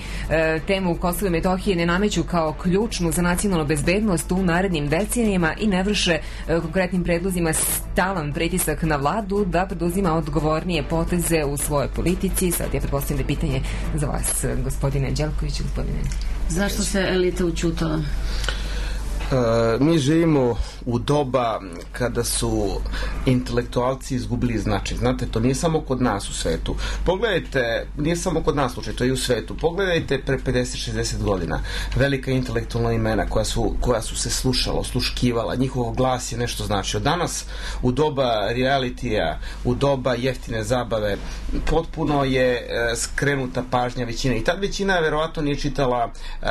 temu Kosova i Metohije ne nameću kao ključnu za nacionalnu bezbednost u narednim decenijama i ne vrše konkretnim predlozima stalan pritisak na vladu da preduzima odgovornije poteze u svojoj politici? Sad ja pretpostavljam da je pitanje za vas, gospodine Đelković, gospodine. Zašto se elita učutala? E, mi živimo u doba kada su intelektualci izgubili značaj. Znate, to nije samo kod nas u svetu. Pogledajte, nije samo kod nas slučaj, to je i u svetu. Pogledajte pre pedeset šezdeset godina velika intelektualna imena koja su, koja su se slušala, osluškivala, njihov glas je nešto značio. Danas u doba realitija, u doba jeftine zabave, potpuno je e, skrenuta pažnja većine. I tad većina verovatno nije čitala e,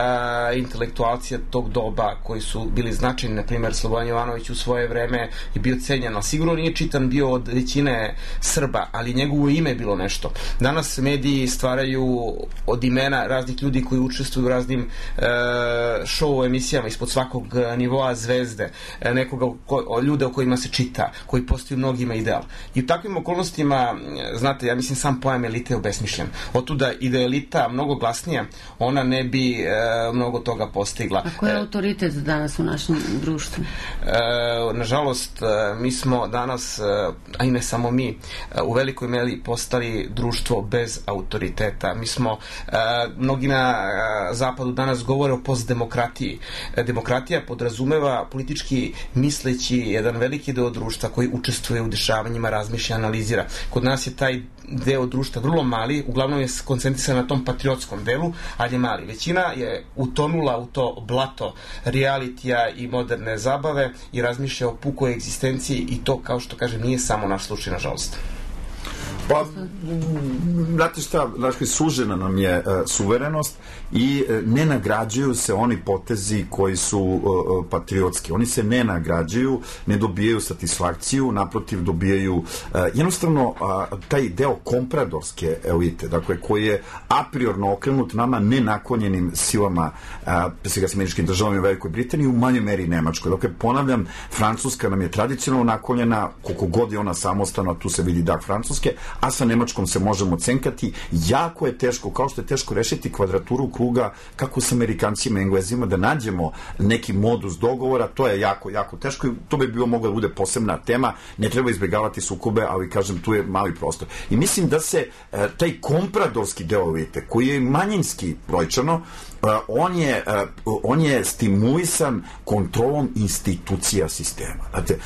intelektualcija tog doba koji su bili značajni, na primjer Slobodan Jovanović u svoje vreme je bio cenjen, ali sigurno nije čitan bio od većine Srba, ali njegovo ime je bilo nešto. Danas mediji stvaraju od imena raznih ljudi koji učestvuju u raznim e, show emisijama ispod svakog nivoa zvezde, e, nekoga ko, ljude o kojima se čita, koji postaju mnogima ideal. I u takvim okolnostima, znate, ja mislim sam pojam elite je obesmišljen. Otuda i da je elita mnogo glasnija, ona ne bi e, mnogo toga postigla. A ko je autoritet danas u našem društvu? E, nažalost, mi smo danas, a i ne samo mi, u velikoj meri postali društvo bez autoriteta. Mi smo, mnogi na zapadu danas govore o postdemokratiji. Demokratija podrazumeva politički misleći jedan veliki deo društva koji učestvuje u dešavanjima, razmišlja, analizira. Kod nas je taj deo društva vrlo mali, uglavnom je koncentrisan na tom patriotskom delu, ali je mali. Većina je utonula u to blato realitija i moderne zabave i razmišlja o pukoj egzistenciji i to, kao što kažem, nije samo naš slučaj, nažalost. Pa, znate šta, dakle, sužena nam je uh, suverenost i uh, ne nagrađuju se oni potezi koji su uh, patriotski. Oni se ne nagrađuju, ne dobijaju satisfakciju, naprotiv dobijaju uh, jednostavno uh, taj deo kompradorske elite, dakle, koji je a priorno okrenut nama nenaklonjenim silama, uh, pre svega s američkim državama u Velikoj Britaniji, u manjoj meri Nemačkoj. Dakle, ponavljam, Francuska nam je tradicionalno naklonjena, koliko god je ona samostalna, tu se vidi dah Francuske, a sa Nemačkom se možemo cenkati. Jako je teško, kao što je teško rešiti kvadraturu kruga, kako s Amerikancima i Englezima, da nađemo neki modus dogovora, to je jako, jako teško i to bi bilo mogla da bude posebna tema, ne treba izbjegavati sukobe, ali kažem, tu je mali prostor. I mislim da se e, taj kompradorski deo elite, koji je manjinski brojčano, Uh, on je, uh, on je stimulisan kontrolom institucija sistema. Znate,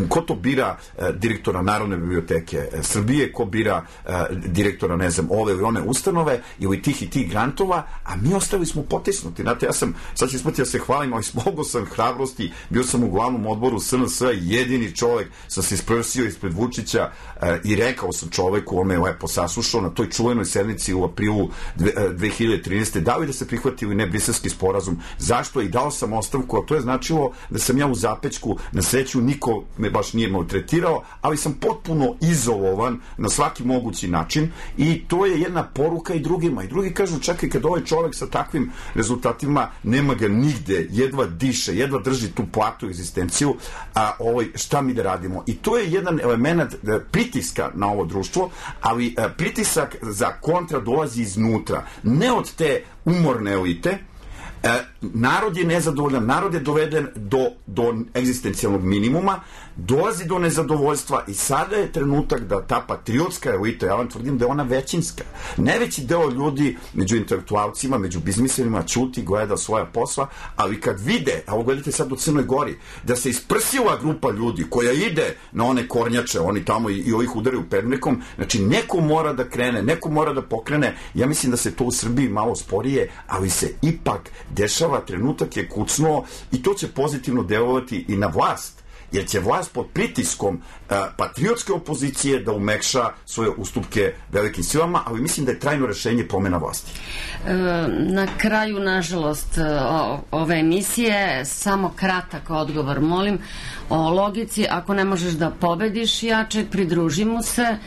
ko to bira uh, direktora Narodne biblioteke uh, Srbije, ko bira uh, direktora, ne znam, ove ili one ustanove ili tih i tih grantova, a mi ostali smo potisnuti. Znate, ja sam, sad će smeti da se hvalim, ali smogao sam hrabrosti, bio sam u glavnom odboru S N S, jedini čovek, sam se isprsio ispred Vučića uh, i rekao sam čoveku, on me je lepo saslušao na toj čuvenoj sednici u aprilu dve hiljade trinaeste. da li da se prihvati ili ne briselski sporazum. Zašto? I dao sam ostavku, a to je značilo da sam ja u zapećku, na sreću niko me baš nije maltretirao, ali sam potpuno izolovan na svaki mogući način i to je jedna poruka i drugima. I drugi kažu, čekaj, kad ovaj čovek sa takvim rezultatima nema ga nigde, jedva diše, jedva drži tu platu i egzistenciju, a ovaj, šta mi da radimo? I to je jedan element pritiska na ovo društvo, ali pritisak za kontra dolazi iznutra. Ne od te umorne elite. E, narod je nezadovoljan, narod je doveden do, do egzistencijalnog minimuma, dolazi do nezadovoljstva i sada je trenutak da ta patriotska elita, ja vam tvrdim da je ona većinska, najveći deo ljudi među intelektualcima, među biznismenima ćuti, gleda svoja posla, ali kad vide, a ovo gledajte sad u Crnoj Gori, da se isprsila grupa ljudi koja ide na one kornjače, oni tamo i, i ovih udaraju pernikom, znači neko mora da krene, neko mora da pokrene, ja mislim da se to u Srbiji malo sporije, ali se ipak dešava, trenutak je kucnuo i to će pozitivno delovati i na vlast, jer će vlast pod pritiskom uh, patriotske opozicije da umekša svoje ustupke velikim silama, ali mislim da je trajno rešenje promjena vlasti. E, na kraju, nažalost, o, ove emisije, samo kratak odgovor, molim, o logici, ako ne možeš da pobediš jačeg, pridruži mu se,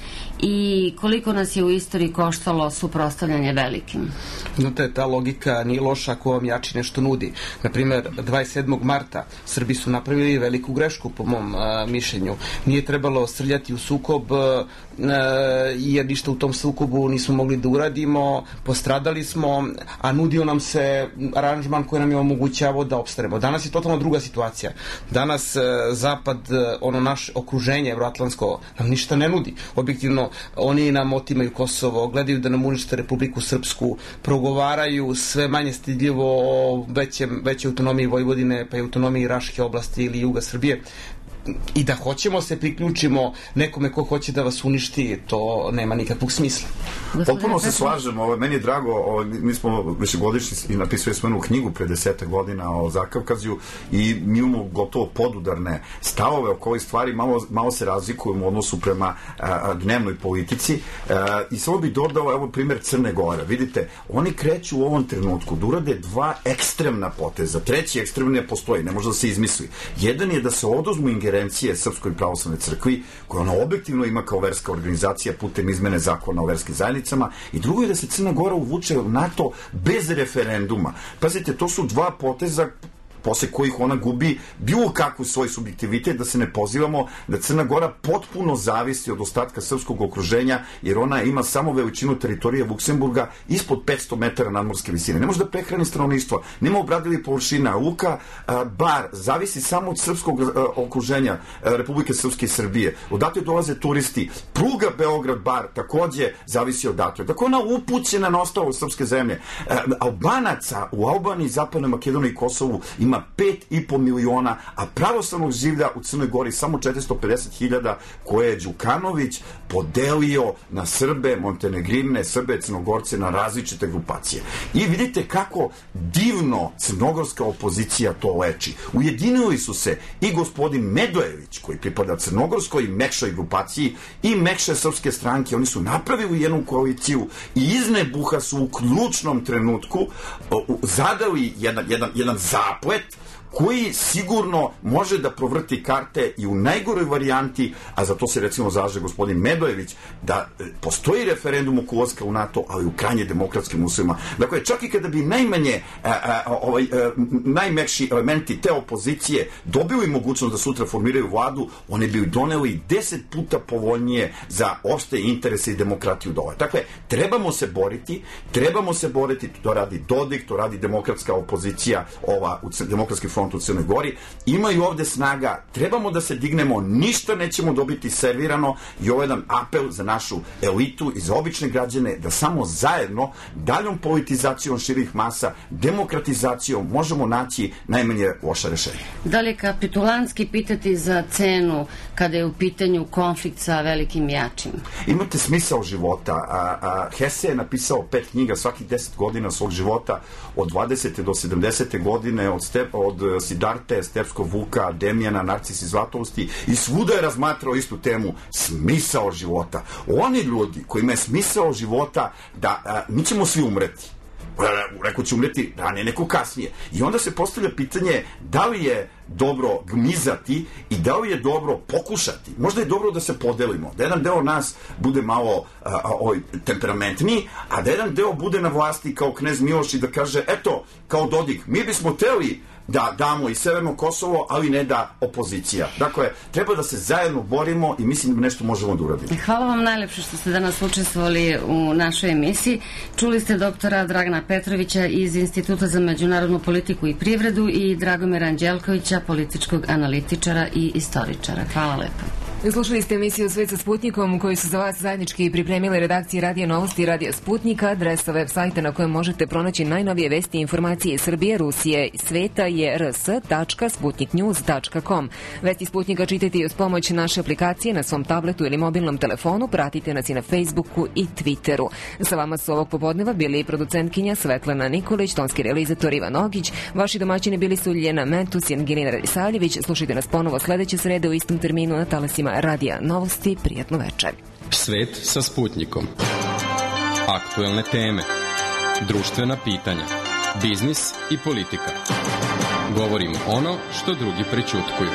i koliko nas je u istoriji koštalo suprotstavljanje velikim? Znate, ta logika nije loša ako vam jači nešto nudi. Naprimer, dvadeset sedmog marta Srbi su napravili veliku grešku po mom a, mišljenju. Nije trebalo srljati u sukob a, jer ništa u tom sukobu nismo mogli da uradimo, postradali smo, a nudio nam se aranžman koji nam je omogućavao da opstanemo. Danas je totalno druga situacija. Danas a, Zapad, a, ono naše okruženje evroatlantsko nam ništa ne nudi. Objektivno, oni nam otimaju Kosovo, gledaju da nam unište Republiku Srpsku, progovaraju sve manje stidljivo o većem, većoj autonomiji Vojvodine, pa i autonomiji Raške oblasti ili juga Srbije. I da hoćemo se priključimo nekome ko hoće da vas uništi, to nema nikakvog smisla. Potpuno se slažemo, ovo, meni je drago, ovo, mi smo višegodišnji i napisali smo jednu knjigu pre desetak godina o Zakavkaziju i mi imamo gotovo podudarne stavove oko ovih stvari, malo, malo se razlikujemo u odnosu prema a, dnevnoj politici a, i samo bi dodao, evo primjer Crne Gore, vidite, oni kreću u ovom trenutku da urade dva ekstremna poteza, treći ekstremni ne postoji, ne može da se izmisli. Jedan je da se oduzmu ingerencije Srpskoj pravoslavnoj crkvi, koja ona objektivno ima kao verska organizacija putem izmene zakona o verskim zajednicama, i drugo je da se Crna Gora uvuče u NATO bez referenduma. Pazite, to su dva poteza posle kojih ona gubi bilo kakvu svoj subjektivitet, da se ne pozivamo da Crna Gora potpuno zavisi od ostatka srpskog okruženja, jer ona ima samo veličinu teritorije Luksemburga ispod petsto metara nadmorske visine. Ne može da prehrani stanovništvo, nema obradivih površina. Luka a, Bar zavisi samo od srpskog a, okruženja a, Republike Srpske i Srbije. Odatle dolaze turisti. Pruga Beograd-Bar takođe zavisi odatle. Tako ona upućena na ostalo srpske zemlje. A, Albanaca u Albaniji, Zapadnoj Makedoniji i Kosovu ima pet i po miliona, a pravoslavnog življa u Crnoj Gori samo četiristo pedeset hiljada, koje je Đukanović podelio na Srbe, Montenegrine, Srbe, Crnogorce, na različite grupacije. I vidite kako divno crnogorska opozicija to leči. Ujedinili su se i gospodin Medojević, koji pripada crnogorskoj mekšoj grupaciji, i mekše srpske stranke. Oni su napravili jednu koaliciju i iz nebuha su u ključnom trenutku zadali jedan, jedan, jedan zaplet koji sigurno može da provrti karte i u najgoroj varijanti, a za to se recimo zalaže gospodin Medojević, da postoji referendum oko ulaska u NATO, ali u krajnje demokratskim uslovima. Dakle, čak i kada bi najmanje a, a, ovaj, a, najmekši elementi te opozicije dobili mogućnost da sutra formiraju vladu, oni bi doneli deset puta povoljnije za opšte interese i demokratiju dole. Dakle, trebamo se boriti, trebamo se boriti, to radi Dodik, to radi demokratska opozicija, ova, u demokratski front u Crnoj Gori, imaju ovde snaga, trebamo da se dignemo, ništa nećemo dobiti servirano, i ovo je jedan apel za našu elitu i za obične građane, da samo zajedno, daljom politizacijom širih masa, demokratizacijom, možemo naći najmanje loša rešenja. Da li je kapitulantski pitati za cenu kada je u pitanju konflikt sa velikim jačim? Imate smisao života. A, a, Hesse je napisao pet knjiga svakih deset godina svog života, od dvadesete do sedamdesete godine, od, step, od Sidarte, Stepskog Vuka, Demjana, Narcis i Zlatovosti, i svuda je razmatrao istu temu, smisao života. Oni ljudi kojima je smisao života da a, mi ćemo svi umreti, rekao će umreti ranije, neko kasnije. I onda se postavlja pitanje da li je dobro gmizati i da li je dobro pokušati. Možda je dobro da se podelimo, da jedan deo nas bude malo a, a, oj, temperamentniji, a da jedan deo bude na vlasti kao knez Miloš i da kaže, eto, kao Dodik, mi bismo teli da damo i Severno Kosovo, ali ne da opozicija. Dakle, treba da se zajedno borimo i mislim da nešto možemo da uradimo. Hvala vam najlepše što ste danas učestvovali u našoj emisiji. Čuli ste doktora Dragana Petrovića iz Instituta za međunarodnu politiku i privredu i Dragomira Anđelkovića, političkog analitičara i istoričara. Hvala lepo. Slušali ste emisiju Svet sa Sputnikom, koju su za vas zajednički pripremile redakcije Radio Novosti i Radio Sputnika. Adresa web sajta na kojem možete pronaći najnovije vesti i informacije iz Srbije, Rusije i sveta je r s tačka sputnik news tačka com. Vesti Sputnika čitajte i uz pomoć naše aplikacije na svom tabletu ili mobilnom telefonu. Pratite nas i na Facebooku i Twitteru. Sa vama su ovog popodneva bili producentkinja Svetlana Nikolić, tonski realizator Ivan Ogić. Vaši domaćini bili su Ljena Mentus i Angelina Radisaljević. Slušajte nas ponovo sledeće srede u istom terminu na talasima Radija Novosti. Prijatno večer. Svet sa Sputnikom. Aktuelne teme, društvena pitanja, biznis i politika. Govorimo ono što drugi prećutkuju.